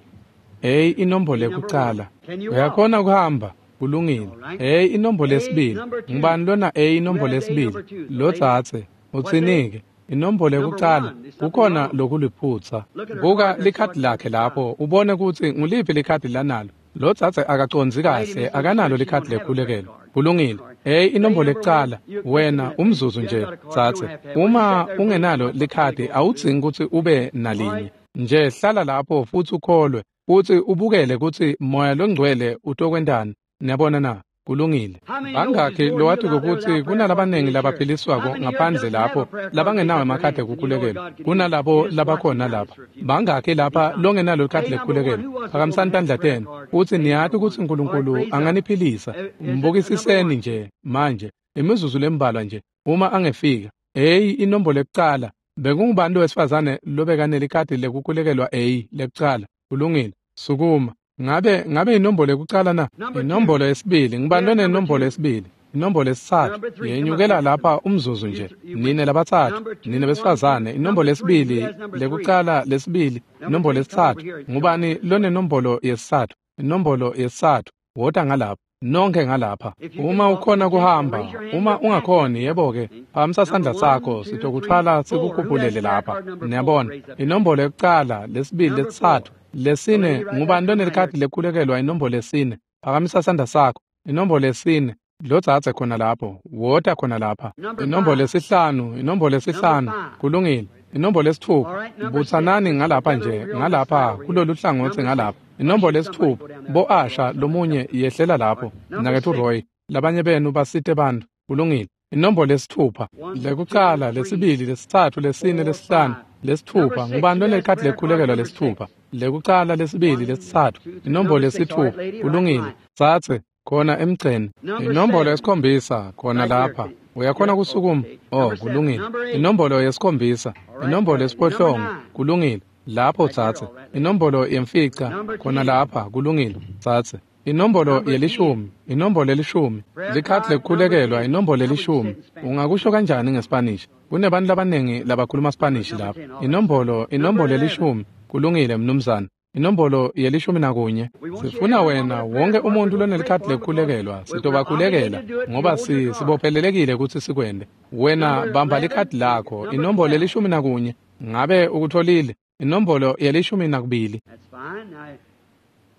A, inombolo yekucala. Uyakhona kuhamba, kulungile. A, inombolo yesibili. Ngubani lona A, inombolo yesibili? Lotsatse, utsinike. Inombolo yekucala, kukhona lokuliphutsa. Buka likhadi lakhe lapho, ubone kutsi nguliphi likhadi lanalo. Lotsatse akacondzi kahle, akanalo likhadi lekukhulekelwa. Kulungile. Hey, inombolo yekucala, wena umzuzu nje, tsatse. Uma ungenalo likhadi, awudzingi kutsi ube nalinye. Nje hlala lapho futsi ukholwe, futsi ubukele kutsi Moya loNgcwele utokwentani. Niyabona na? Kulungile. Bangakhi lowatiko kutsi kunalabanengi labaphiliswako ngaphandle lapho labangenawo emakhadi ekukhulekelwa kunalabo labakhona lapha? Bangakhi lapha longenalo likhadi lekukhulekelwa? Phakamisani tandla tenu futsi niyati kutsi Nkulunkulu anganiphilisa. Mbukisiseni nje manje imizuzu lembalwa nje uma angefika. Hey, inombolo yekucala. Bekungubani wesifazane lobekanelikhadi lekukhulekelwa A lekucala? Kulungile. Sukuma. Ngabe inombolo yekucala na? Inombolo yesibili. Ngubani lonenombolo yesibili? Inombolo yesitsatfu. Yenyukela lapha umzuzu nje. Nine labatsatfu, nine besifazane. Inombolo yesibili, lekucala, lesibili, inombolo yesitsatfu. Ngubani lonenombolo yesitsatfu? Inombolo yesitsatfu. Wota ngalapha. Nonke ngalapha. Uma ukhona kuhamba, uma ungakhoni, yebo-ke, phakamisa sandla sakho, sitokuthwala sikukhuphulele lapha. Niyabona, inombolo yekucala, lesibili, lesitsatfu, lesine. Ngubani lonelikhadi lekukhulekelwa inombolo yesine? Phakamisa sandla sakho. Inombolo yesine. Lotsatse khona lapho, wota khona lapha. Inombolo yesihlanu, inombolo yesihlanu. Kulungile. Inombolo yesitfupha. Butsanani ngalapha nje, ngalapha kulolu hlangotsi ngalapha. Inombolo yesitfupha. Bo-Asha lomunye yehlela lapho. Mnaketfu Roy, labanye benu basite bantfu. Kulungile. Inombolo yesitfupha. Lekucala, lesibili, lesitsatfu, lesine, lesihlanu, lesitfupha. Ngubani lonelikhadi lekukhulekelwa lesitfupha? Lekucala, lesibili, lesitsatfu. Inombolo yesitfupha. Kulungile. Tsatse khona emgceni. Inombolo yesikhombisa khona lapha. Uyakhona kusukuma? Oh, kulungile. Inombolo yesikhombisa. Inombolo yesiphohlongo. Kulungile. Lapho tsatse. Inombolo yemfica khona lapha. Kulungile. Tsatse. Inombolo yelishumi. Inombolo yelishumi. Likhadi lekukhulekelwa inombolo yelishumi. Ungakusho kanjani ngeSpanish? Kunebantu labaningi labakhuluma Spanish lapha. Inombolo yelishumi. Kulungile, mnumzane. Inombolo yelishumi nakunye. Sifuna wena wonke umuntu lonelikhadi lekukhulekelwa, sitobakhulekela ngoba sibophelelekile kutsi sikwente. Wena bamba likhadi lakho. Inombolo yelishumi nakunye. Ngabe ukutholile? Inombolo yelishumi nakubili.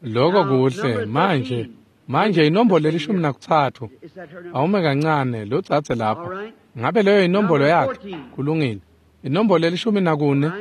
Lokho kuhle. Manje inombolo yelishumi nakutsatfu. Awume kancane, lotsatse lapha. Ngabe leyo inombolo yakhe? Kulungile. Inombolo yelishumi nakune.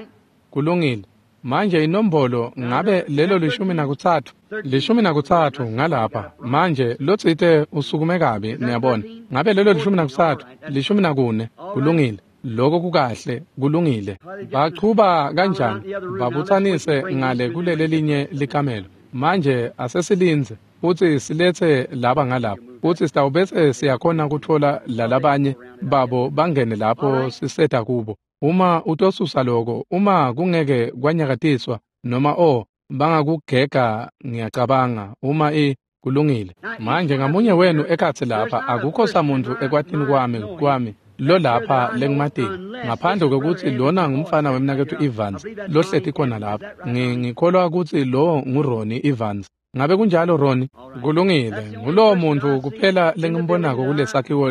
Kulungile. Manje inombolo ngabe lelo 13 13 ngalapha. Manje lotsite usukume kabi, niyabona. Ngabe lelo 13 14 kulungile. Lokho kukahle, kulungile. Bachuba kanjani? Babuthanise ngale kulelelinye likamelo. Manje asesilinze futhi silethe laba ngalapha, futhi sitawubese siyakhona kuthola lalabanye babo bangene lapho siseta kubo. Uma utosusa lokho, uma kungeke kwanyakatiswa noma bangakugega, ngiyacabanga uma kulungile. Manje ngamunye wenu ekhatsi lapha, akukho samuntu ekwatini kwami lo lapha lengimatile, ngaphandle kokuthi lona ngumfana wemnaketfu Evans lohleti khona lapha. Ngikholwa ukuthi lo nguRonnie Evans. Ngabe kunjalo Ronnie? Kulungile. Ngulowo muntu kuphela lengimbonako kulesakhiwo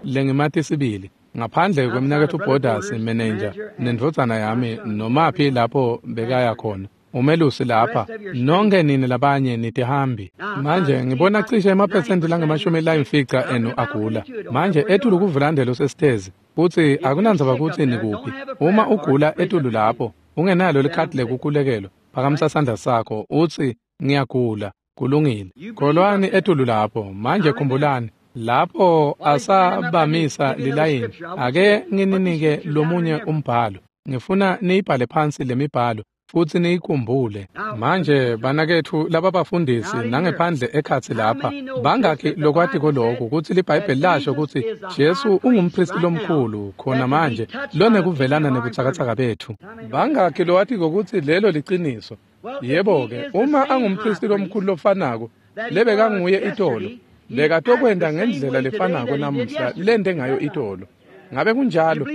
lengimati sibili, ngaphandle kwemnaketfu Borders manager nendvodzana yami nomaphi lapho bekaya khona. Umelusi lapha, nonke nini labanye nitihambi. Manje ngibona cishe emaphesenti lange-50 enu agula. Manje etulu kuvulandelo sesitezi, futhi akunandzaba kutsi nikuphi. Uma ugula etulu lapho, ungenalo likhadi lekukhulekelwa, phakamisa sandla sakho utsi ngiyagula. Kulungile. Kholwani etulu lapho. Manje khumbulani, lapho asabamisa lilayini, ake ngininike lomunye umbhalo. Ngifuna niyibhale phansi lemibhalo futhi niyikhumbule. Manje banaketfu lababafundisi nangephandle ekhatsi lapha, bangakhi lokwatiko lokhu kutsi liBhayibheli lasho kutsi Jesu ungumphristi lomkhulu khona manje lonekuvelana nebutsakatsaka bethu? Bangakhi lowatiko kutsi lelo liciniso? Yebo-ke, uma angumphristi lomkhulu lofanako lebekanguye itolo, bekatokwenta ngendlela lefanako namuhla lente ngayo itolo. Ngabe kunjalo?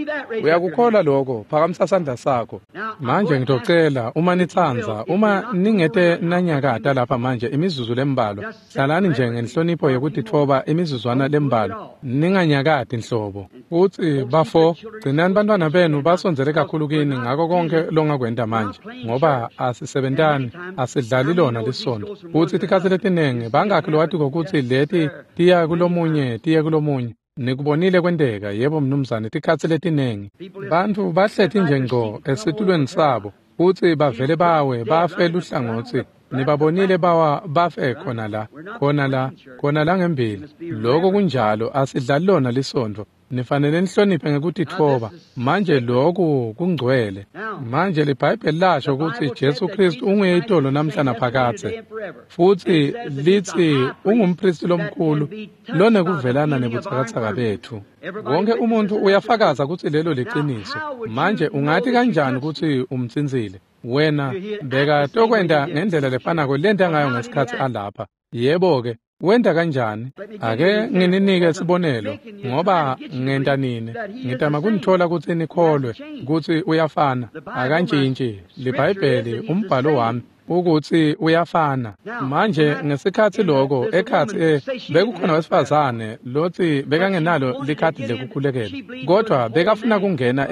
Uyakukholwa lokho? Phakamisa sandla sakho. Manje ngitocela, uma nitsandza, uma ningete nanyakata lapha manje imizuzu lembalwa, hlalani nje ngenhlonipho yekutitfoba imizuzwana lembalwa, ninganyakati nhlobo. Futsi bafo, gcinani bantwana benu basondzele kakhulu kini ngako konke longakwenta manje, ngoba asisebentani, asidlali lona lisontfo. Futsi tikhatsi letinengi bangakhi lowatiko kutsi leti tiya kulomunye, tiye kulomunye. Nikubonile kwenteka, yebo mnumzane, tikhatsi letinengi. Bantfu bahleti nje ngco esitulweni sabo, futsi bavele bawe bafe luhlangotsi. Nibabonile bawa bafe khona la, khona la, khona la ngembili. Lokho kunjalo, asidlali lona lisontfo. Nifanele nihloniphe ngekutitfoba. Manje lokhu kungcwele. Manje liBhayibheli lasho kutsi Jesu Kristu unguye itolo namhla naphakadze, futsi litsi ungumphristi lomkhulu lonekuvelana nebutsakatsaka bethu. Wonke umuntu uyafakaza kutsi lelo liciniso. Manje ungati kanjani kutsi umtsintsile? Wena bekatokwenta ngendlela lefanako lenta ngayo ngesikhatsi alapha. Yebo-ke, wenta kanjani? Ake ngininike sibonelo, ngoba ngenta nini. Ngitama kunithola kutsi nikholwe kutsi uyafana. Akantshintshi. LiBhayibheli, umbhalo wami, ukuthi uyafana. Manje ngesikhatsi lokho ekhatsi bekukhona wesifazane lotsi bekangenalo likhadi lekukhulekela, kodwa bekafuna kungena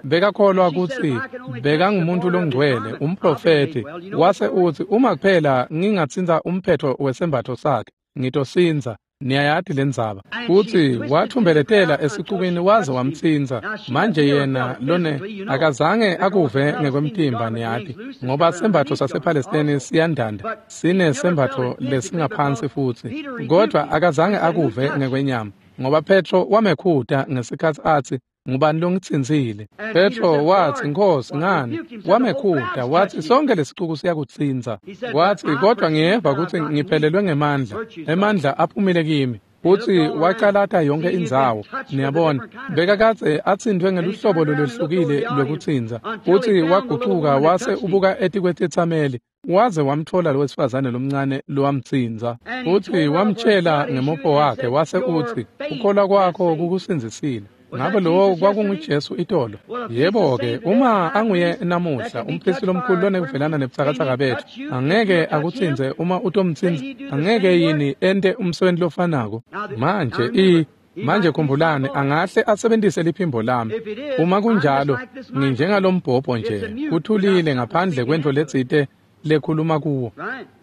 bekakholwa kutsi bekangumuntu longcwele, umprofeti. Wase utsi uma kuphela ngingatsintsa umphetho wesembatfo sakhe, ngitosindza. Niyayati lendzaba. Futsi wathumbeletela esicukini waze wamtsintsa. Manje yena lone akazange akuve ngekwemtimba, niyati, ngoba sembatfo sasePalestine siyandanda, sinesembatfo lesingaphansi futsi. Kodwa akazange akuve ngekwenyama, ngoba Petro wamekhuta ngesikhatsi atsi, ngubani longitsintsile? Petro watsi, Nkhosi, ngani? Wamekhuta watsi, sonke lesicuku siyakutsintsa. Watsi, kodwa ngiyeva kutsi ngiphelelwe ngemandla, emandla aphumile kimi. Futsi wacalata yonke indzawo. Niyabona, bekakadze atsintfwe ngeluhlobo lolwehlukile lwekutsintsa. Futsi wagucuka wase ubuka etikwetitsameli, waze wamtfola lowesifazane lomncane lowamtsintsa. Futsi wamtshela ngemopho wakhe, wase utsi, ukholwa kwakho kukusindzisile. Ngabe lowo kwakunguJesu itolo? Yebo-ke, uma anguye namuhla umphristi lomkhulu lonekuvelana nebutsakatsaka bethu, angeke akutsintse uma utomtsintsa? Angeke yini ente umsebenzi lofanako? Manje manje khumbulani, angahle asebentise liphimbo lami. Uma kunjalo, nginjengalombhobho nje, kuthulile ngaphandle kwentfo letsite lekhuluma kuwo.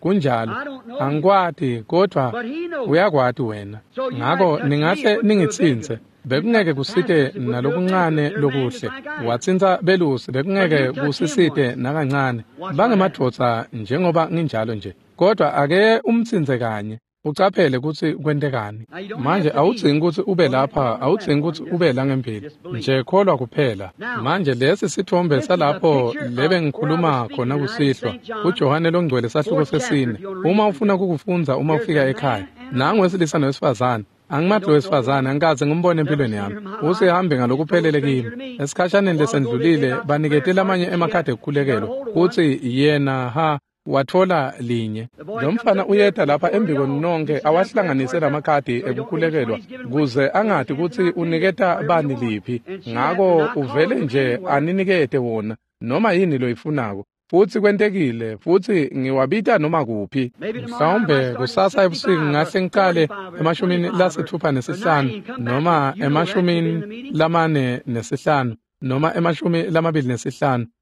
Kunjalo, angikwati, kodwa uyakwati wena. Ngako ningahle ningitsintse. Bekungeke kusite nalokuncane lokuhle. Watsintsa belusi, bekungeke kusisite nakancane. Bangemadvodza njengoba nginjalo nje. Kodwa ake umtsintse kanye, ucaphele kutsi kwentekani. Manje awudzingi kutsi ube lapha, awudzingi kutsi ube la ngembili. Nje kholwa kuphela. Manje lesi sitfombe salapho lebe ngikhuluma khona kusihlwa, kuJohane Longcwele sahluko sesine. Uma ufuna kukufundza uma ufika ekhaya, nangu wesilisa nowesifazane. Angimathi wesifazane, angikaze ngimbone empilweni yami. Usehambe ngalokuphelele kimi. Esikhashaneni lesendlulile banikete lamanye emakhadi ekukhulekelwa kutsi yena watfola linye. Lo mfana uyeta lapha embikweni nonke awahlanganise lamakhadi ekukhulekelwa kuze angati kutsi uniketa bani liphi. Ngako uvele nje aninikete wona noma yini loyifunako. Futsi kwentekile, futsi ngiwabita noma kuphi. Mhlawumbe kusasa ebusuku ngingahle ngiqale 65 noma 45 noma 25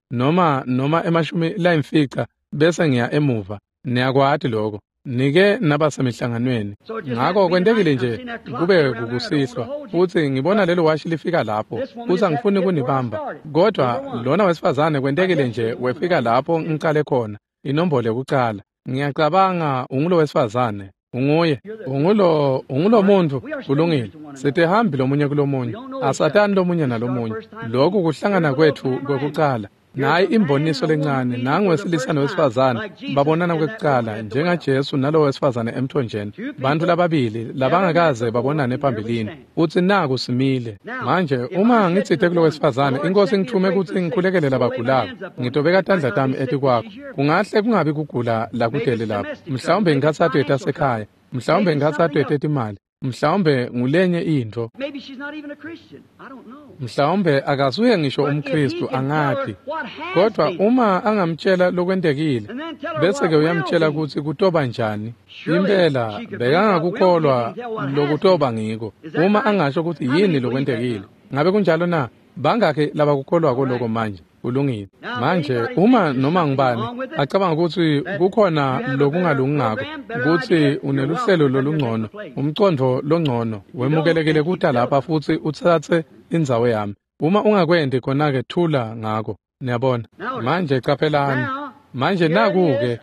noma 50 bese ngiya emuva. Niyakwati lokho. Nike nabasemihlanganweni. Ngako kwentekile nje kube kukusihlwa, futsi ngibona lelo washi lifika lapho, futsi angifuni kunibamba. Kodwa lona wesifazane kwentekile nje wefika lapho ngicale khona, inombolo yokucala. Ngiyacabanga ungulo wesifazane, unguye, ungulo muntu, kulungile. Sitihambi lomunye kulomunye, asatani lomunye nalomunye. Lokhu kuhlangana kwethu kwekucala. Nayi imboniso lencane, nangu wesilisa nowesifazane babonana kwekucala njengaJesu nalo wesifazane emthonjeni. Bantu lababili labangakaze babonane phambilini, futsi naku simile. Manje uma ngitsite kulo wesifazane, iNkosi ngithume kutsi ngikhulekele labagulako, ngitobeka tandla tami etikwakho. Kungahle kungabi kugula lakudele lapho, mhlawumbe inkhatsato yetasekhaya, mhlawumbe inkhatsato yetetimali, mhlawumbe ngulenye intfo, mhlawumbe akasuye ngisho umKristu, angati. Kodwa uma angamtshela lokwentekile, bese-ke uyamtshela kutsi kutoba njani. Impela bekangakukholwa lokutoba ngiko uma angasho kutsi yini lokwentekile. Ngabe kunjalo na? Bangakhi labakukholwako loko manje? Kulungile. Manje uma noma ngubani acabanga kutsi kukhona lokungalungi ngako, kutsi uneluhlelo lolungcono, umcondvo longcono, wemukelekile kuta lapha futsi utsatse indzawo yami. Uma ungakwenti khona-ke thula ngako. Niyabona? Manje caphelani. Manje naku-ke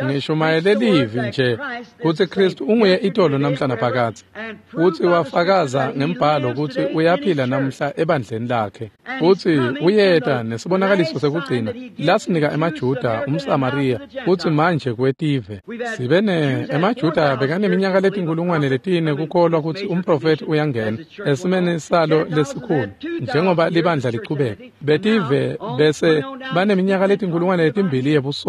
ngishumayele livi nje kutsi Kristu unguye itolo namhla naphakadze, futsi wafakaza ngembhalo kutsi uyaphila namhla ebandleni lakhe, futsi uyeta nesibonakaliso sekugcina lasinika emaJuda, umSamariya, futsi manje kwetive. Sibe ne emaJuda bekaneminyaka 4,000 kukholwa kutsi umprofethi uyangena esimeni salo lesikhulu njengoba libandla lichubeka. Betive bese baneminyaka 2,000 yebusonto,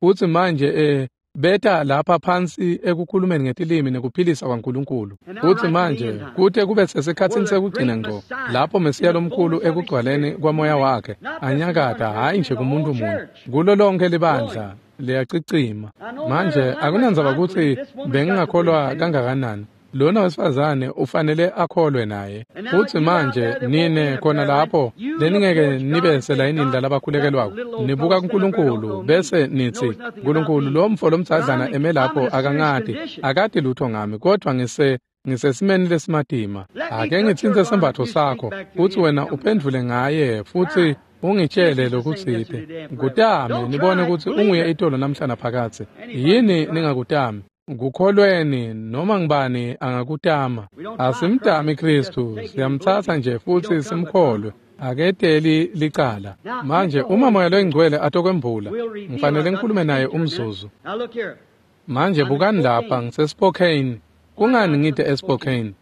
futsi manje beta lapha phansi ekukhulumeni ngetilimi nekuphilisa kwaNkulunkulu. Futsi manje kute kube sesikhatsini sekugcina ngco, lapho Mesiya lomkhulu ekugcwaleni kwamoya wakhe anyakata, hhayi nje kumuntu munye, kulo lonke libandla liyacicima. Manje akunandzaba kutsi bengingakholwa kangakanani, lona wesifazane ufanele akholwe naye. Futsi manje nine khona lapho leningeke nibe selayinini lalabakhulekelwako, nibuka kuNkulunkulu bese nitsi, Nkulunkulu, lo mfo lomdzadlana eme lapho akangati, akati lutho ngami, kodwa ngisesimeni lesimatima. Ake ngitsintse sembatfo sakho, futsi wena uphendvule ngaye, futsi ungitshele lokutsite. Kutame nibone kutsi unguye itolo namhla naphakadze. Yini ningakutami? Kukholweni noma ngibani angakutama. Asimtami Kristu, siyamtsatsa nje futsi simkholwe. Aketeli licala. Manje uma Moya Longcwele atokwembula, ngifanele ngikhulume naye umzuzu. Manje bukani lapha, ngiseSpokane. Kungani ngite eSpokane?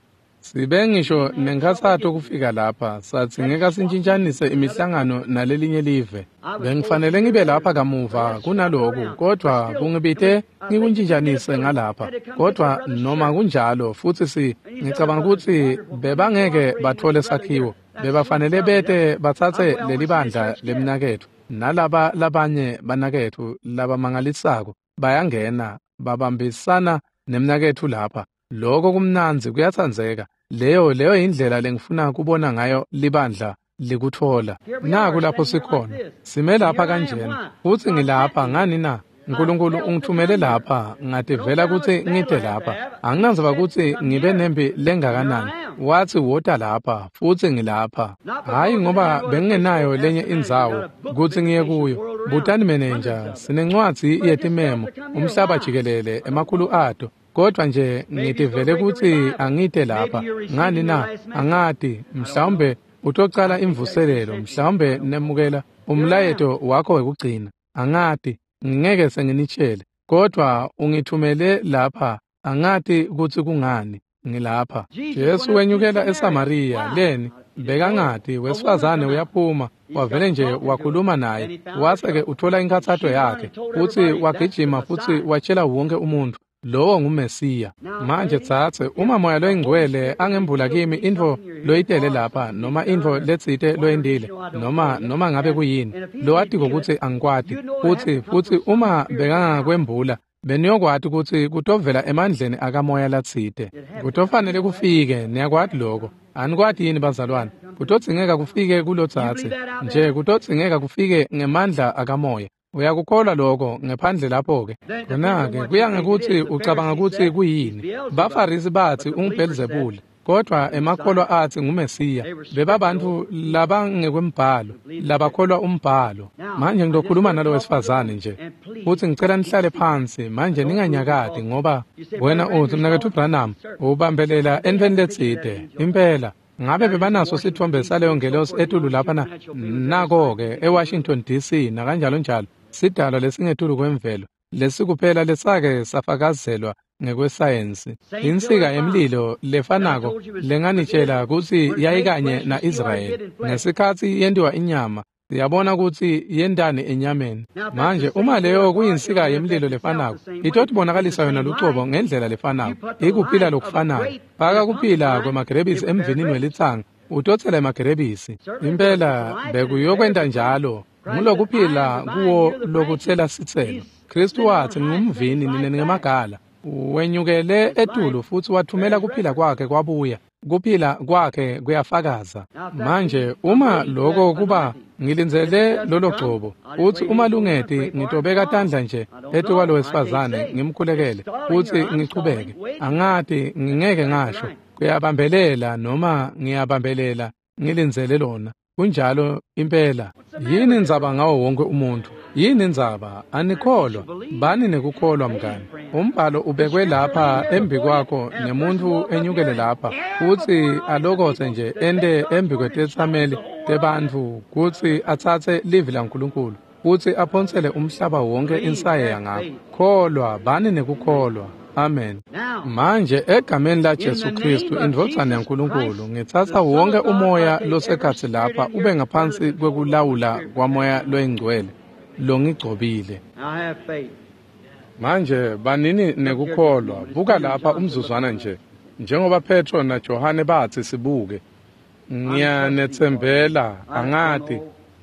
Sibe ngisho nenkhatsato kufika lapha, sathi ngeke sintshintshanise imihlangano nalelinye live. Bengifanele ngibe lapha kamuva kunaloku, kodwa kungibite ngikuntshintshanise ngalapha. Kodwa noma kunjalo, futsi ngicabanga kutsi bebangeke batfole sakhiwo. Bebafanele bete batsatse leli bandla lemnaketfu nalaba labanye banaketfu labamangalisako bayangena babambisana nemnaketfu lapha. Lokho kumnandzi, kuyatsandzeka. Leyo indlela lengifuna kubona ngayo libandla likutfola. Naku lapho sikhona, sime lapha kanjena, futsi ngilapha ngani na? Nkulunkulu ungithumele lapha, ngativela kutsi ngite lapha. Anginandzaba kutsi ngibe nempi lengakanani. Watsi wota lapha, futsi ngilapha. Hhayi ngoba bengingenayo lenye indzawo kutsi ngiye kuyo. Butani menenja, sinencwadzi yetimemo, umhlaba jikelele, emakhulu ato. Kodwa nje ngitivele kutsi angite lapha. Ngani na? Angati, mhlawumbe utocala imvuselelo, mhlawumbe nemukela umlayeto wakho wekugcina. Angati, ngingeke senginitshele. Kodwa ungithumele lapha, angati kutsi kungani ngilapha. Jesu wenyukela eSamariya, leni bekangati, wesifazane uyaphuma, wavele nje wakhuluma naye, wase-ke uthola inkhatsato yakhe, futsi wagijima futsi watshela wonke umuntfu, lowo nguMesiya. Manje tsatse, uma Moya loyiNgcwele angembula kimi intfo loyitele lapha, noma intfo letsite loyentile, noma ngabe kuyini, lowatiko kutsi angikwati, futsi uma bekangakwembula, beniyokwati kutsi kutovela emandleni akamoya latsite. Kutofanele kufike, niyakwati lokho. Anikwati yini bazalwane? Kutodzingeka kufike kulotsatse. Nje kutodzingeka kufike ngemandla akamoya. Uyakukholwa lokho ngephandle lapho-ke? Khona-ke kuya ngekutsi ucabanga kutsi kuyini. BaFarisi batsi unguBhelzebule, kodwa emakholwa atsi nguMesiya. Bebabantfu labangekwembhalo, labakholwa umbhalo. Manje ngizokhuluma nalo wesifazane nje, futsi ngicela nihlale phansi manje, ninganyakati, ngoba wena utsi, Mnaketfu Branham, ubambelela entfweni letsite. Impela. Ngabe bebanaso sitfombe saleyo ngelosi etulu lapha na? Nako-ke eWashington DC nakanjalo njalo, sidalwa lesingetulu kwemvelo, lesikuphela lesake safakazelwa ngekwesayensi. Insika yemlilo lefanako lenganitshela kutsi yayikanye na-Israyeli ngesikhatsi yentiwa inyama, siyabona kutsi yentani enyameni. Manje uma leyo kuyinsika yemlilo lefanako, itotibonakalisa yona lucobo ngendlela lefanako, ikuphila lokufanako. Faka kuphila kwemagerebisi emvinini welitsanga, utotsela emagerebisi. Impela bekuyokwenta njalo. Ngulokuphila kuwo lokutsela sitselo. Kristu watsi ngumvini, nine ningemagala. Wenyukele etulu futsi wathumela kuphila kwakhe kwabuya. Kuphila kwakhe kuyafakaza. Manje uma lokho kuba ngilindzele lolo gcobo, utsi uma lungeti ngitobeka tandla nje etukwalo wesifazane ngimkhulekele futsi ngichubeke. Angati, ngingeke ngasho kuyabambelela noma ngiyabambelela, ngilindzele lona. Kunjalo impela. Yini indzaba ngawo wonke umuntu? Yini indzaba? Anikholwa. Bani nekukholwa mngani. Umbhalo ubekwe lapha embi kwakho nemuntfu enyukele lapha, futsi alokotse nje ente embi kwetetsameli tebantfu kutsi atsatse livi laNkulunkulu futsi aphonsele umhlaba wonke insayeya ngakho. Kholwa, bani nekukholwa. Amen. Manje egameni la Jesu Kristu, indvodzana yaNkulunkulu, ngitsatsa wonke umoya losekhatsi lapha ube ngaphansi kwekulawula kwaMoya loyiNgcwele longigcobile. Manje banini nekukholwa. Buka lapha umzuzwana nje, njengoba Petro naJohane batsi sibuke. Ngiyanetsembela, angati.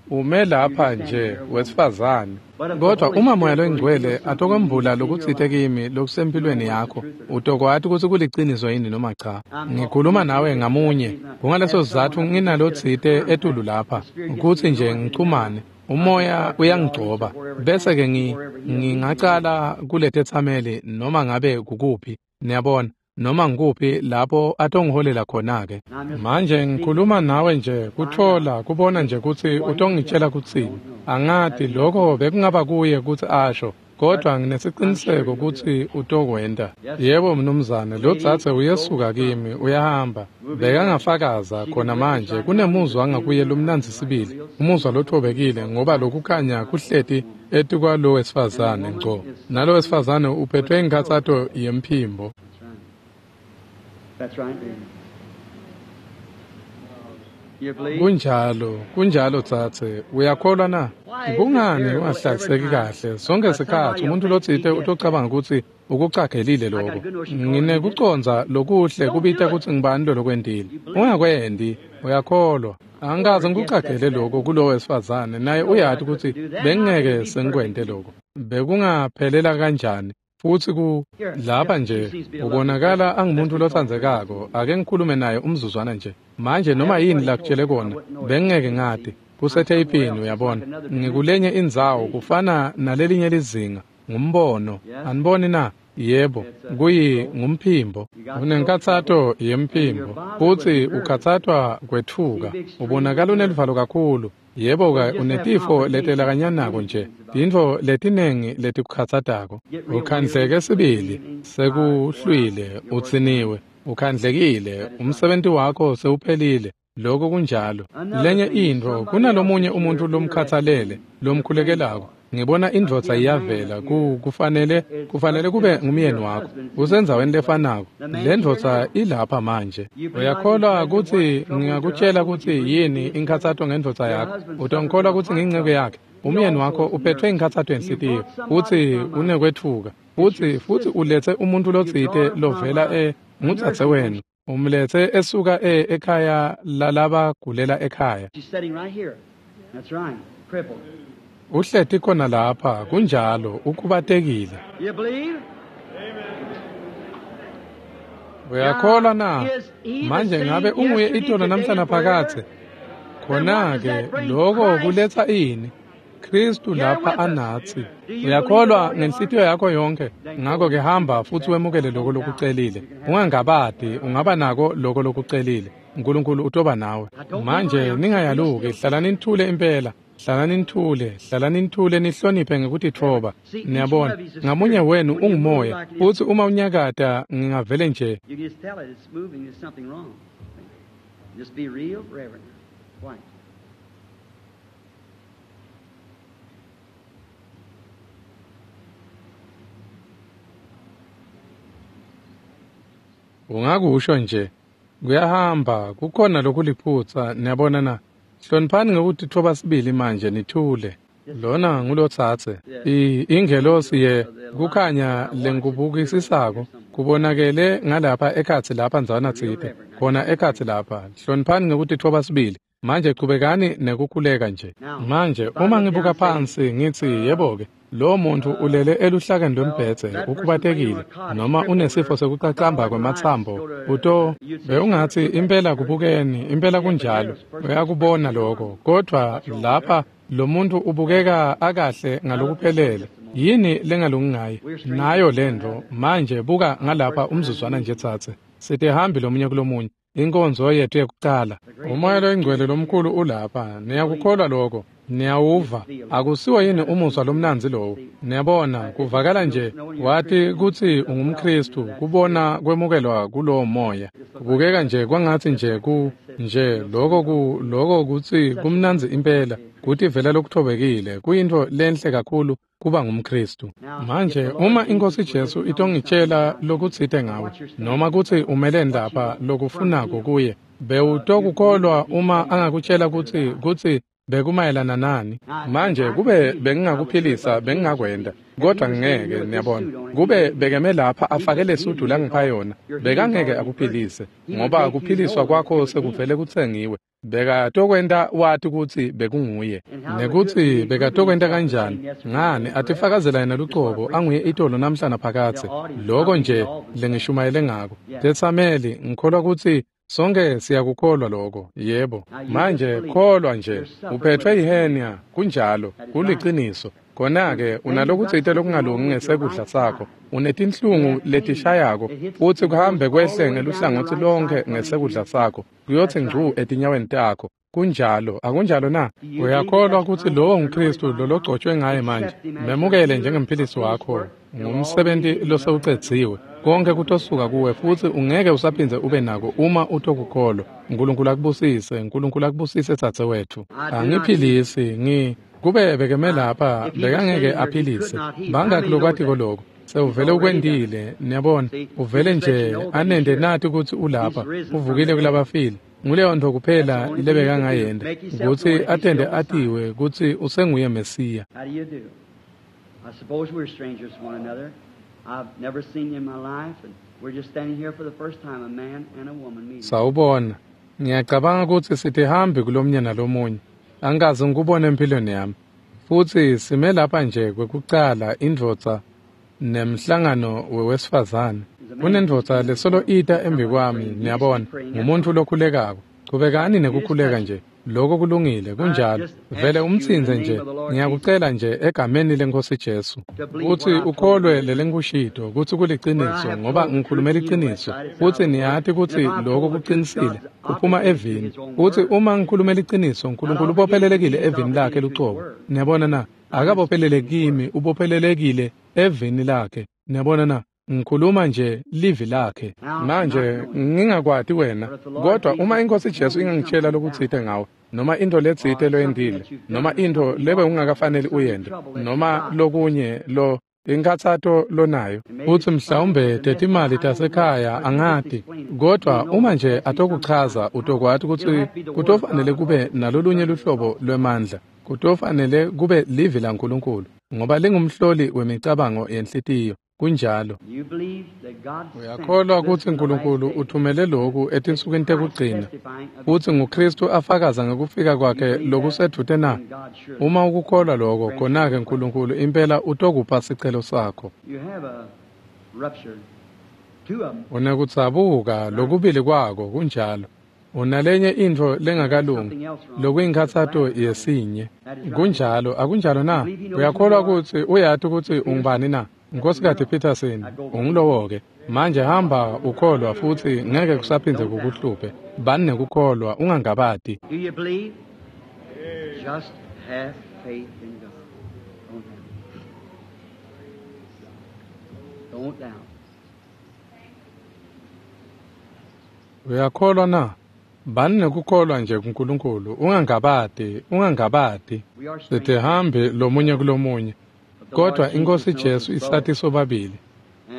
Ume lapha nje wesifazane. Kodwa uma Moya loyiNgcwele atokwembula lokutsite kimi lokusempilweni yakho, utokwati kutsi kuliciniso yini noma cha. Ngikhuluma nawe ngamunye. Kungaleso sizatfu nginalotsite etulu lapha, kutsi nje ngichumane. Umoya uyangigcoba, bese-ke ngingacala kuletetsameli noma ngabe kukuphi, niyabona, noma ngikuphi lapho atongiholela khona-ke. Manje ngikhuluma nawe nje kuthola kubona nje kutsi utongitshela kutsini. Angati lokho bekungaba kuye kutsi asho, kodwa nginesiciniseko kutsi utokwenta. Yebo mnumzane, lo dzadze uyesuka kimi, uyahamba. Bekangafakaza khona manje kunemuzwa ngakuye lomnandzi sibili, umuzwa lothobekile, ngoba lokukhanya kuhleti etikwalo wesifazane ngco. Nalo wesifazane uphethwe inkhatsato yemphimbo. That's right. You believe? Kunjalo, kunjalo dzadze, uyakholwa na? Kungani ungahlaliseki kahle? Sonke sikhatsi umuntu lotsite utocabanga kutsi ukucagelile lokho. Nginekucondza lokuhle kubita kutsi ngibani lolokwentile. Ungakwendi, uyakholwa. Angikaze ngikucagele lokho kulowo wesifazane, naye uyati kutsi bengingeke sengikwente lokho. Bekungaphelela kanjani? Futsi ku lapha nje ubonakala angumuntu lotsandzekako. Ake ngikhulume naye umzuzwana nje. Manje noma yini lakutshele kona, bengingeke ngati. Kusetheyipini, uyabona. Ngikulenye indzawo kufana nalelinye lizinga, ngumbono. Aniboni na? Yebo, kuyi ngumphimbo. Unenkathato yemphimbo, futsi ukhatsatwa kwetfuka. Ubonakala uneluvalo kakhulu. Yebo-ke, unetifo letelakanyanako nje, tintfo letinengi letikukhatsatako. Ukhandleke sibili, sekuhlwile, utsiniwe, ukhandlekile, umsebenti wakho sewuphelile. Lokho kunjalo. Lenye intfo, kunalomunye umuntu lomkhatsalele, lomkhulekelako. Ngibona indvodza iyavela, kufanele kube ngumyeni wakho. Usendzaweni lefanako. Le ndvodza ilapha manje. Uyakholwa kutsi ngingakutshela kutsi yini inkhatsato ngendvodza yakho? Utongikholwa kutsi ngiyinceke yakhe? Umyeni wakho uphethwe inkhatsato yenhlitiyo, futsi unekwetfuka. Futsi uletse umuntu lotsite lovela ngudzadze wenu. Umletse esuka ekhaya lalabagulela ekhaya. Uhleti khona lapha, kunjalo, ukhubatekile. Uyakholwa na? Manje ngabe unguye itolo namhlanje phakathe? Khona-ke lokho kuletsa ini? Kristu lapha anatsi. Uyakholwa ngenhlitiyo yakho yonke? Ngakho-ke hamba futsi wemukele lokho lokucelile. Ungangabadi, ungaba nako lokho lokucelile. uNkulunkulu utoba nawe. Manje ningayaluki, hlalani nithule impela. Hlalani nithule nihloniphe ngekutitfoba. Niyabona, ngamunye wenu ungumoya, futsi uma unyakata ngingavele nje. Ungakusho nje, kuyahamba, kukhona lokuliphutsa, niyabona na? Hloniphani ngekutitfoba sibili manje nithule. Lona ngulotsatse. Ingelosi ye kukhanya lengikubukisisako kubonakele ngalapha ekhatsi lapha ndzana tsite. Khona ekhatsi lapha. Hloniphani ngekutitfoba sibili. Manje chubekani nekukhuleka nje. Manje uma ngibuka phansi ngitsi yebo-ke, lo muntu ulele eluhlakeni lwembhedze, ukhubatekile, noma unesifo sekucacamba kwematsambo, uto bewungatsi impela kubukeni, impela kunjalo, uyakubona lokho, kodvwa lapha lo muntu ubukeka akahle ngalokuphelele. Yini lengalungi ngaye? Nayo lento. Manje buka ngalapha umzuzwana nje tsatse. Sitihambi lomunye kulomunye. Inkonzo yethu yekucala. Umoya loyingcwele lomkhulu ulapha. Niyakukholwa lokho? Niyawuva? Akusiwo yini umuzwa lomnandzi lowo? Niyabona, kuvakala nje wati kutsi ungumKhristu, kubona kwemukelwa kulowo moya. Kubukeka nje kwangatsi nje nje lokho kutsi kumnandzi impela, kutivela lokuthobekile, kuyintfo lenhle kakhulu kuba ngumKhristu. Manje uma iNkosi Jesu itongitshela lokutsite ngawe, noma kutsi umeleni lapha lokufunako kuye, bewutokukholwa uma angakutshela kutsi bekumayelana nani? Manje kube bengingakuphilisa bengingakwenda, kodwa ngeke, niyabona. Kube bekeme lapha afake lesudu langipha yona, bekangeke akuphilise, ngoba kuphiliswa kwakho sekuvele kutsengiwe. Bekatokwenta wati kutsi bekunguye, nekutsi bekatokwenta kanjani. Ngani atifakazela yena lucobo anguye itolo namhlanje phakathe. Lokho nje lengishumayele ngako. Tetsameli, ngikholwa kutsi sonke siyakukholwa lokho. Yebo. Manje kholwa nje. Uphethwe yihenia, kunjalo, kuliciniso. Khona-ke unalokutsite lokungalungi ngesekudla sakho. Unetinhlungu letishayako, futsi kuhambe kwehle ngeluhlangotsi lonke ngesekudla sakho, kuyotsi ngcu etinyaweni takho. Kunjalo, akunjalo na? Uyakholwa kutsi lowo nguKhristu lologcotshwe ngaye manje? Memukele njengemphilisi wakho, ngumsebenti losewucedziwe. Konke kutosuka kuwe futsi ungeke usaphindze ube nako uma utokukholwa. uNkulunkulu akubusise, uNkulunkulu akubusise dzadze wetfu. Angiphilisi, kube bekeme lapha bekangeke aphilise. Bangaki lokwatiko lokho? Sewuvele ukwendile, niyabona. Uvele nje anende nati kutsi ulapha, uvukile kulabafile. Nguleyo ntfo kuphela lebekangayenda, kutsi atende atiwe kutsi usenguye Mesiya. Sawubona, ngiyacabanga kutsi sitihambi kulomnye nalomunye. Angikaze ngikubone empilweni yami. Futsi sime lapha nje kwekucala indvodza nemhlangano wewesifazane. Kunendvodza lesolo ita embi kwami, niyabona, ngumuntu lokhulekako. Chubekani nekukhuleka nje. Lokho kulungile, kunjalo. Vele umtsintse nje, ngiyakucela nje egameni leNkosi Jesu kutsi ukholwe lelengikushito kutsi kuliciniso, ngoba ngikhulume liciniso, futsi niyati kutsi lokho kucinisile, kuphuma evini. Futsi uma ngikhulume liciniso, uNkulunkulu ubophelelekile evini lakhe lucobo. Niyabona na? Akabophelele kimi, ubophelelekile evini lakhe. Niyabona na? Ngikhuluma nje livi lakhe. Manje ngingakwati wena, kodwa uma iNkosi Jesu ingangitshela lokutsite ngawe, noma into letsite loyentile, noma into lebe ungakafaneli uyente, noma lokunye lo inkhatsato lonayo, futsi mhlawumbe tetimali tasekhaya, angati, kodwa uma nje atokuchaza, utokwati kutsi kutofanele kube nalolunye luhlobo lwemandla, kutofanele kube livi laNkulunkulu, ngoba lingumhloli wemicabango yenhlitiyo. Kunjalo. Uyakholwa kutsi uNkulunkulu uthumele lokhu etinsukwini tekugcina, futsi nguKristu afakaza ngekufika kwakhe lokusedvute na? Uma ukukholwa lokho, khona-ke uNkulunkulu impela utokupha sicelo sakho. Unekudzabuka lokubili kwako, kunjalo. Unalenye intfo lengakalungi, lokuyinkhatsato yesinye. Kunjalo, akunjalo na? Uyakholwa kutsi uyati kutsi ungubani na? Nkosikati Peterson, ungulowo-ke. Manje hamba ukholwa futsi ngeke kusaphindze kukuhluphe. Bani nekukholwa, ungangabati. Do you believe? Just have faith in God. Don't doubt. Don't doubt. Uyakholwa na? Bani nekukholwa nje kuNkulunkulu, ungangabati, ungangabati. Sitihambi lomunye kulomunye, kodwa iNkosi Jesu isati sobabili.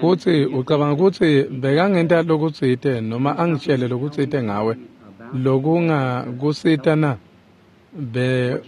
Futsi ucabanga kutsi bekangenta lokutsite noma angitshele lokutsite ngawe lokungakusita na?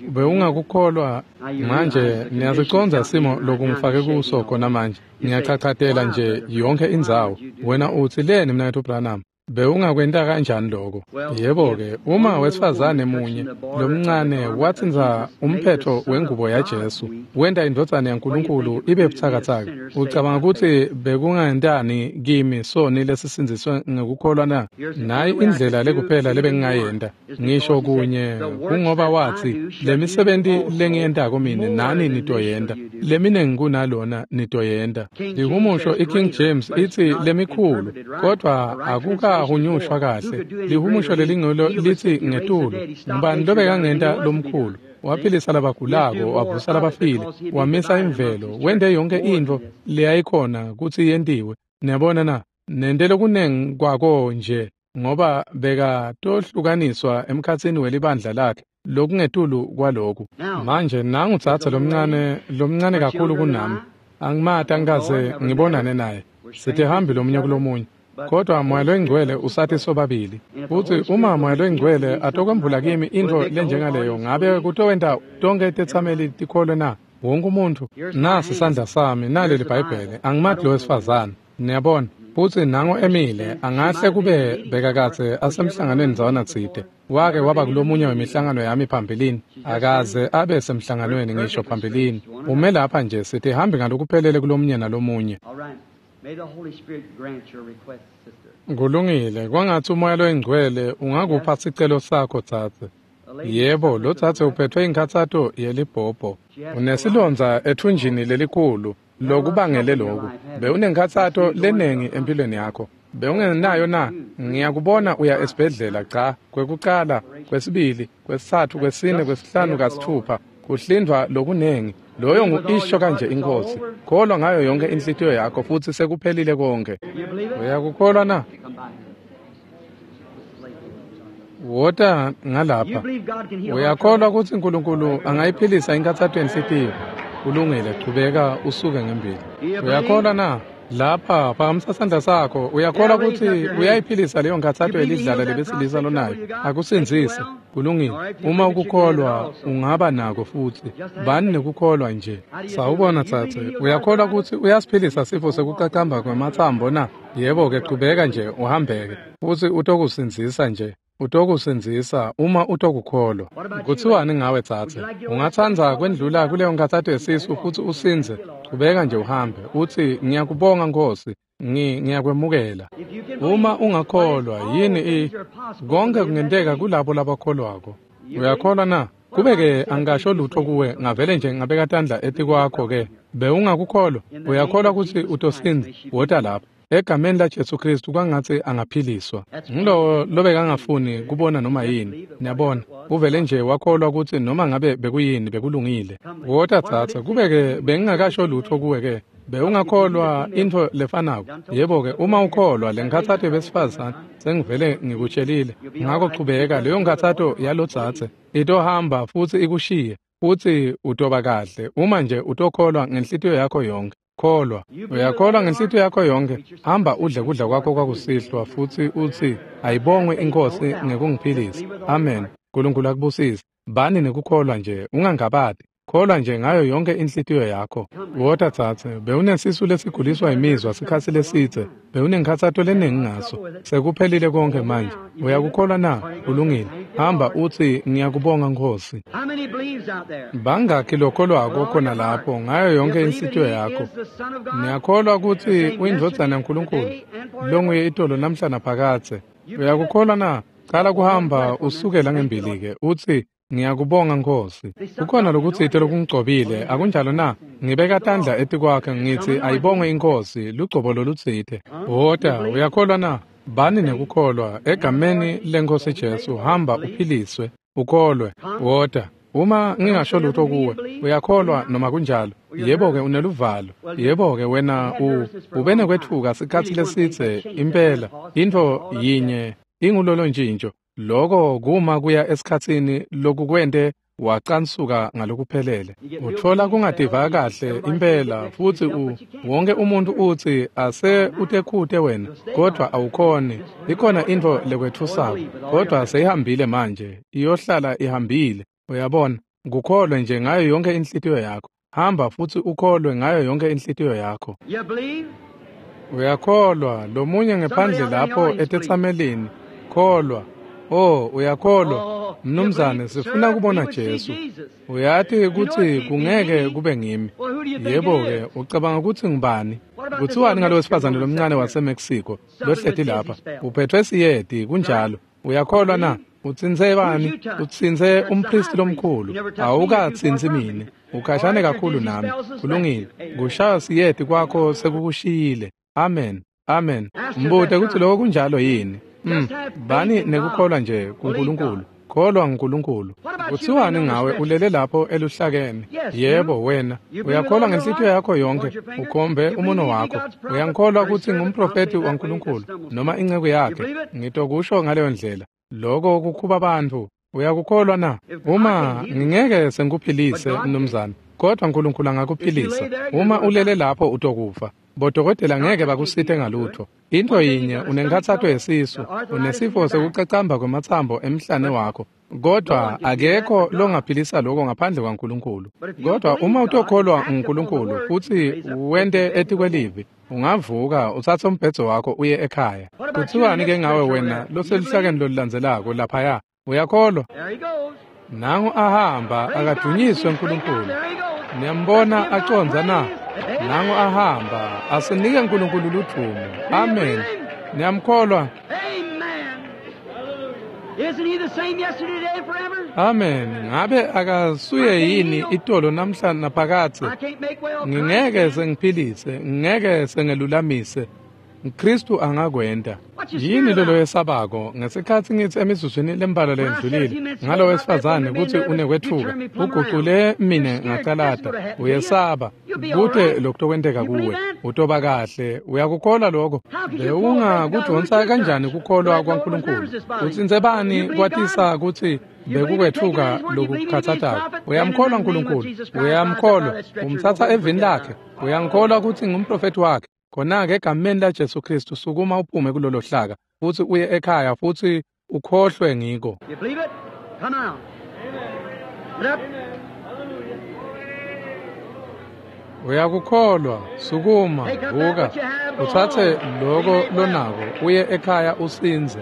Bewungakukholwa? Manje niyasicondza simo lokungifake kuso khona manje. Ngiyachachatela nje yonke indzawo. Wena utsi leni mnaketfu Branham? Bewungakwenta kanjani lokho? Yebo-ke, uma wesifazane munye lomncane watsintsa umphetho wengubo yaJesu, wenta indvodzana yaNkulunkulu ibe butsakatsaka, ucabanga kutsi bekungentani kimi soni lesisindziswe ngekukholwa na? Nayi indlela lekuphela lebengingayenta, ngisho kunye, kungoba watsi, lemisebenti lengiyentako mine nani nitoyenta, leminengi kunalona nitoyenta. Lihumusho iKing James itsi lemikhulu, kodwa akukahunyushwa kahle. Lihumusho lelingcwele litsi ngetulu. Ngubani lobekangenta lomkhulu? Waphilisa labagulako, wavusa labafile, wamisa imvelo, wente yonke intfo leyayikhona kutsi yentiwe. Niyabona na? Nente lokunengi kwako nje, ngoba bekatohlukaniswa emkhatsini welibandla lakhe lokungetulu kwaloku. Manje nangu tsatsa lomncane kakhulu kunami. Angimati, angikaze ngibonane naye. Sitihambi lomunye kulomunye. Kodwa Moya loyiNgcwele usati sobabili. Futsi uma Moya loyiNgcwele atokwembula kimi intfo lenjengaleyo, ngabe kutowenta tonkhe tetsameli tikholwe na? Wonke umuntfu. Nasi sandla sami, naleli Bhayibheli. Angimati lo wesifazane. Niyabona? Futsi nango emile, angahle kube bekakadze asemhlanganweni ndzawana tsite. Wake waba kulomunye wemihlangano yami phambilini, akaze abe semhlanganweni ngisho phambilini. Ume lapha nje, sitihambi ngalokuphelele kulomunye nalomunye. May the Holy Spirit grant your request, sister. Kulungile, kwangatsi uMoya loyiNgcwele ungakupha sicelo sakho tsatse. Yebo, lo tsatse uphethwe inkhatsato yelibhobho. Unesilondza ethunjini lelikhulu lokubangele loku. Bewunenkhatsato lenengi empilweni yakho. Bewungenayo na? Ngiyakubona uya esibhedlela, cha, kwekucala, kwesibili, kwesitsatfu, kwesine, kwesihlanu, kasitfupha, kuhlindvwa lokunengi. Loyo ngu-isho kanje iNkosi. Kholwa ngayo yonke inhlitiyo yakho futsi sekuphelile konke. Uyakukholwa na? Wota ngalapha. Uyakholwa kutsi uNkulunkulu angayiphilisa inkhatsato yenhlitiyo? Kulungile, chubeka usuke ngembili. Uyakholwa na? Lapha, phakamisa sandla sakho. Uyakholwa kutsi uyayiphilisa leyo nkhatsato yelidlala lebesilisa lonayo? Akusindzise. Kulungile. Uma ukukholwa ungaba nako futsi. Bani nekukholwa nje. Sawubona tsatse. Uyakholwa kutsi uyasiphilisa sifo sekucacamba kwematsambo na? Yebo-ke, chubeka nje uhambeke. Futsi utokusindzisa nje. Utokusindzisa uma utokukholwa. Kutsiwani ngawe tsatse? Ungatsandza kwendlula kuleyo nkhatsato yesisu futsi usindze? Chubeka nje uhambe. Utsi, ngiyakubonga Nkosi, ngiyakwemukela. Uma ungakholwa, yini konke kungenteka kulabo labakholwako. Uyakholwa na? Kube-ke angasho lutho kuwe, ngavele nje ngabeka tandla etikwakho-ke. Bewungakukholwa? Uyakholwa kutsi utosindza? Wota lapha. Egameni laJesu Kristu kwangatsi angaphiliswa. Ngilowo lobekangafuni kubona noma yini. Niyabona, uvele nje wakholwa kutsi noma ngabe bekuyini bekulungile. Wota tsatsa, kube-ke bengingakasho lutho kuwe-ke. Bewungakholwa intfo lefanako. Yebo-ke, uma ukholwa le nkhatsato yebesifazane sengivele ngikutshelile. Ngako chubeka, leyo nkhatsato yalotsatse itohamba futsi ikushiye, futsi utoba kahle uma nje utokholwa ngenhlitiyo yakho yonke. Kholwa. Uyakholwa ngenhlitiyo yakho yonke. Hamba udle kudla kwakho kwakusihlwa futsi utsi ayibongwe iNkhosi ngekungiphilisa. Amen. Nkulunkulu akubusise. Bani nekukholwa nje, ungangabati. Kholwa nje ngayo yonke inhlitiyo yakho. Wota tsatse, bewunesisu lesiguliswa imizwa sikhatsi lesidze, bewunenkhatsato leningi ngaso. Sekuphelile konke manje. Uyakukholwa na? Kulungile. Hamba utsi ngiyakubonga Nkhosi. Bangakhi lokholwako khona lapho ngayo yonke inhlitiyo yakho? Niyakholwa kutsi uyindvodzana yaNkulunkulu longuye itolo namhla naphakadze. Uyakukholwa na? Cala kuhamba usukela ngembili-ke utsi ngiyakubonga Nkhosi. Kukhona lokutsite lokungigcobile, akunjalo na? Ngibeka tandla etikwakhe ngitsi ayibongwe iNkhosi, lugcobo lolutsite. Wota, uyakholwa na? Bani nekukholwa egameni leNkhosi Jesu, hamba uphiliswe, ukholwe. Wota. Uma ngingasho lutho kuwe, uyakholwa noma kunjalo? Yebo-ke, uneluvalo. Yebo-ke, wena ube nekwetfuka sikhatsi lesidze impela. Intfo yinye ingulolo ntjintjo. Loko kuma kuya esikhatsini lokukwente wacansuka ngalokuphelele. Utfola kungativa kahle impela futsi wonke umuntu utsi ase utekhute wena, kodwa awukhoni. Ikhona intfo lekwetfusako, kodwa seyihambile manje, iyohlala ihambile. Uyabona, kukholwe nje ngayo yonke inhlitiyo yakho. Hamba futsi ukholwe ngayo yonke inhlitiyo yakho. Uyakholwa, lomunye ngephandle lapho etetsamelini, kholwa. Oh, uyakholwa, mnumzane, sifuna kubona Jesu. Uyati kutsi kungeke kube ngimi. Yebo-ke, ucabanga kutsi ngubani? Kuthiwani ngalo wesifazane lomncane waseMexico lohleti lapha? Uphethwe siyeti, kunjalo. Uyakholwa na? Utsintse bani? Utsintse umpristi lomkhulu. Awukatsintsi mine. Ukhashane kakhulu nami. Kulungile. Kushaya siyeti kwakho sekukushiyile. Amen. Amen. Mbute kutsi lokho kunjalo yini? Bani nekukholwa nje kuNkulunkulu. Kholwa nguNkulunkulu. Kuthiwani ngawe ulele lapho eluhlakeni? Yebo, wena uyakholwa ngenhlitiyo yakho yonke, ukhombe umuno wakho. Uyangikholwa kutsi ngumprofeti waNkulunkulu noma inceku yakhe? Ngitokusho ngaleyo ndlela. Loko kukhuba bantfu. Uyakukholwa na? Uma ngingeke sengikuphilise, mnumzane, kodwa uNkulunkulu angakuphilisa. Uma ulele lapho utokufa. Bodokotela ngeke bakusite ngalutho. Into yinye, unenkhatsato yesisu, unesifo sekucacamba kwematsambo emhlane wakho, kodwa akekho longaphilisa lokho ngaphandle kwaNkulunkulu. Kodwa uma utokholwa nguNkulunkulu futsi wente etikwelivi, ungavuka utsatse umbhedzo wakho uye ekhaya. Kuthiwani ke ngawe wena loseluhlakeni lolulandzelako laphaya? Uyakholwa? Nangu ahamba, akadunyiswe uNkulunkulu. Niyambona acondza na? Nangu ahamba, asinike uNkulunkulu ludvumo. Amen. Niyamkholwa? Amen. Ngabe akasuye yini itolo namhla naphakadze? Ngingeke sengiphilise, ngingeke sengelulamise. Kristu angakwenta. Yini lolo yesabako ngesikhatsi ngitsi emizuzwini lembalwa lendlulile ngalo wesifazane kutsi unekwetfuka, ugucule mine ngacalata. Uyesaba kute lokutokwenteka kuwe. Utoba kahle. Uyakukholwa lokho? Bewungakudvonsa kanjani kukholwa kwaNkulunkulu? Utsintse bani kwatisa kutsi bekukwetfuka lokukhathatako? Uyamkholwa uNkulunkulu? Uyamkholwa? Umtsatsa evini lakhe? Uyangikholwa kutsi ngumprofeti wakhe? Khona-ke egameni laJesu Kristu sukuma uphume kulolo hlaka futsi uye ekhaya futsi ukhohlwe ngiko. Uyakukholwa? Sukuma, vuka, utsatse loko lonako uye ekhaya usindze.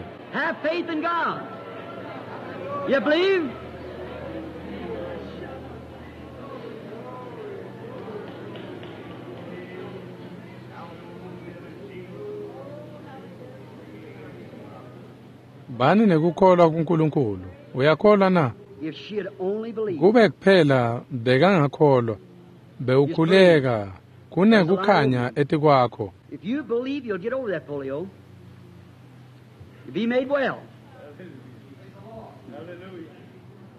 Bani nekukholwa kuNkulunkulu. Uyakholwa na? Kube kuphela bekangakholwa, bewukhuleka kunekukhanya etikwakho. If you believe, you'll get over that polio. You'll be made well.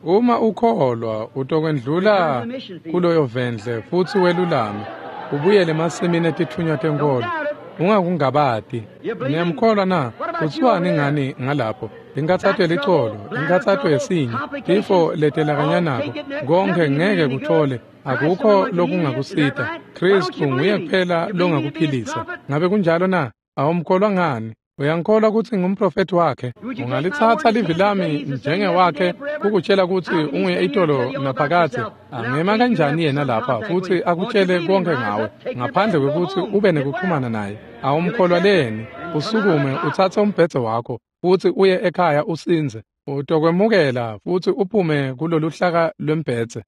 Uma ukholwa utokwendlula kuloyo vendle futsi welulame ubuyele emasimini etitfunywa tenkolo. Ungakungabati. Niyamkholwa na? Kuthiwani ngani ngalapho? Inkathato yelicolo, inkathato yesinye, tifo letelakanyanako, konke ngeke kuthole, akukho lokungakusita. Kristu nguye kuphela longakuphilisa. Ngabe kunjalo na? Awumkholwa ngani? Uyangikholwa kutsi ngumprofethi wakhe? Ungalitsatsa livi lami njengewakhe kukutshela kutsi unguye itolo naphakadze. Angema kanjani yena lapha futsi akutshele konke ngawe ngaphandle kwekutsi ube nekuxhumana naye? Awumkholwa leni? Usukume utsatse umbhedze wakho futsi uye ekhaya usindze. Utokwemukela futsi uphume kuloluhlaka lwembhedze.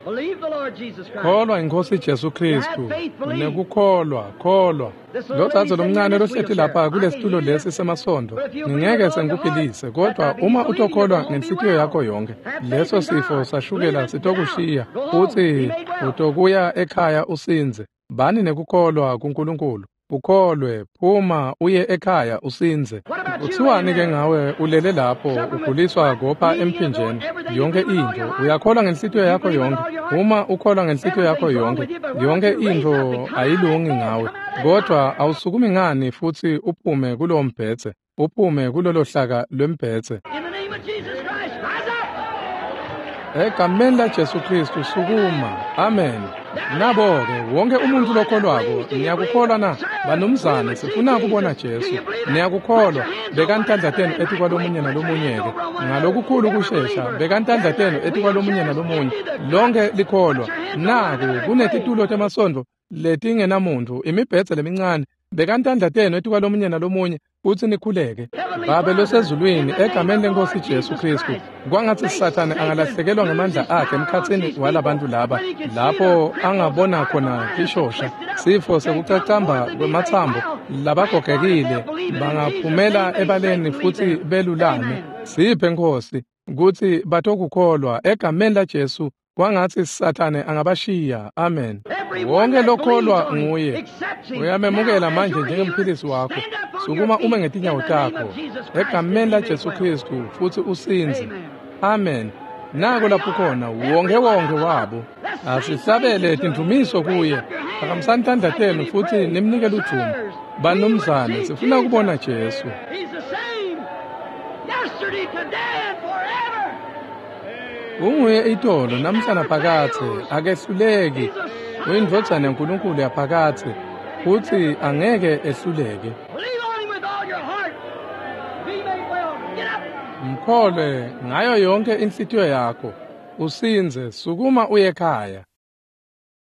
Kholwa iNkhosi Jesu Kristu. Nekukholwa, kholwa. Lo dzadze lomncane lohleti lapha kulesitulo lesi semasondo, ngingeke sengikuphilise, kodwa uma utokholwa ngenhlitiyo yakho yonke, leso sifo sashukela sitokushiya futsi utokuya ekhaya usindze. Bani nekukholwa kuNkulunkulu. Ukholwe, phuma uye ekhaya usindze. Kuthiwani ke ngawe ulele lapho uguliswa kopha emphinjeni yonke intfo? Uyakholwa ngenhlitiyo yakho yonke? Uma ukholwa ngenhlitiyo yakho yonke, yonke intfo ayilungi ngawe, kodwa awusukumi ngani futsi uphume kulowo mbhedze, uphume kulolo hlaka lwembhedze? Egameni laJesu Kristu sukuma. Amen. Nabo-ke wonke umuntu lokholwako, niyakukholwa na? Banumzane, sifuna kubona Jesu. Niyakukholwa? Bekani tandla tenu etikwalomunye nalomunye-ke. Ngalokukhulu kushesha, bekani tandla tenu etikwalomunye nalomunye. Lonke likholwa. Naku kunetitulo temasondo letingenamuntu, imibhedze lemincane. Bekani tandla tenu etikwalomunye nalomunye futsi nikhuleke. Babe losezulwini, egameni leNkhosi Jesu Kristu, kwangatsi Sathane angalahlekelwa ngemandla akhe emkhatsini walabantu laba, lapho angabona khona tishosha, sifo sekucacamba kwematsambo, labagogekile bangaphumela ebaleni futsi belulame. Siphe Nkhosi kutsi batokukholwa egameni laJesu. Kwangatsi Sathane angabashiya. Amen. Wonke lokholwa nguye uyamemukela manje njengemphilisi wakho. Sukuma ume ngetinyawo takho egameni laJesu Kristu futsi usindze. Amen. Nako lapho khona wonke wonke wabo. Asihlabele tindumiso kuye. Phakamisani tandla tenu futsi nimnike ludvumo. Banumzane, sifuna kubona Jesu. Unguye itolo namhla naphakadze, akehluleki. Uyindvodzana yaNkulunkulu yaphakadze futsi angeke ehluleke. Mkholwe ngayo yonke inhlitiyo yakho, usindze. Sukuma uye ekhaya.